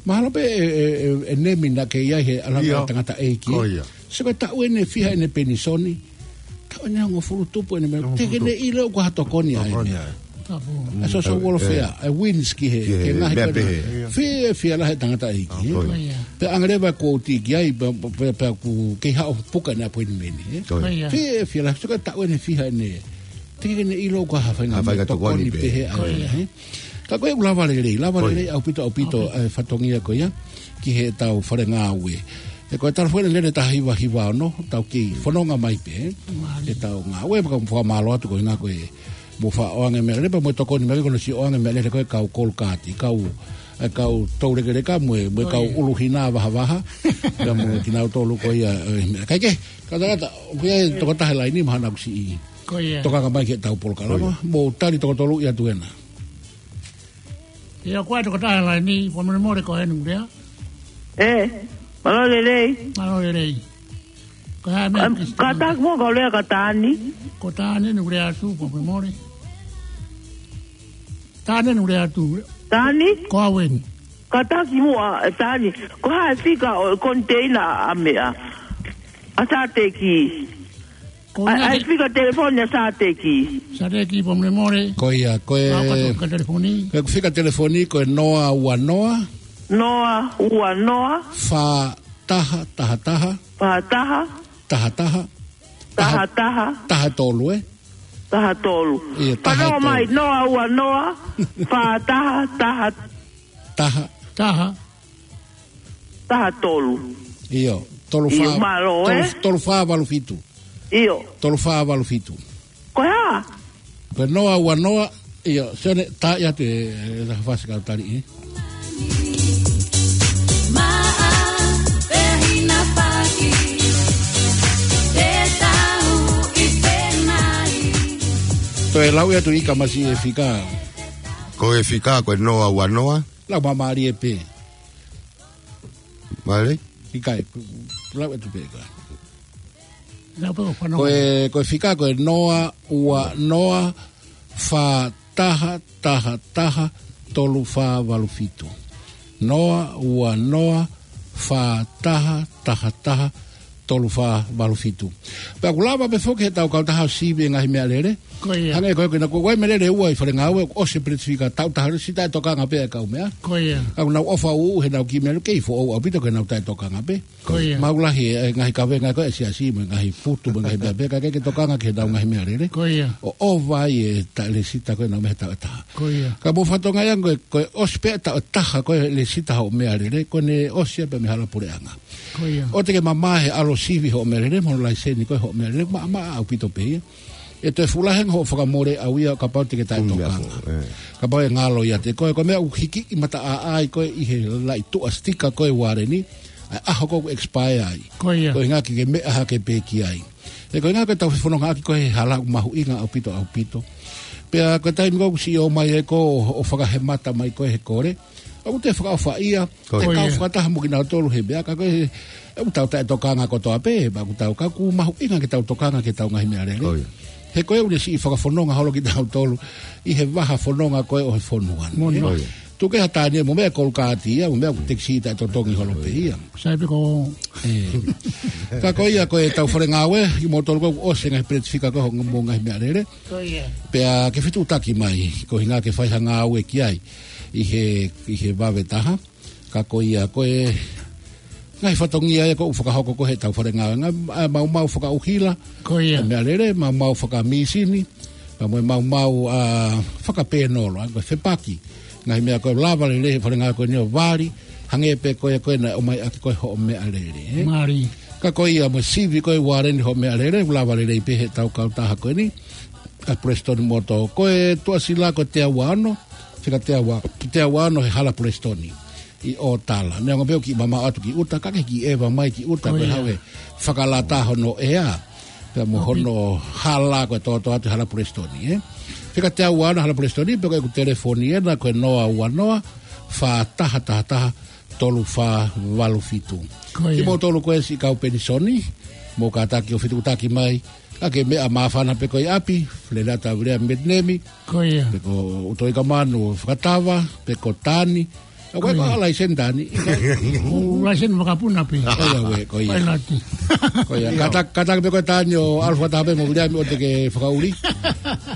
Mahalo pē ʻe, ʻe, ʻe, ʻe nemi naʻa ke ʻi ai he ʻalanga ʻo e Ia. tangataʻeiki. Ko ia. Sio ko e taʻu ʻeni ʻe fiha ʻene penisoni. Taʻu ʻeni ʻe hongofulu tupu ʻene meʻa. Hongofulu tupu. Te ke ne ʻilo ʻoku ʻi ai ha tokoni ai. Tokoni ai. Tapu. ʻA e social welfare, ʻa e winch ki he, Ki he ki he ngaahi meʻa pē. Fiefia lahi e tangataʻeiki. Ko ia. Pea ʻange leva kuo u tiki ai, pea, pea, pea ʻoku kei haʻu ʻo puka ʻene appointment, ē? Ko ia. Ko ia. Fiefia lahi, sio ko e taʻu ʻeni ʻe fiha ʻene. Te ke ne ʻilo ʻoku ʻi ai ha faʻahinga Ha faʻahinga tokoni tokoni pē. pehē ʻa Ko ia. ia, ē? Ka ko e ʻoku lava lelei, lava Ko ia. lelei ʻaupito, ʻaupito, ʻAupito. ʻa e fatongia ko ia, ki heʻetau fale ngāue. Ē ko e talafoni lele taha hiva hiva ono, tau kei fononga mai pē, ē? Mālie. ʻEtau ngāue, pea ʻoku ou fakamālō atu ko e ʻuhinga ko e mou faʻa ʻoange meʻalele, pea mou tokoni mai ko hono siʻi ʻoange meʻalele ko e kau kolokati, kau, ʻa e kau toulekeleka mo e, mo e Ko kau ia. ʻuluhina vahavaha, pea mo kinautolu ko ia, ē, meʻa. Kae kehe, kātaki atu, ʻoku ʻi ai e tokotaha he laini mahalo naʻa ku siʻi Ko ia. tokanga mai ki heʻetau polokalama, Ko ia. mou tali tokotolu ia tuena. ʻIo, ko e tokotaha he laini, fakamolemole ko eni ʻoku lea. Ē, mālō lelei. Mālō lelei. Ko e hā e meʻa Am, Christine? Kātaki muʻa kau lea kia Tani. Ko Tani ʻoku lea atu, fakamolemole. Tani ʻoku lea atu. Tani? Ko au eni. Kātaki muʻa, ē, Tani. Ko e hā e fika ʻo e koniteina ʻa meʻa. ʻA Sateki. Ko ʻAi, ia ʻai te fika telefoni ʻa Sateki. Sateki, fakamolemole. Ko ia, ko e Pau ka toka telefoni. Ko e fika telefoni, ko e noa ua noa. Noa ua noa. Fā taha taha taha. Fā taha. Taha taha. Taha taha. Taha tolu, ē? Taha tolu. ʻIo, taha Fanongo tolu. mai, noa ua noa. Fā taha taha. Taha. Taha. Taha tolu. ʻIo, tolu ʻIo, fā, mālō, tolu, ē? tolu fā valu fitu. ʻIo. Tolu fā valu fitu. Ko e hā? Ko e noa ua noa, ʻio, Sione, tā ia te, ē, tā fasi kau tali, ē? Maʻa, pehina paki, te tau ʻi penai. Toe lau ia tu ʻi ka masi e fika. Ko e fika, ko e noa ua noa. Lau māmālie pē. Mālie? ʻIkai, lau atu pē ka. Lau pē ʻo fanongo. Ko e, ko e fika, ko e noa ua noa fā taha taha taha tolu fā valu fitu. Noa ua noa fā taha taha taha tolu fā valu fitu. Pea ʻoku lava pē foki heʻetau kautaha ʻo sivi e ngaahi meʻalele. Ko ia. Hangē ko e, ko e, ko e meʻalele ua ʻi fale ngāue, ʻosi e peleti fika taʻu taha, siʻi taʻetokanga pē ʻa e kau meʻa. Ko ia. ʻOku nau ʻofa ʻuʻu heʻenau kiʻi meʻalele, kei foʻou ʻaupito ke nau taʻetokanga pē. Ko ia. Maʻu lahi e, e ngaahi kavenga ko e siasi, mo e ngaahi putu, mo e ngaahi meʻa pē, ka ke, ke tokanga ki heʻenau ngaahi meʻalele. Ko ia. ʻO ʻova ai e taʻe lēsita ko ē ʻenau meʻa he taʻu ʻe taha. Ko ia. Ka mou fakatokangaʻi ange ko e, ko e ʻosi pē taʻu ʻe taha ko e lēsita hoʻo meʻalele, ko ʻene ʻosi ia pē mei he hala puleʻanga. Ko ia. ʻOua te ke mamaʻo he ʻalu ʻo sivi hoʻo meʻalele, mo e laiseni ko ē hoʻo meʻalele, maʻamaʻa ʻaupito pē ia. ʻe toe fuʻu lahi ange hoʻo fakamole ʻau ia kapau te ke taʻetokanga. Kapau ʻe ngalo ia te koe, ko e meʻa ʻoku hiki ʻi mata ʻaʻai koe ʻi he laʻi tuʻa sitika koe uareni, ʻa e ʻaho ko ʻoku expire ai. Ko ia. Ko e ngā ke ke meʻa hake pē ki ai. Ē, ko e ngā ko e tau fefonongaʻaki ko e hala ʻoku mahuʻinga ʻaupito, ʻaupito. Pea ko e taimi ko ʻoku siʻi ō mai e ko ʻo fakahemata mai ko e he kole, ʻoku te fakaʻofaʻia, Ko ia. Te kau fakataha mo kinautolu he meʻa, ka ko e, ʻoku tau taʻetokanga kotoa pē, pea ʻoku tau ka ʻoku mahuʻinga ke tau tokanga ki heʻetau ngaahi meʻalele. Ko ia. He ko e ʻoku ne siʻi fakafononga holo kinautolu, ʻi he vaha fononga ko e ʻo he fonua ni, ē? Ko ia. Tuku ke ha tani mo meʻa kolukaati ia, mo meʻa ʻoku tekisi taʻetotongi holo pē ia. Sai pē ko. Ē. Ka ko ia ko e tau fale ngāue, kimoutolu ko ʻosi ngaahi peleti fika ko e mo ngaahi meʻalele. Ko ia. Pea ke fetuʻutaki mai, ko hinga ke fai ha ngāue ki ai, ʻi he, ʻi he vave taha. Ka ko ia, ko e ngaahi fatongia ia ko ʻoku fakahoko ko e he tau fale ngāue, ngaahi, ʻa e maumau fakaʻuhila, Ko ia. ʻa e meʻalele, maumau fakamīsini, pea mo e maumau, ʻa, fakapēnolo, ʻa, ko e fepaki. Ngaahi meʻa ko e lava lelei he fale ngāue ko eni ʻo vali, hangē pē ko e ko e naʻe ʻomai ʻaki ko e hoʻo meʻalele, ē? Mālie. Ka ko ia mo e sivi ko e uareni hoʻo meʻalele, lava lelei pē he tau kautaha ko eni, ʻa Prestoni Motor, ko e tuʻasila ko e teau ua ono, fika teau ua, teau ua ono he hala Prestoni ʻi ʻOtala. Neongo pē ʻoku kiʻi mamaʻo atu ki ʻuta, ka ke kiʻi ʻeva mai ki ʻuta, Ko ko e ia. Haʻu e fakalata hono ʻea. Pea mo Ko pi- hono hala ko e toto atu hala Prestoni, ē. Fika teau ua ono hala Prestoni, pe ko ʻeku telefoni ena ko e noa ua noa, fā taha taha taha, tolu fā valu fitu. Ko ia. Kimoutolu ko e siʻi kau penisoni, mou kātaki ʻo fetuʻutaki mai, ka ke meʻa māfana pē ko e ʻi ʻapi, Feleata Viliami Metinemi, Ko ia. pe ko ʻUtoʻi Kamanu Fakatava, pe ko Tani. ʻA ko e Ko ia. ko e laiseni Tani. ʻO laiseni vakapuna pē. Ko ia ʻa e, ko ia. Pailati. Ko ia. Ia. Kātaki, kātaki pē ko e Tani ʻo ʻalu fakataha pē mo Viliami ʻo te ke fakaʻuli.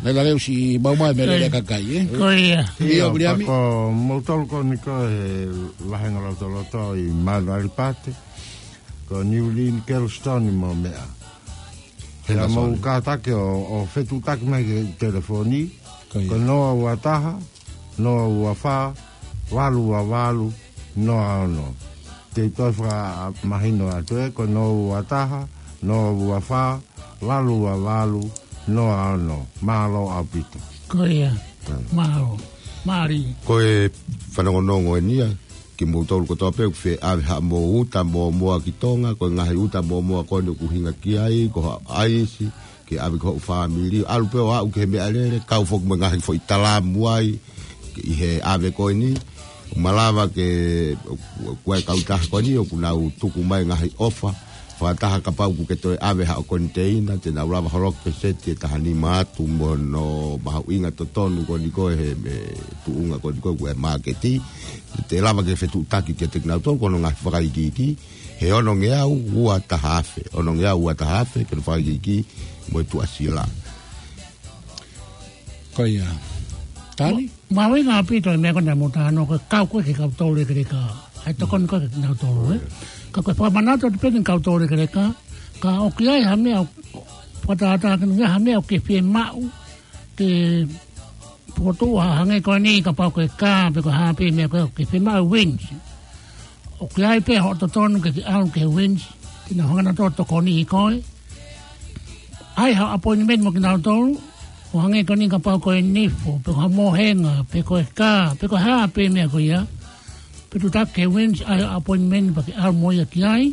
Naʻe lave ʻusi maumau e meʻalele Ko ia. kakai, ē? Ko ia. Ia, Ia, Viliami. pea ko moutolu ko eni ko e he vahenga lotoloto ʻi Manuʻalipate. Ko Niulini Kelestoni mo meʻa. Pea Henderson. mou kātaki ʻo, ʻo fetuʻutaki mai ki he telefoni. Ko ia. Ko noa ua taha, noa ua fā, valu ua valu, noa ono. Te u toe fakamahino atu ē, ko noa ua taha, noa ua fā, valu ua valu, noa ono. Mālō ʻaupito. Ko ia. Mm. Mālō. Mālie. Ko e fanongonongo eni ia, kimoutolu kotoa pē, ʻoku fie ʻave haʻamou uta mōmoa ki Tonga, ko e ngaahi uta mōmoa ko eni ʻoku hinga ki ai, ko ha ʻaisi, ke ʻave ki hoʻo fāmili, ʻalu pē ʻo aʻu ki he meʻalele, kau foki mo e ngaahi foʻi talamu ai, ʻi he ʻave ko eni, malava ke, ko e kautaha ko eni, ʻoku nau tuku mai ngaahi ʻofa, fakataha kapau ʻoku ke toe ʻave haʻo koniteina, te nau lava holoki pe seti e taha nima atu mo hono mahuʻinga totonu ko eni ko e he, he tuʻunga ko eni ko e ʻoku ʻi he māketi, te lava ke fetuʻutaki kiate kinautolu, ko hono ngaahi fakaikiiki, he onongeau ua taha afe, onongeau ua taha afe, ke ne fakaikiiki mo e tuʻasila. Ko ia. Tani? Mo, mahuʻinga ʻaupito e meʻa ko ena mo tano ko e kau ko ē ki he kau toulekeleka. ʻA e tokoni ko ē ki he kau tolu, ē. Ka ko e fakamanatu atu pē ki he kau toulekeleka, ka ʻoku ʻi ai ha meʻa ʻoku fakatātā ki he ha meʻa ʻoku ke fiemaʻu, ke fokotuʻu ha hangē ko eni kapau ko e kā, pe ko e hā pē meʻa ko ē ʻoku ke fiemaʻu e winch. ʻOku ʻi ai pē hoʻo totonu ke ke ʻalu ki he winch, ke nau hanga nautolu ʻo tokoniʻi koe. ʻAi haʻo appointment mo kinautolu, ʻo hangē ko eni kapau ko e nifo, pe ko ha mohenga, pe ko e kā, pe ko e hā pē meʻa ko ia. Fetuʻutaki ki he winch, ʻai haʻo appointment pea ke ʻalu mo ia ki ai.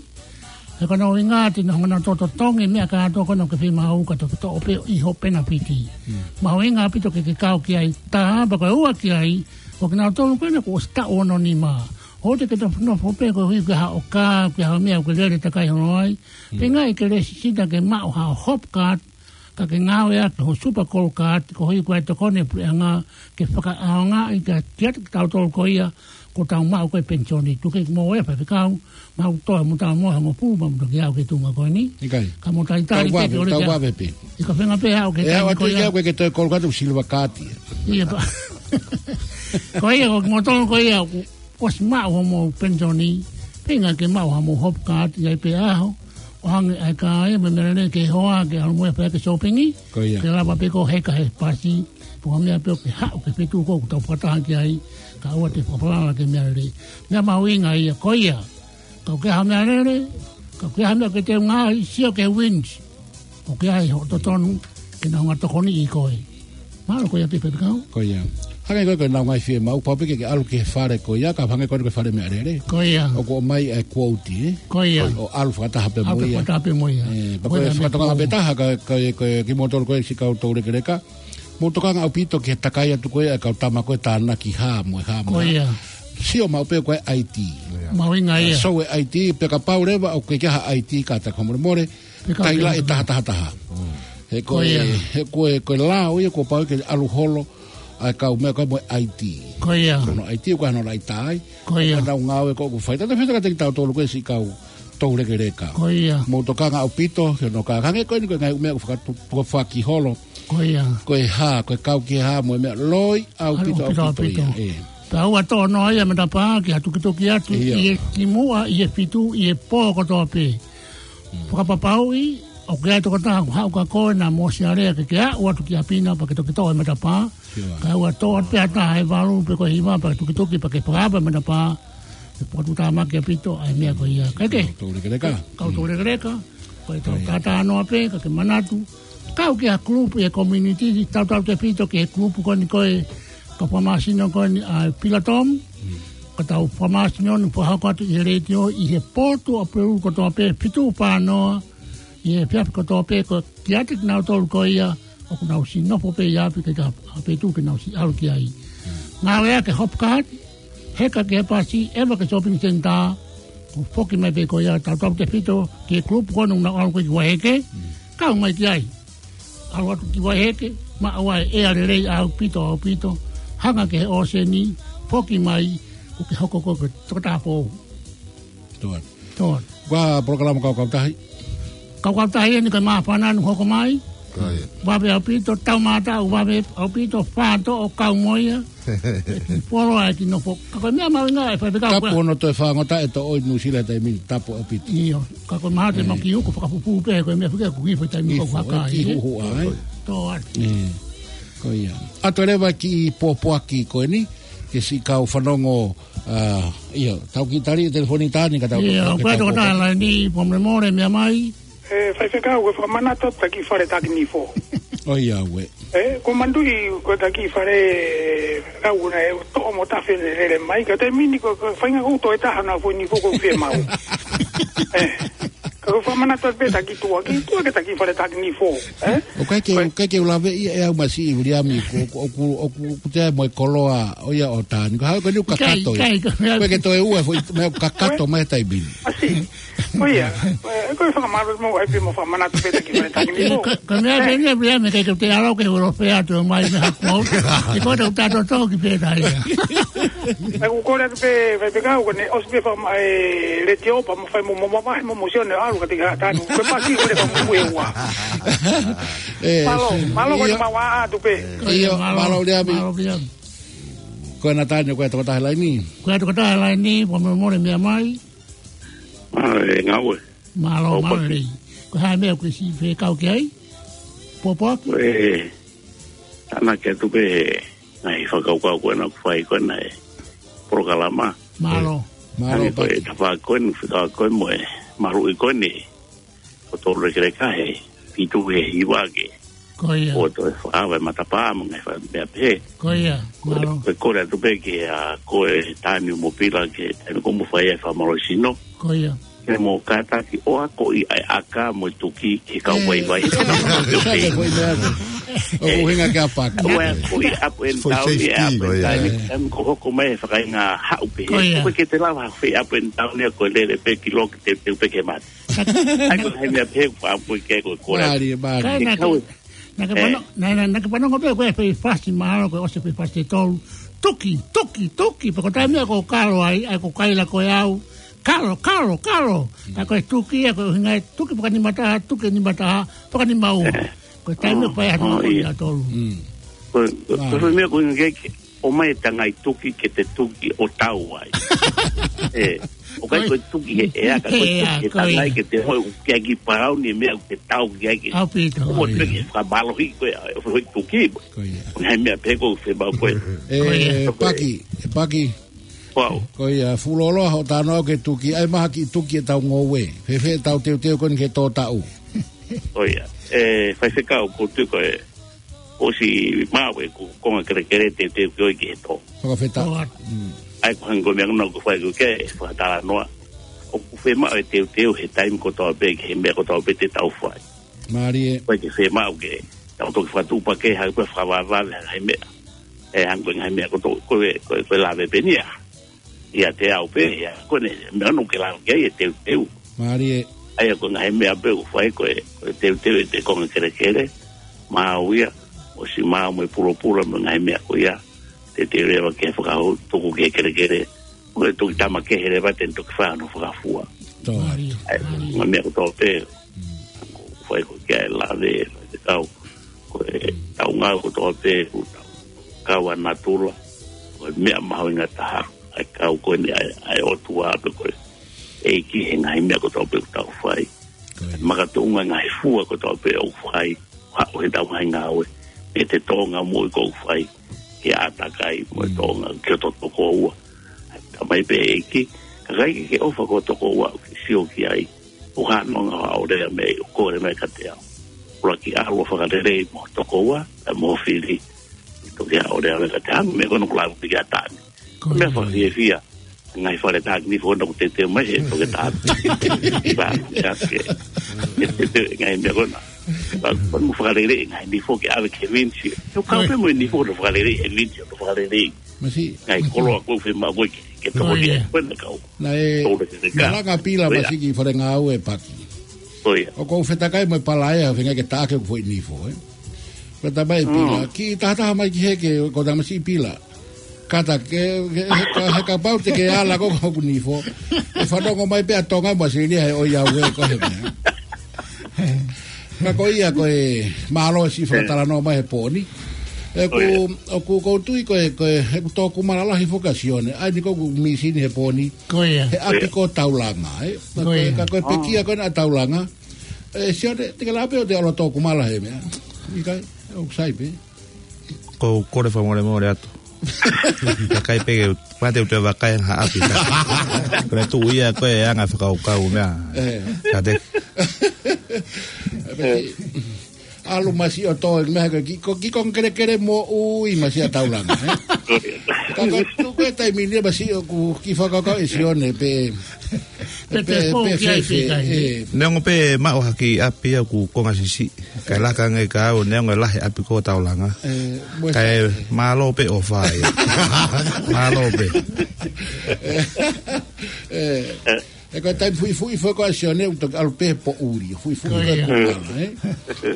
He ko hono ʻuhinga te nau hanga nautolu ʻo totongi e meʻa kātoa ko ena ʻoku ke fiemaʻu ka toki toʻo pē ʻi hoʻo penapiti. Mm. Mahuʻinga ʻaupito ke ke kau ki ai, taha, pea ko e ua ki ai, ko kinautolu ko ena kuo ʻosi taʻu ono nima. ʻOua te ke nofo, nofo pē koeʻuhi ko e haʻo kā, ko e haʻo meʻa ʻoku ke lele takai holo ai. Mm. Pe ngaahi ke lēsisita ke maʻu haʻo hop card, ka ke ngāueʻaki ho super gold card, koeʻuhi ko e tokoni e puleʻanga ke fakaʻaongaʻi kiate kitautolu ko ia, ko ʻetau maʻu ko ē penisoni. Tuku ke mou ʻofa, faifekau, mau toe mo tau mo hangofulu, mau toki aʻu ki he tuʻunga ko eni. ʻIkai. Ka mou talitali Tau pē vave, ke ʻoleva tau pē. vave pē. ʻIkai feinga pē haʻu ki he ʻE, taimi au ko atu ia. Ke au ke toe gold card, silver card ia. Ia pē. Ko ia, ko kimoutolu ko ia, ʻosi maʻu hoʻomou penisoni, feinga ke maʻu haʻamou hop card, ʻi ai pē ʻaho, ʻo hangē ʻa e kā ia, mo e meʻalele ke hoa, ke ʻalu mo ia pē ki he shopping, Ko ia. ke lava pē koe ʻo heka he pasi, pe ko ha meʻa pē ʻoku ke haʻu ki he feituʻu ko ē ʻoku tau fakataha ki ai, kae ʻoua te ke fakafalala ki he meʻalele. Meʻa mahuʻinga ia, ko ia. Kapau ʻoku ke ʻi ai ha meʻalele, kapau ʻoku ke ʻi ai ha meʻa ʻoku ke teunga ai, sio ki he winch. ʻOku ʻi ai hoʻo totonu, ke nau ngata tokoni ʻi koe. Mālō ko ia pē pē kau. Ko ia. Hangē ko e, ko e nau ngaahi fiemaʻu, pau pē ke ke ʻalu ki he fale ko ia, ka hangē ko e, ko e fale meʻalele. Ko ia. ʻOku ʻomai e quote, ē? Ko ia. ʻO ʻalu fakataha pē mo ia. ʻAlu fakataha pē mo ia. Ē, pea ko e fakatokanga pē taha, ka, ka, ka, kimoutolu ko e siʻi kau toulekeleka. Mou tokanga ʻaupito ki he takai atu ko e, ʻa e kau tama ko e tānaki hā mo e hā mo e hā. Ko ia. Sio maʻu pē ko e I D. Mahuʻinga ia. Sio e I D, pea kapau leva ʻoku ʻikai ha I D kātaki, fakamolemole, pea ka taila pē e taha taha taha. He ko e, he ko e, ko e lao ia kuo pau ke ʻalu holo ʻa e kau meʻa ko e mo e I D. Ko ia. Ko hono I D ko hono laʻitā ai. Ko ia. Ko e nau ngāue ko ē ʻoku fai. Tautautefito kiate kitautolu ko e siʻi kau toulekeleka. Ko ia. Mou tokanga ʻaupito ki hono kākā. Hangē ko eni ko e ngaahi meʻa ʻoku fakatu-, ʻoku fakaholo. Ko ia. Ko e hā, ko e kau ki he hā mo e meʻa loi ʻaupito, ʻaupito, ʻaupito, ʻaupito ia. Ē. Pea ʻoua toʻo noa ia matapā ke ha tukituki atu ʻi he kimuʻa, ʻi he fitu, ʻi he pō kotoa pē. Fakapapauʻi ʻoku ʻi ai e tokotaha ʻoku haʻu kia koe naʻa mo sialea ke ke aʻu atu ki ʻapi na pea ke toki toʻo e matapā. Kae ʻoua toʻo atu pē ha taha ʻe valu pe ko e hiva pea ke tukituki pea ke fakaava e matapā. ʻE fakatuʻutāmaki ʻaupito ʻa e meʻa ko ia. Kae kehe. Kau toulekeleka. Kau toulekeleka. Ko e tau tātānoa pē, ka ke manatu. Kau ki ha kulupu ʻi he community, tautautefito ki he kulupu ko eni ko e kau fakamāsino ko eni ʻa e Pilatom. Ka tau fakamāsino ni fakahoko atu ʻi he letiō, ʻi he potu ʻa Peru kotoa pē, fitu fā noa, ʻi he efiafi kotoa pē, ko e kiate kinautolu ko ia, ʻoku nau siʻi nofo pē ʻi ʻapi ke ka, ʻa pē tuʻu ke nau siʻi ʻalu ki ai. Ngāueʻaki e Hopcard, heka ki he pasi, ʻeva ki he shopping center, ʻo foki mai pē ko ia, tautautefito ki he kulupu ko eni ʻoku nau ʻalu ko ē ki Vaiheke, kau mai ki ai. ʻAlu atu ki Vaiheke, maʻu ai e ʻea lelei ʻaupito, ʻaupito, hanga ki he ʻōseni, foki mai, ʻo ke hoko ko e tokotaha foʻou. Tō atu. Tō atu. Ko e polokalama Kau Kautahi. Kau Kautahi eni ko e māfana ʻoku hoko mai. Ko ia. Vave ʻaupito, taumātaʻu vave ʻaupito, fātoʻo kau mo ia. Polo ai ki nofo. Ka ko e meʻa mahuʻinga ʻe fai pē kau. Tapu hono toe fāngota e toʻo ʻi Nuʻusila he taimi ni, tapu ʻaupito. ʻIo. Ka ko e mahalo te mau kiʻi uku fakafufū pē, ko e meʻa fika ʻoku hifo he taimi ni ko e haka, ki ē. Huhuʻa, ē? Tō atu. Ē. Ko ia. ʻOatu leva e kiʻi pōpoaki ko eni, ke siʻi kau fanongo, ʻa, ʻio, tau kiʻi tali e telefoni Tani ka tau. ʻIo, ko e tokotaha laini, fakamolemole, meʻa mai. Ē, faifekau, ko e fakamanatu atu taki fale taki nifo. ʻOiauē. Ē, ko e manatuʻi, ko e taki fale, kau na e toʻo mo tafe ne lele mai, ka taimi ni ko, ko e faʻahinga ʻuto e taha na foʻi nifo ko e fiemaʻu. Ē, ka ko e fakamanatu atu pē taki tuʻa, ki tuʻa ke taki fale taki nifo. Ē? ʻOku ʻikai ke, ko e ʻikai ke u laveʻi ʻe au masiʻi Viliami, ko, ko, ʻoku, ʻoku, ʻoku te mo e koloa, ʻo ia ʻo Tani. Ko e hā ko eni ʻoku kakato ia. ʻIkai, ʻikai, ʻikai. Ko e ke toe ua, foʻi, meʻa ʻoku kakato mai he taimi ni. ʻAsi. Ko ia, ē, ko e fakamālō mo ai pē mo fakamanatu pē taki fale taki nifo. Ka, ka meʻa pē ni, pea meʻa ke te alo ke holo fea atu mai me haku au. Ke ko e tau tato tau ki pē tai. Ē, ʻoku kole atu pē, faifekau, ko ʻene ʻosi pē faka-, ē, letiō pea mo fai mo, mo, mo, mo, mo, sio ne ʻalu ka te ka tanu. Ko e pasi ko e fakamuku e ua. Ē, mālō, mālō ko e ʻio. Mau ʻā atu pē. ʻIo, mālō, mālō Viliami. Mālō Viliami. Ko e na Tani, ko e tokotaha laini. Ko e tokotaha laini, fakamolemole meʻa mai. Mālō e ngāue. Mālō, mālō lelei. Ko e hā e meʻa ʻoku ke siʻi fekau ki ai? Pōpoaki? Ko e tānaki atu pē ngaahi fakakaukau ko ena ʻoku fai ko ena he polokalama. Mālō. Mālō, Paki. Ko e tafaʻaki ko ena, fekau ko e mo e maluʻi ko eni. Ko e toulekeleka he fitu he hiva ke. Ko ia. ʻO toe fakaava e matapā mo e ngaahi fakameʻa pehē. Ko ia, mālō. Ko e kole atu pē ke ʻa ko e Tani mo Pila ke taimi ko ē mo fai e fakamālohisino. Ko ia. Ke mo kātaki ʻo akoʻi ʻa e ʻaka mo e tuki ke kau vaivai. Ē, sai ke foʻi meʻa ko. ʻOku ʻuhinga ke ʻapaki. ʻO akoʻi up and down, up and down. Taimi ko ē hoko mai e fakaʻinga haʻu pē. Ko ia. Ko e ke te lava fai up and down ia ko e lele pē ki loki te, te pē ke mate. ʻAi ko hai meʻa pē ʻoku pāpui ke ko e kole. Mālie, mālie. Kae naʻa ke, naʻa ke pano, naʻa, naʻa, naʻa ke panongo pē ko e fai fasi mahalo ko e ʻosi fai fasi ʻe tolu. Tuki, tuki, tuki, pea ko e taimi ia ko e kalo ai, ʻai ko e kaila ko e au. Kalo, kalo, kalo. Ka ko e tuki ia ko e ʻuhinga e tuki fakanima taha, tuki nima taha, fakanima ua. Ko e taimi ia ko e ʻaho ko ia tolu. Ko, ko, ko e meʻa ko e ʻuhinga ke ʻomai e tangai tuki ke te tuki ʻo tau ai. ʻE, ʻoku ʻikai ko e tuki he ʻea ka ko e tuki he tangai ke te hoi ʻukiʻaki parau ni meʻa ke tau ki ai ke. ʻAupito. ʻO te ke fakamālohi ko e, ʻo hoi tuki. Ko ia. ʻO ngaahi meʻa pē ko e fepau ko e. ʻE, Paki, ʻe Paki. Ko ia, fuʻu lōloa hoʻo talanoa ke tuki, ʻai mai ha kiʻi tuki ʻetau ngoue. Fēfē ʻetau teuteu ko eni ke tō taʻu. Ko ia. ʻE, faifekau, ʻoku ou tui ko e ʻosi maʻu ʻeku konga kelekele teuteu ke ʻoua ke tō. Fakafetaʻi. ʻOa. Mm. ʻA ia ko e hangē ko e meʻa naʻa ku fai ko ē ke fakatalanoa. ʻOku fiemaʻu e teuteu he taimi kotoa pē ki he meʻa kotoa pē te tau fai. Mālie. Ko e ke fiemaʻu ke tau toki fakatuʻupakē ha ʻū fakavavevave ha meʻa. ʻE hangē ko e ngaahi meʻa kotoa ko e, ko e, ko e lave pē eni ia. ʻIate au pē, ia, ko eni, meʻa naʻa ku lave ki ai e teuteu. Mālie. ʻA ia ko e ngaahi meʻa pē ʻoku fai ko e, ko e teuteu ʻete konga kelekele, maʻu ia, ʻosi maʻu mo e pulopula mo e ngaahi meʻa ko ia, teuteu leva ke fakahū, tuku ki he kelekele, ko e toki tama kehe leva te ne toki fai hono fakafua. Tō atu. Mālie. ʻA ia, ngaahi meʻa kotoa pē, ʻoku fai ko ē ke lave, faifekau, ko e tau ngāue kotoa pē, ʻoku tau kau ʻa natula, ko e meʻa mahuʻinga taha, ʻa e kau ko eni ʻa e, ʻa e ʻOtua pē ko e ʻEiki he ngaahi meʻa kotoa pē ʻoku tau fai. Ko e. Makatuʻunga ngaahi fua kotoa pē ʻoku fai, haʻu he tau ngaahi ngāue, ʻete tōʻonga moʻui ʻoku fai, ke ʻātakai mo e tōʻonga ki ho tokoua. Tamai pē ʻEiki, ka ʻikai ke ke ʻofa ki ho tokoua, ʻoku ke sio ki ai, ʻoku hā nonga ha ʻaulea mei ʻoku kole mai kiate au. ʻUluaki ʻalu ʻo fakalelei mo ho tokoua, ʻa mo ho fili. Toki ʻalu ʻo lea mai kiate au, meʻa ko ena ʻoku lave ki ai ʻa Tani. Ko e meʻa fakafiefia, ngaahi fale taki nifo naʻa ku teuteu mai he toke taha. Ba, ia ke. Ngaahi meʻa ko ena. Ba, ba mo fakalelei, ngaahi nifo ke ʻave ki he vinisi. Ko e kau pē mo e nifo ʻo fakalelei, he vinisi ʻo fakalelei. Masiʻi. Ngaahi koloa ko ē fiemaʻu ko ē ke, ke toko ia. Ko ena kau. Naʻe, tole ke te ka. Malanga Pila masiʻi ki fale ngāue paki. Ko ia. ʻOku ou fetakai mo e palaea, feinga ke taʻaki hoku foʻi nifo, ē. Ko e tamai Pila, ki tahataha mai ki hē ke, ko e tamasiʻi Pila. Kātaki, ke, ke, he ka, he kapau te ke ala ko hoku nifo. ʻE fanongo mai pē ʻa Tonga mo ʻAositelēlia he ʻoiauē ko ē he meʻa. Ka ko ia ko e mālō siʻi fakatalanoa mai he pō ni. ʻOku, ʻoku ou tui ko e, ko e, he ʻoku tō kumala lahi foki ʻa Sione. ʻA eni ko ʻeku mīsini he pō ni. Ko ia. He ʻapi ko Taulanga, ē. Ka ko e, ka ko e pekia ko ena ʻa Taulanga. ʻE, Sione, te ke lava pē ʻo te ʻalu ʻo tō kumala he meʻa. ʻIkai, ʻoku sai pē. ʻOku ou kole fakamolemole atu. Ka ʻikai pē ke, mate u te vakai ha ʻapi ka. Ko e tuʻu ia ko e anga fakakaukau meʻa. Ka te. ʻAlu masiʻi ʻo tō, meʻa ko e ki, ko, ki konga kelekele moʻui masiʻi ʻa Taulanga, ē? Ka ko e tuʻu ko e taimi ni masiʻi ʻoku kiʻi fakakaukau ʻe Sione pē, pē, pē, pē, pē, pē, ē. Neongo pē maʻu ha kiʻi ʻapi ʻoku konga siʻisiʻi. Kae laka ange ka au, neongo e lahi ʻapi ko Taulanga. Kae mālō pē ʻofa ia. Mālō pē. ʻE, ko e taimi fuʻifuʻi foki ʻa Sione, ʻoku toki ʻalu pē poʻuli, fuʻifuʻi ko e kumala, ē?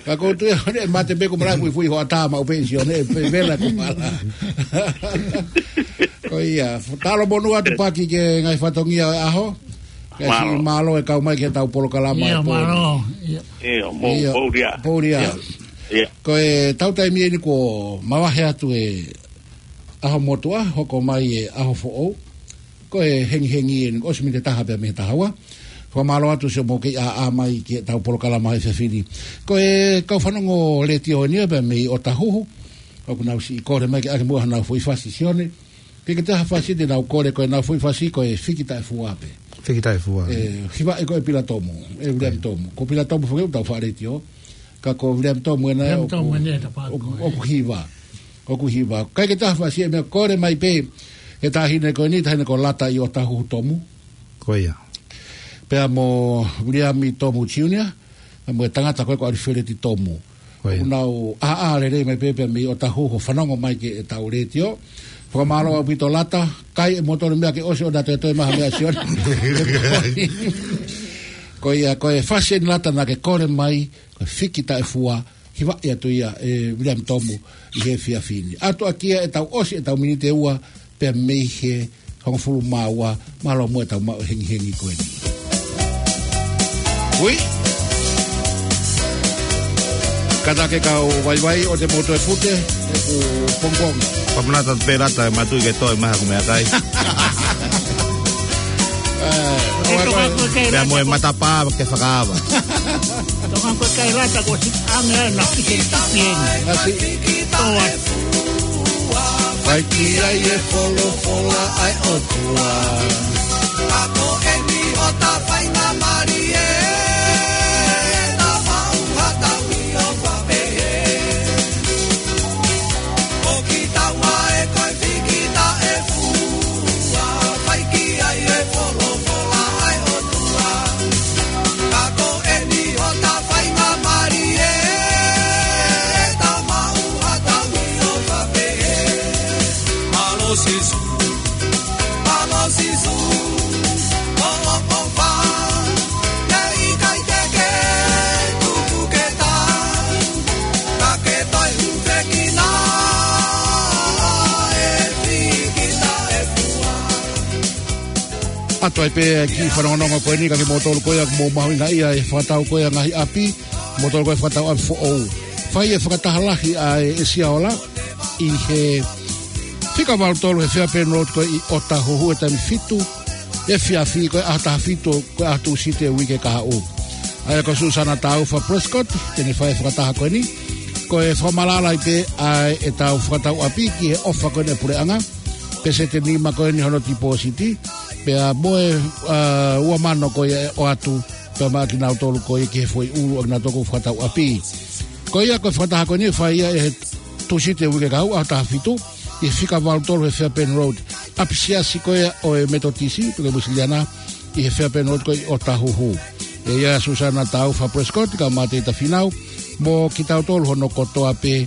Ka ko e tuʻu ʻe mate pē kumala, fuʻifuʻi hoʻatā maʻu pē Sione, pē vela kumala. Ko ia, talo monū atu paki ki he ngaahi fatongia ʻo e ʻaho. Kae siʻi mālō e kau mai ki heʻetau polokalama ʻo e pō ni. Mālō. Ia. Ia, mo Poulia. Poulia. Ia. Ko e tau taimi eni kuo mavahe atu e ʻaho motuʻa, hoko mai e ʻaho foʻou. Ko e hengihengi eni, ʻosi miniti ʻe taha pea mei he taha ua. Fakamālō atu siʻomou kei ʻā mai ki heʻetau polokalama he efiafi ni. Ko e kau fanongo letiō eni ia pea mei ʻOtahuhu. ʻOku nau siʻi kole mai ke ʻoange muʻa hanau foʻi fasi Sione. Ke ke taha fasi te nau kole ko e nau foʻi fasi ko e Fiki Taʻefua pē. Fiki Taʻefua. ʻE, hiva ʻe ko e Pila Tomu, ʻe William Tomu. Ko Pila Tomu foki ʻoku tau faʻa letiō. Ka ko William Tomu ena ʻoku, ʻoku hiva. ʻOku hiva. ʻIkai ke taha fasi ʻe meʻa kole mai pē. He taʻahine ko eni, taʻahine ko Lata ʻi ʻOtahuhu Tomu. Ko ia. Pea mo William Tomu Junior. Mo e tangata ko ē ko ʻAlifeleti Tomu. ʻOku nau ʻā lelei mai pē pea mei ʻOtahuhu fanongo mai ki heʻetau letiō. Fakamālō ʻaupito Lata, kai e motolo meʻa ke ʻosi ʻo na toetoe mai ha meʻa Sione. Ko ia, ko e fasi eni Lata naʻa ke kole mai, ko e Fiki Taʻefua, hivaʻi atu ia ʻe William Tomu ʻi he efiafi ni. ʻAtu ʻaki ia ʻetau ʻosi, ʻetau miniti ʻe ua, pea mei he hongofulu mā ua, mālō muʻa ʻetau maʻu hengihengi ko eni. Ui. Kātaki kau vaivai ʻoua te mou toe fute, ʻeku pongipongi. Pamanata pē Lata, mātuʻaki ke toe mai haku meʻakai. Pea mo e matapā ke fakaava. Tonga ko e kai Lata ko si ame ai na ki te tipi eni. Ngasi. Toa. Fai ki ai e folofola ʻa e ʻOtua. Ka ko eni ʻo ta faingamālie, ta fau ha taui. Toe pē ki fanongonongo ko eni ka ke motolu ko ia mo mahuʻinga ia e fakatau ko ia ngaahi ʻapi, motolu ko ia fakatau ʻapi foʻou. Fai e fakataha lahi ʻa e ʻEsiaola ʻi he fika valu tolu he Fairbairn Road ko ē ʻi ʻOtahuhu he taimi fitu efiafi ko e ʻaho taha fitu ko e ʻaho Tūsite uike kahaʻu. ʻA ia ko Susana Taufa Prescott, te ne fai e fakataha ko eni, ko e fakamaʻalaʻala pē ʻa ʻetau fakatau ʻapi ki he ʻofa ko eni ʻa e puleʻanga, pēseti ʻe nima ko eni hono tipōsiti, pea mo e, ʻa, ua mano ko ia ʻe ʻoatu, pea maʻa kinautolu ko ia ki he foʻi ʻulu ʻa kinautolu ko ē fakatau ʻapi. Ko ia ko e fakataha ko eni ʻe fai ia ʻi he Tūsite uike kahaʻu ʻaho taha fitu, ʻi he fika valu tolu he Fairbairn Road, ʻapi siasi ko ia ʻo e Metotisi, pe ko e Uēsiliana, ʻi he Fairbairn Road ko ē ʻi ʻOtahuhu. ʻE ʻi ai ʻa Susana Taufa Prescott, kae ʻumaʻā ʻa Tēvita Fīnau, mo kitautolu hono kotoa pē,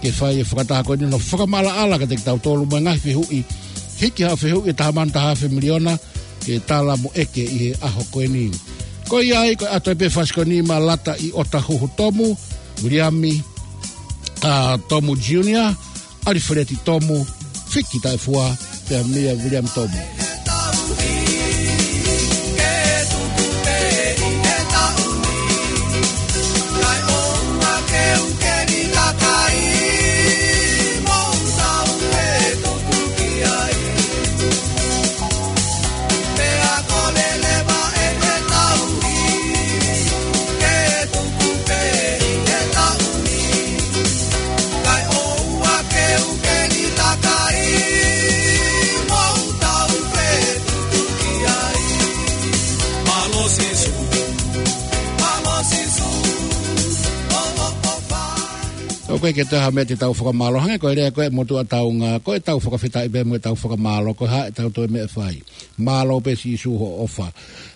ke fai e fakataha ko eni hono fakamaʻalaʻala kiate kitautolu mo e ngaahi fehuʻi. Hiki haʻo fehuʻi ʻe taha mano taha afe miliona, ke tala mo ʻeke ʻi he ʻaho ko eni. Ko ia ai, ko e ʻoatu pē fasi ko eni maʻa Lata ʻi ʻOtahuhu Tomu, Viliami, ʻa, Tomu Junior, ʻAlifeleti Tomu, Fiki Taʻefua, pea Mia Viliami Tomu. ʻOku ʻikai ke toe ha meʻa te tau fakamālō, hangē ko e lea ko ē ʻa e motuʻa taunga, ko ʻetau fakafetaʻi pē mo ʻetau fakamālō, ko e hā ʻetau toe meʻa fai. Mālō pē Sīsū hoʻo ʻofa.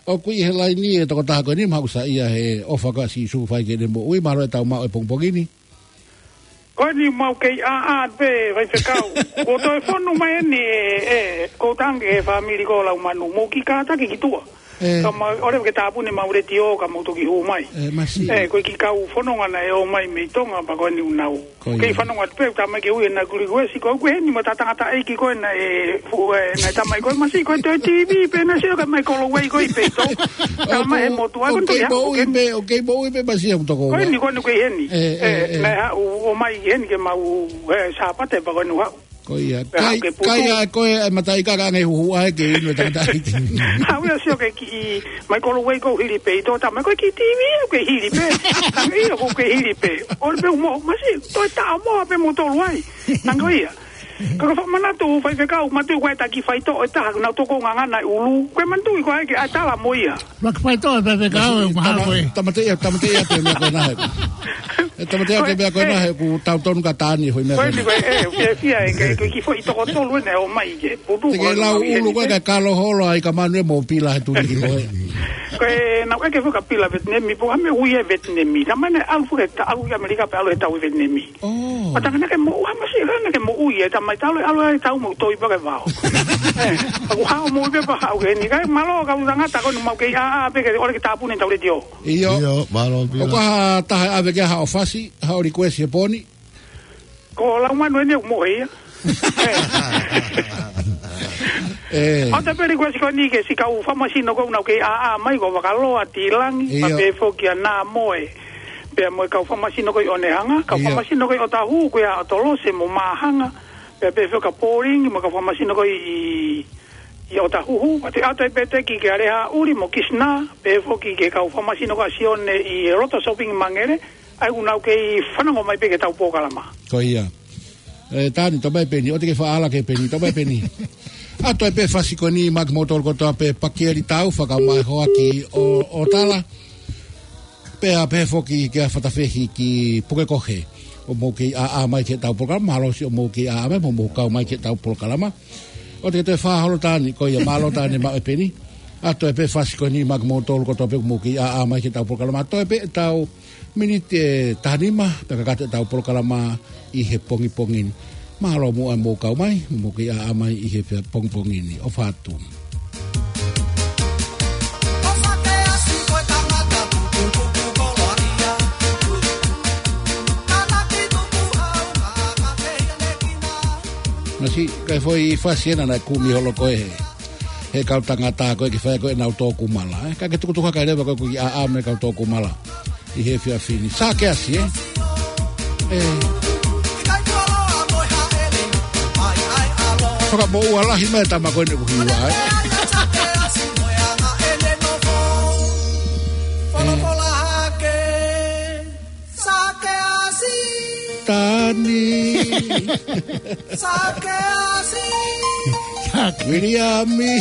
ʻOku ʻi he laini e tokotaha ko eni, maʻu sa ia he ʻofa ko ia ʻa Sīsū fai ki heʻene moʻui, mālō ʻetau maʻu e pongipongi ni. Ko eni mau kei ʻā, ʻā pē, Faifekau. Kuo toe fonu mai eni e, e, ko tangi e fāmili ko Laumanu, mou kiʻi kātaki ki tuʻa. Ē. Ka mau, ʻoua ke tāpuni ʻemau letiō, ka mou toki hū mai. Ē, masiʻi. Ē, ko e kiʻi kau fononga naʻe ō mai mei Tonga, pea ko eni ʻoku nau. Ko ia. Kei fanongo atu pē, tā mai ke ui ʻenau request, ko ʻeku ʻi heni mo e tangataʻeiki ko ē naʻe, fu-, ē, naʻe tā mai ko ē masiʻi, ko e toe TV pē naʻe sio ka mai Kolowei ko ē ʻi peito. Tā mai ʻe he motuʻa, ko ʻoku kei moʻui pē, ʻoku kei moʻui pē masiʻi ʻoku toko ua. Ko eni, ko eni ʻoku ʻi heni. Ē, ē, ē, ē. Naʻe haʻu ʻo mai heni ke mau, ē, Sāpate pea ko eni ʻoku haʻu. Ko ia. Pea haʻu ke putu. Kai, kai ʻa koe e mataʻikaka ange huhu ai ke inu e tangataʻeiki. Haʻu ia sio ke kiʻi mai Kolowei ko ē hili peito, tā mai ko e kiʻi TV ʻoku hili pē. Hangē ia ʻoku hili pē. ʻOua pē mo, masiʻi, toe taʻamoa pē moutolu ai. Hangē ia. Ka ko e fakamanatu Faifekau, manatuʻi ko e taki faitoʻo ʻe taha, nau toko ngangana ʻi ʻulu. Ko e manatuʻi ko ē ke ʻai tala mo ia. Laki faitoʻo e Faifekau, ʻe maha ko ē. Tamateʻi, tamateʻi atu e meʻa ko ena he. ʻE tamateʻi atu e meʻa ko ena he ʻoku tau tonu ka tāni hoi meʻa ko ena. Ko eni ko e, ʻe, fiefia ē, ko e kiʻi foʻi toko tolu ena ʻo mai ke putu. Te ke lau ʻulu ko ē ka kalo holo ai ka manu e mo pila he tuli ki ko ē. Ko e nau ʻeke foki ka pila Vetinemi, pea ko e hā e meʻa ʻoku ui ai e Vetinemi. Tā mai naʻe ʻalu foki, tā ʻalu ki ʻAmelika pea ʻalu he tau ʻi Vetinemi. ʻŌ. Pea tā naʻa ke moʻua masiʻi, naʻa ke moʻui, ē, tā mai talu e ʻalu ai e tau mo toi pea ke vao. Ē, ʻoku haʻu mo ui pē pea haʻu heni. Kae mālō kau tangata ko eni mau kei ʻā, ʻā pē ke ʻoua ke tāpuni ʻetau letiō. ʻIo. ʻIo, mālō pē. ʻOku ʻi ai ha taha ʻe ʻave ki ai haʻo fasi, haʻo request he pō ni? Ko Laumanu eni ʻoku mohe ia. Ē. ʻOatu pē request ko eni ki he siʻi kau fakamasino ko ē ʻoku nau kei ʻā, ʻā mai ko Vakaloa, Tilangi, ʻio, pea pehē foki kia Namoe. Pea mo e kau fakamasino ko ē ʻi Onehunga, kau, ʻio, fakamasino ko ē ʻi ʻOtahuhu, ko ia ʻOtolose mo Māhanga, pea pehē foki kia Paulingi, mo e kau fakamasino ko ē ʻi, ʻi ʻOtahuhu, pea toe ʻoatu pē ʻeku teki kia Lehaʻuli mo Kisina, pehē foki ki he kau fakamasino ko ē ʻa Sione ʻi he Loto Shopping Mangere, ʻa ia ʻoku nau kei fanongo mai pē ki heʻetau polokalama. Ko ia. Ē, Tani, tō mai peni, ʻoua te ke fakaʻala ki he peni, tō mai peni. ʻOatu pē fasi ko eni maʻa kimoutolu kotoa pē Pakieli Taufa kae ʻumaʻā e hoa ki ʻo, ʻo Tala. Pea pehē foki kia Fatafehi ki Pukekohe. ʻOku mou kei ʻā, ʻā mai ki heʻetau polokalama, mālō siʻi ʻoku mou kei ʻā, ʻā mai, mou, mou kau mai ki heʻetau polokalama. ʻOua te ke toe fā holo Tani, ko ia mālō Tani maʻu e peni. ʻOatu pē fasi ko eni maʻa kimoutolu kotoa pē ʻoku mou kei ʻā, ʻā mai ki heʻetau polokalama. Toe pē ʻetau miniti ʻe taha nima, pea kakato ʻetau polokalama ʻi he pongipongi ni. Mālō muʻa mou kau mai, mou kei ʻā, ʻā mai ʻi he pea pongipongi ni. ʻOfa atu. Masiʻi, ko e foʻi fasi ena naʻe kumi holo ko ē he he kau tangata ko ē ke fai ko ē ʻenau tō kumala, ē. Ka ke tukutuku hake leva ko ē ki ʻaʻa mo e kau tō kumala ʻi he efiafi ni. Sakeasi, ē? Ē. Fakamoʻua lahi mai tama ko eni ʻoku hiva, ē? Ē. Sakeasi. Tani. Sakeasi. Sake. Viliami.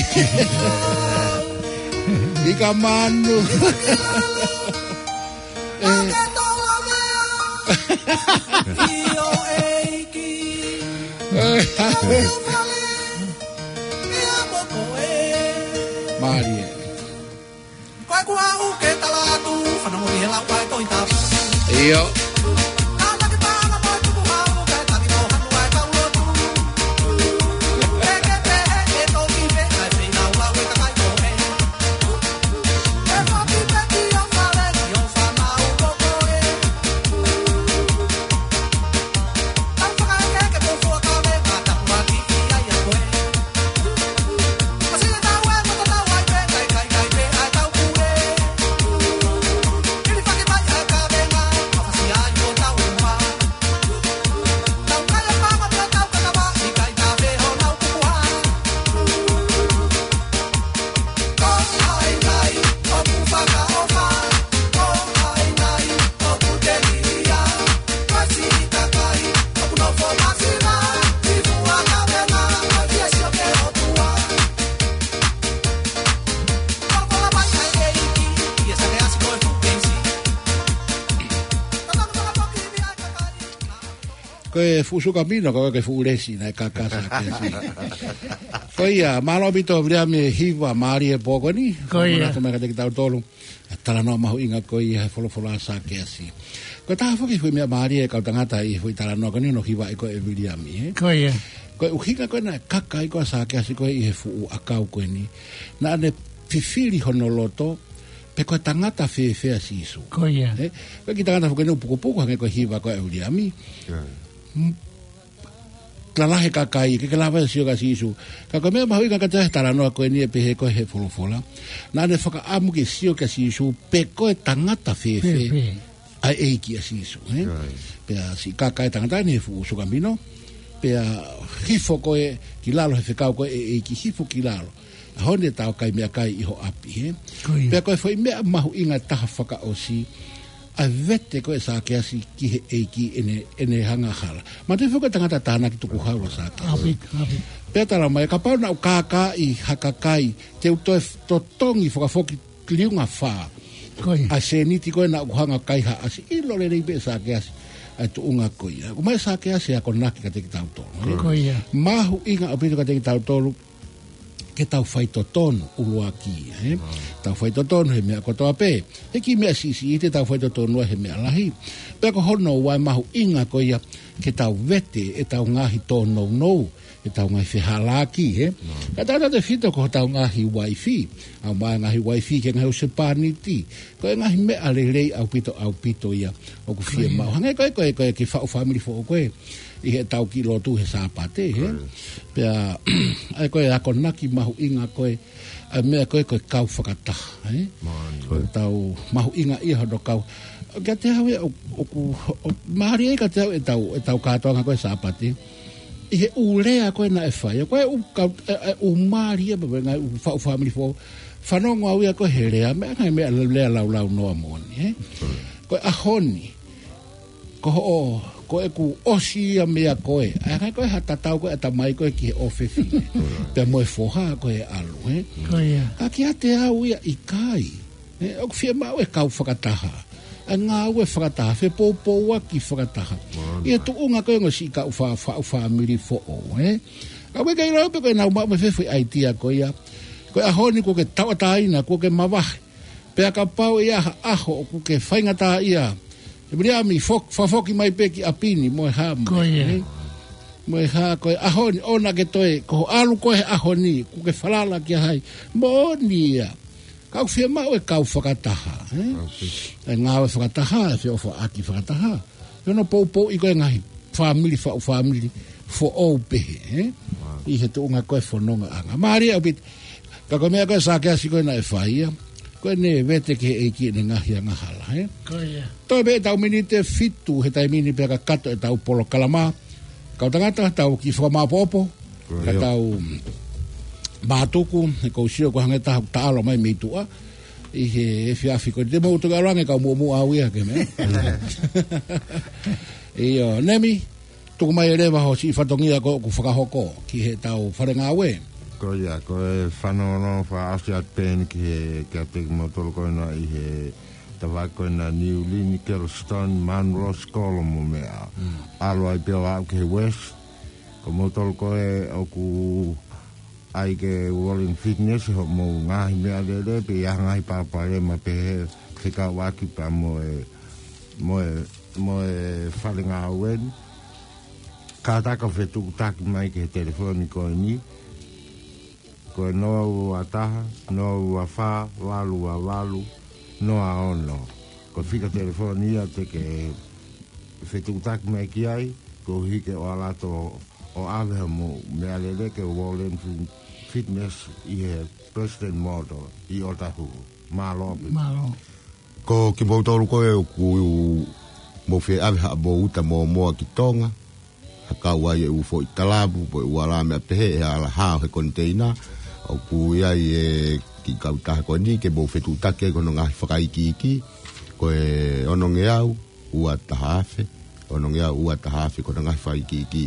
Ikamanu. Ē. Ake tolomea. Io eiki. Ē. Ake fale. Ia moko e. Mālie. Ko e kuo aʻu ke tala atu, fanongo ki he lau ʻa e Tohi Tapu. ʻIo. Ka taki paʻanga mo e tukuhau, kae taki mo hanu ʻa e kau lotu. Ke ke pehē ke toki pē ʻa e feilaulau ʻa e kakai ko ē. Ke toki pē ki ho fale, ki ho fānau ko koe. Tau fakaeke ke tau fuakave, ka tapu ʻaki ʻi ai ʻa koe. Ko e fuʻu sukamino, ko e fuʻu lesi naʻe kaka Sakeasi. Ko ia, mālō ʻaupito Viliami e hiva mālie he pō ko eni. Ko ia. Fakamanatu mai kiate kitautolu e talanoa mahuʻinga ko ia he folofola ʻa Sakeasi. Ko e taha foki e foʻi meʻa mālie ʻa e kau tangata ʻi he foʻi talanoa ko eni, hono hivaʻi ko ē ʻe Viliami, ē? Ko ia. Ko e ʻuhinga ko ē naʻe kaka ai ko ē ʻa Sakeasi ko ē ʻi he fuʻu ʻakau ko eni, naʻa ne fifili hono loto pe ko e tangata fēfē ʻa Sīsū. Ko ia. Ē? Ko e kiʻi tangata foki eni ʻoku pukupuku hangē ko e hiva ko ē ʻa Viliami. Ia. M-, lalahi e kakai, ʻikai ke lava ia ʻo sio kia Sīsū. Ka ko e meʻa mahuʻinga kiate au he talanoa ko eni ʻe pehē ko ē he folofola, naʻa ne fakaʻamu ke sio kia Sīsū pe ko e tangata fēfē, fēfē, ʻa e ʻEiki ʻa Sīsū, ē? Right. Pea siʻi kaka e tangata ni he fuʻu sukamino, pea hifo ko ē ki lalo he fekau ko ē ʻa e ʻEiki, hifo ki lalo. ʻAho ni ʻe tau kai meʻakai ʻi ho ʻapi, ē? Ko ia. Pea ko e foʻi meʻa mahuʻinga taha fakaʻosi, ʻa e vete ko ē ʻa Sakeasi ki he ʻEiki ʻene, ʻene angahala. Manatuʻi foki ko e tangata tānaki tukuhau ʻa Sakeasi. ʻAupito, ʻaupito. Pea tala mai, kapau naʻa ku kākaaʻi ha kakai, te u toe f-, totongi fakafoki liunga fā. Ko ia. ʻA e sēniti ko ē naʻa ku hanga ʻo kai ha ʻasi, ʻilo lelei pē ʻe Sakeasi ʻa e tuʻunga ko ia. ʻOmai ʻe Sakeasi e akonaki kiate kitautolu, ē? Ko ia. Mahuʻinga ʻaupito kiate kitautolu ke tau faitotonu ʻuluaki, ē? Wow. Tau faitotonu he meʻa kotoa pē. He kiʻi meʻa siʻisiʻi te tau faitotonu ai he meʻa lahi. Pea ko hono ua e mahuʻinga ko ia ke tau vete ʻetau ngaahi tōnounou, ʻetau ngaahi fehālaaki, ē? Wow. Ka tau tau te fito ko hotau ngaahi uaifi, ʻomai e ngaahi uaifi ki he ngaahi husepāniti. Ko e ngaahi meʻa lelei ʻaupito, ʻaupito ia ʻoku fiemaʻu. Ko ia. Hangē ko ē, ko e, ko e kiʻi faʻu fāmili foʻou ko ē ʻi heʻetau kiʻi lotu he Sāpate, ē? Ko ia. Pea, ʻa ia ko e akonaki mahuʻinga ko ē, ʻa e meʻa ko ē ko e kau fakataha, ē? Mālie. Ko ʻetau mahuʻingaʻia hono kau. Kiate au ia ʻo, ʻoku, ʻo, mālie ai kiate au ʻetau, ʻetau kātoanga ko ē Sāpate. ʻI he ʻū lea ko ē naʻe fai, ko e ʻū kau, ē, ē, ʻū mālie pē, pē ngaahi ʻū faʻu fāmili foʻou. Fanongo au ia ko ē he lea, meʻa ngaahi meʻa lea laulaunoa moʻoni, ē? Ko e ʻaho ni, ko hoʻo, ko ʻeku ʻosi ia meia koe. ʻA ia ko e hā tatau ko ē ʻatamai ko ē ki he ʻofefine. Pea mo e foha ko ē ʻalu, ē? Ko ia. Ka kiate au ia ʻikai. Ē, ʻoku fiemaʻu e kau fakataha. ʻA e ngāue fakataha, fepoupouaki fakataha. Mālie. ʻI he tuʻunga ko ē ʻo e siʻi kau fa-, fa-, faʻu fāmili foʻou, ē? ʻA ia ʻoku ʻikai lau pē ko ʻenau maʻu mei fē foʻi ʻaitia ko ia. Ko e ʻaho ni kuo ke tauʻatāina, kuo ke mavahe. Pea kapau ʻe ʻi ai ha ʻaho ʻoku ke faingataʻaʻia, ʻe Viliami, fok-, fakafoki mai pē ki ʻapi ni mo e hā mai, ko ia, ē? Mo e hā ko e ʻaho ni, ʻoua naʻa ke toe, ko hoʻo ʻalu ko ē he ʻaho ni, kuo ke falala kia hai? Moʻoni ia. Ka ʻoku fiemaʻu e kau fakataha, ē? ʻAupito. E ngāue fakataha, e feʻofaʻaki fakataha. Ko hono poupouʻi ko ē ngaahi fāmili, faʻu fāmili foʻou pehē, ē? Wow. ʻI he tuʻunga ko ē fonongaʻanga. Mālie ʻaupito. Ka ko e meʻa ko ē Sakeasi ko ē naʻe fai ia, ko ʻene vete ki he ʻEiki ʻene ngaahi angahala, ē? Ko ia. Toe pē ʻetau miniti ʻe fitu he taimi ni pea kakato ʻetau polokalama. Kau tangata, tau kiʻi fakamāʻopoʻopo, ka tau mātuku, he ʻoku ou sio ko e hangē ha taha ʻoku taʻalo mai mei tuʻa ʻi he efiafi ko eni. Te mou toki ʻalu ange kau muʻomuʻa au ia ke meʻa. ʻIo, Nemi, tuku mai ʻe leva ho siʻi fatongia ko ē ʻoku fakahoko ki heʻetau fale ngāue. Ko ia, ko e fanongonongo fakaʻosi atu pē eni ki he, kiate kimoutolu ko ena ʻi he tafaʻaki ko ena New Lynn, Kelston, Munro, Sikolo mo meʻa. Mm. ʻAlu ai pē ʻo aʻu ki he West. Ko moutolu ko ē ʻoku ʻai ke Wallen Fitness hoʻomou ngaahi meʻalele pe ʻi ai ha ngaahi palopalema pehē fekauʻaki pea mo e, mo e, mo e fale ngāue ni. Kātaki ʻo fetuʻutaki mai ki he telefoni ko eni. Ko e noa ua taha, noa ua fā, valu ua valu, noa ono. Ko e fika telefoni ia te ke fetuʻutaki mai ki ai, koeʻuhi ke ʻoatu ʻo ʻave hoʻomou meʻalele ki he Wallen Fit-, Fitness ʻi he President Motors ʻi ʻOtahuhu. Mālō ʻaupito. Mālō. Ko kimoutolu ko ē ʻoku mou fie ʻave haʻamou uta mōmoa ki Tonga, ha kau ai e ʻū foʻi talavu, pe ʻū ala meʻa pehē, ʻe ala hao he koniteina, ʻoku ʻi ai e kiʻi kautaha ko eni ke mou fetuʻutaki ai ki hono ngaahi fakaikiiki, ko e onongeau ua taha afe, onongeau ua taha afe ko hono ngaahi fakaikiiki.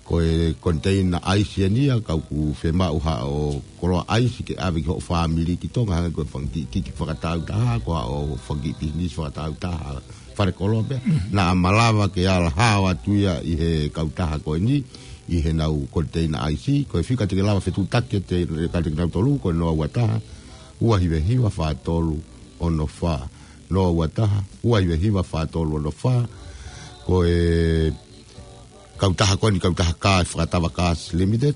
Ko e koniteina ʻaisi eni ia, ka ʻoku fiemaʻu haʻo koloa ʻaisi ke ʻave ki hoʻo fāmili ki Tonga, hangē ko e fanga kiʻi kiʻi fakataautaha, ko haʻo fanga kiʻi pisinisi fakataautaha, fale koloa pē. Mm. Naʻa malava ke ala hao atu ia ʻi he kautaha ko eni, ʻi heʻenau koniteina ʻaisi, ko e fika te ke lava fetuʻutaki kiate, kiate kinautolu, ko e noa ua taha, ua hiva hiva fā tolu ono fā. Noa ua taha, ua hiva hiva fā tolu ono fā. Ko e kautaha ko eni, kautaha kā ʻe Fakatava Cars Limited,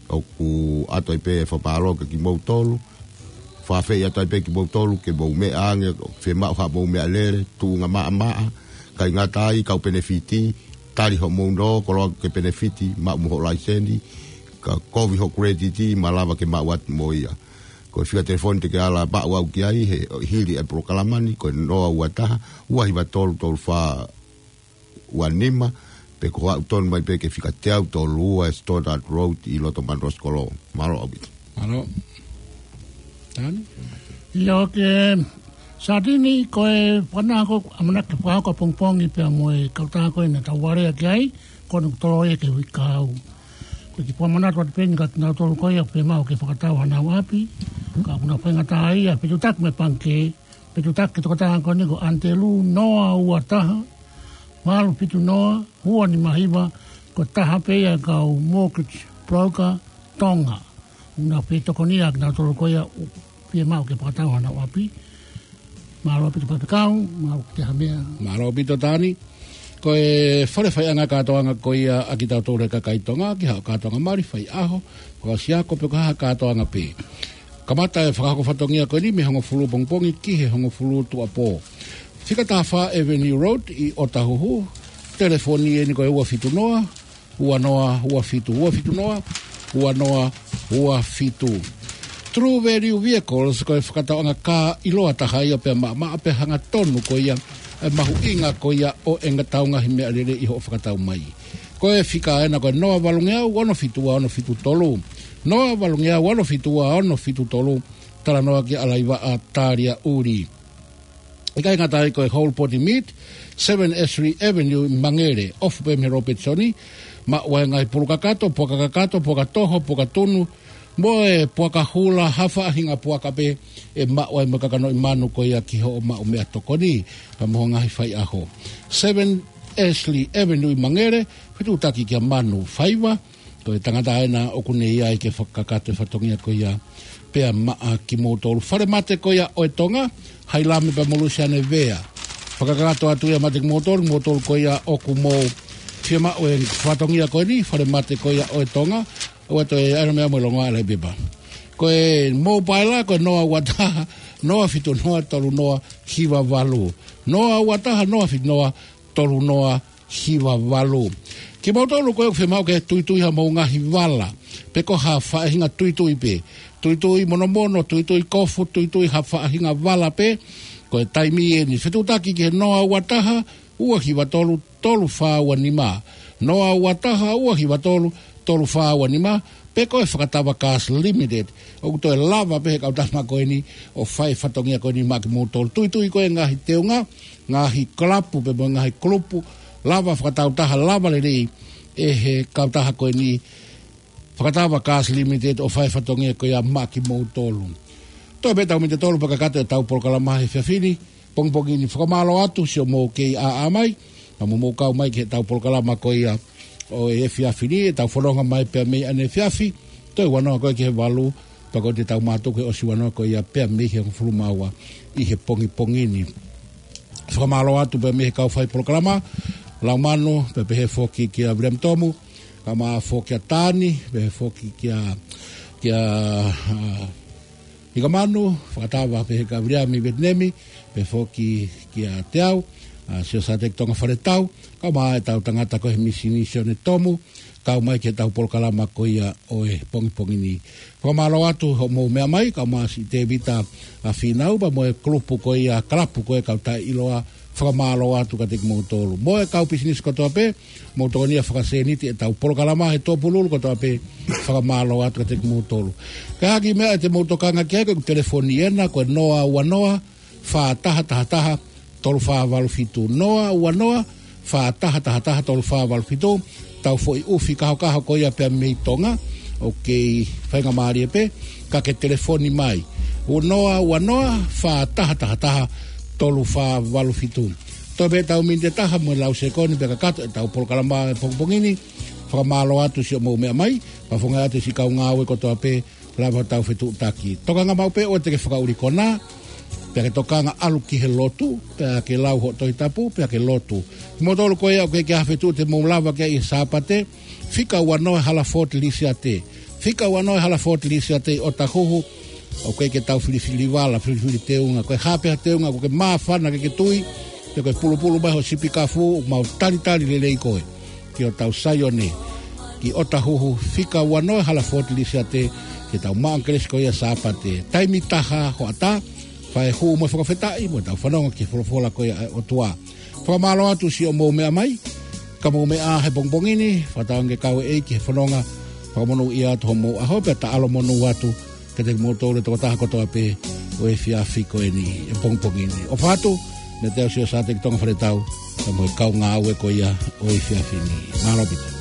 ʻoku ʻoatu ai pē e fakamālō kiate kimoutolu. Fakafeʻiloaki atu ai pē kimoutolu ke mou meʻa ange, fiemaʻu haʻamou meʻalele, tuʻunga maʻamaʻa, ʻikai ngata ai, kau penefiti, tali hoʻomou nō, koloa ke penefiti, maʻu mo hoʻo laiseni, ka kovi hoʻo kuletiti, malava ke maʻu atu mo ia. Ko e fika telefoni te ke ala maʻu au ki ai, he hili e polokalama ni, ko e noa ua taha, ua hiva tolu tolu fā ua nima, pe ko e aʻu tonu mai pē ki he fika teau tolu ua Stoddard Road ʻi loto Munro Sikolo. Mālō ʻaupito. Mālō. Tani? ʻIo, ke Satini, ko e fana ko ʻamanaki fakahoko ʻapongipongi pea mo e kautaha ko ē naʻa tau alea ki ai, ko ʻene tolo ia ki he uike kahaʻu. Ko e kiʻi fakamanatu atu pē eni kiate kinautolu ko ia ʻoku fiemaʻu ke fakatau hanau ʻapi, ka ʻoku nau faingataʻaʻia, fetuʻutaki mo e pangikē, fetuʻutaki ki he tokotaha ko eni ko Antelū, noa ua taha, valu fitu noa, ua nima hiva, ko e taha pē ia e kau mortgage broker Tonga. ʻOku nau fetokonia kinautolu ko ia ʻoku fiemaʻu ke fakatau hanau ʻapi. Mālō ʻaupito Faifekau, mālō ki ha meʻa. Mālō ʻaupito Tani. Ko e fale faiʻanga kātoanga ko ia ʻa kitautolu he kakai Tonga, ki haʻo kātoanga mali, faiʻaho, fakaʻosi ako, pe ko ha kātoanga pē. Kamata e fakahoko fatongia ko eni mei he hongofulu pongipongi ki he hongofulu tuʻuapō. Fika taha fā Avenue Road ʻi ʻOtahuhu, telefoni eni ko e ua fitu noa, ua noa ua fitu, ua fitu noa, ua noa ua fitu. True Value Vehicles, ko e fakatauʻanga kā ʻiloa taha ia pea maʻamaʻa pea hangatonu ko ia e mahuʻinga ko ia ʻo ʻetau ngaahi meʻalele ʻi hoʻo fakatau mai. Ko e fika ena ko e noa valungeau ono fitu ua ono fitu tolu. Noa valungeau ono fitu ua ono fitu tolu. Talanoa kia ʻAlaivaʻa Talia ʻUli. ʻIkai ngata ai, ko e Whole Body Meat, Seven Ashley Avenue ʻi Mangere, ofi pē mei he Robertson, maʻu ai e ngaahi pulu kakato, puaka kakato, puaka toho, puaka tunu, mo e puaka hula, ha faʻahinga puaka pē ʻe maʻu ai mo e kakanoʻi manu ko ia ki hoʻo maʻu meʻatokoni, pea mo e ngaahi faiʻaho. Seven Ashley Avenue ʻi Mangere, fetuʻutaki kia Manu Faiva, ko e tangata ena ʻoku ne ʻi ai ke fakakakato e fatongia ko ia pea maʻa kimoutolu. Fale mate ko ia ʻo e Tonga, Hailame pea mo Lusiane Vea. Fakakakato atu ia maʻa kimoutolu, moutolu ko ia ʻoku mou fiemaʻu e fatongia ko eni, fale mate ko ia ʻo e Tonga, ʻoua toe ʻai ha meʻa mo e longoaʻa ʻa e pepa. Ko e mobile ko e noa ua taha, noa fitu noa tolu noa hiva valu. Noa ua taha, noa fitu noa tolu noa hiva valu. Kimoutolu ko ē ʻoku fiemaʻu ke tuitui hamou ngaahi vala, pe ko ha faʻahinga tuitui pē. Tuitui monomono, tuitui kofu, tuitui ha faʻahinga vala pē. Ko e taimi eni, fetuʻutaki ki he noa ua taha, ua hiva tolu, tolu fā ua nima. Noa ua taha, ua hiva tolu, tolu fā ua nima. Pe ko e Fakatava Gas Limited. ʻOku toe lava pē he kautaha ko eni ʻo fai fatongia ko eni maʻa kimoutolu. Tuitui ko ē ngaahi teunga, ngaahi kalapu pea mo e ngaahi kulupu, lava fakatautaha, lava lelei ʻe he kautaha ko eni Fakatava Gas Limited ʻo fai fatongia ko ia maʻa kimoutolu. Toe pē tau miniti ʻe tolu pea kakato ʻetau polokalama he efiafi ni, pongipongi ni. Fakamālō atu siʻomou kei ʻaʻa mai, ka mou kau mai ki heʻetau polokalama ko ia ʻo e efiafi ni, ʻetau fononga mai pea mei ʻaneefiafi, toe ua noa ko ē ki he valu, pea ko ʻetau mātuku he ʻosi ua noa ko ia pea mei he hongofulu mā ua ʻi he pongipongi ni. Fakamālō atu pea mei he kau fai polokalama, Laumanu, pea pehē foki kia Viliami Tomu, kae ʻumaʻā foki kia Tani, pehē foki kia, kia, ʻa, Nikamanu, fakatava pehē kia Viliami Vetinemi, pehē foki kia Teau, ʻa, Siosateki Tonga Faletau, kae ʻumaʻā ʻetau tangata ko ē he misini Sione Tomu, kau mai ki heʻetau polokalama ko ia ʻo e pongipongi ni. Fakamālō atu hoʻomou meʻa mai, kae ʻumaʻā siʻi Tevita ʻa Fīnau, pea mo e kulupu ko ia, kalapu ko ē kau taʻeʻiloa, fakamālō atu kiate kimoutolu. Mo e kau pisinisi kotoa pē, mou tokoni ʻo fakasēniti ʻetau polokalama he tuʻapululu kotoa pē, fakamālō atu kiate kimoutolu. Ka ʻi ai ha kiʻi meʻa te mou tokanga ki ai, ko e telefoni ena, ko e noa ua noa, fā taha taha taha, tolu fā valu fitu. Noa ua noa, fā taha taha taha, tolu fā valu fitu. Tau foʻi ʻufi kahokaho ko ia pea mei Tonga, ʻoku kei faingamālie pē, ka ke telefoni mai. Noa ua noa, fā taha taha taha, tolu fā valu fitu. Toe pē tau miniti ʻe taha mo e lau sekoni pea kakato ʻetau polokalama he pongipongi ni. Fakamālō atu siʻomou meʻa mai, pea fakafofonga atu siʻi kau ngāue kotoa pē, lava ʻo tau fetuʻutaki. Tokanga maʻu pē ʻoua te ke fakaʻuli konā, pea ke tokanga ʻalu ki he lotu, pea ke lau hoʻo Tohi Tapu, pea ke lotu. Kimoutolu ko ia ʻoku ʻikai ke ʻi ai ha fetuʻu te mou lava ki ai he Sāpate, fika ua noa Halaford Lisiate. Fika ua noa Halaford Lisiate ʻi ʻOtahuhu, ʻoku ʻikai ke tau filifili vala, filifili teunga. Ko e hā pē ha teunga ʻoku ke māfana ke ke tui, pe ko e pulupulu mai hoʻo sipi kafu, mau talitali lelei koe ki hotau Saione, ki ʻOtahuhu, fika ua noa Halaford Lisiate, ke tau maʻu ʻa e kelesi ko ia Sāpate. Taimi taha hoʻatā, fai e hū mo e fakafetaʻi, mo tau fanongo ki he folofola ko ia ʻa e ʻOtua. Fakamālō atu siʻomou meʻa mai, ka mou meʻa he pongipongi ni, fakatauange ke kau e ʻEiki he fononga, fakamonūʻia atu hoʻomou ʻaho, pea taʻalo monū atu, kiate kimoutolu e tokotaha kotoa pē ʻo e efiafi ko eni, he pongipongi ni. ʻOfa atu, mei he Siosateki Tonga Faletau, pea mo e kau ngāue ko ia ʻo e efiafi ni. Mālō ʻaupito.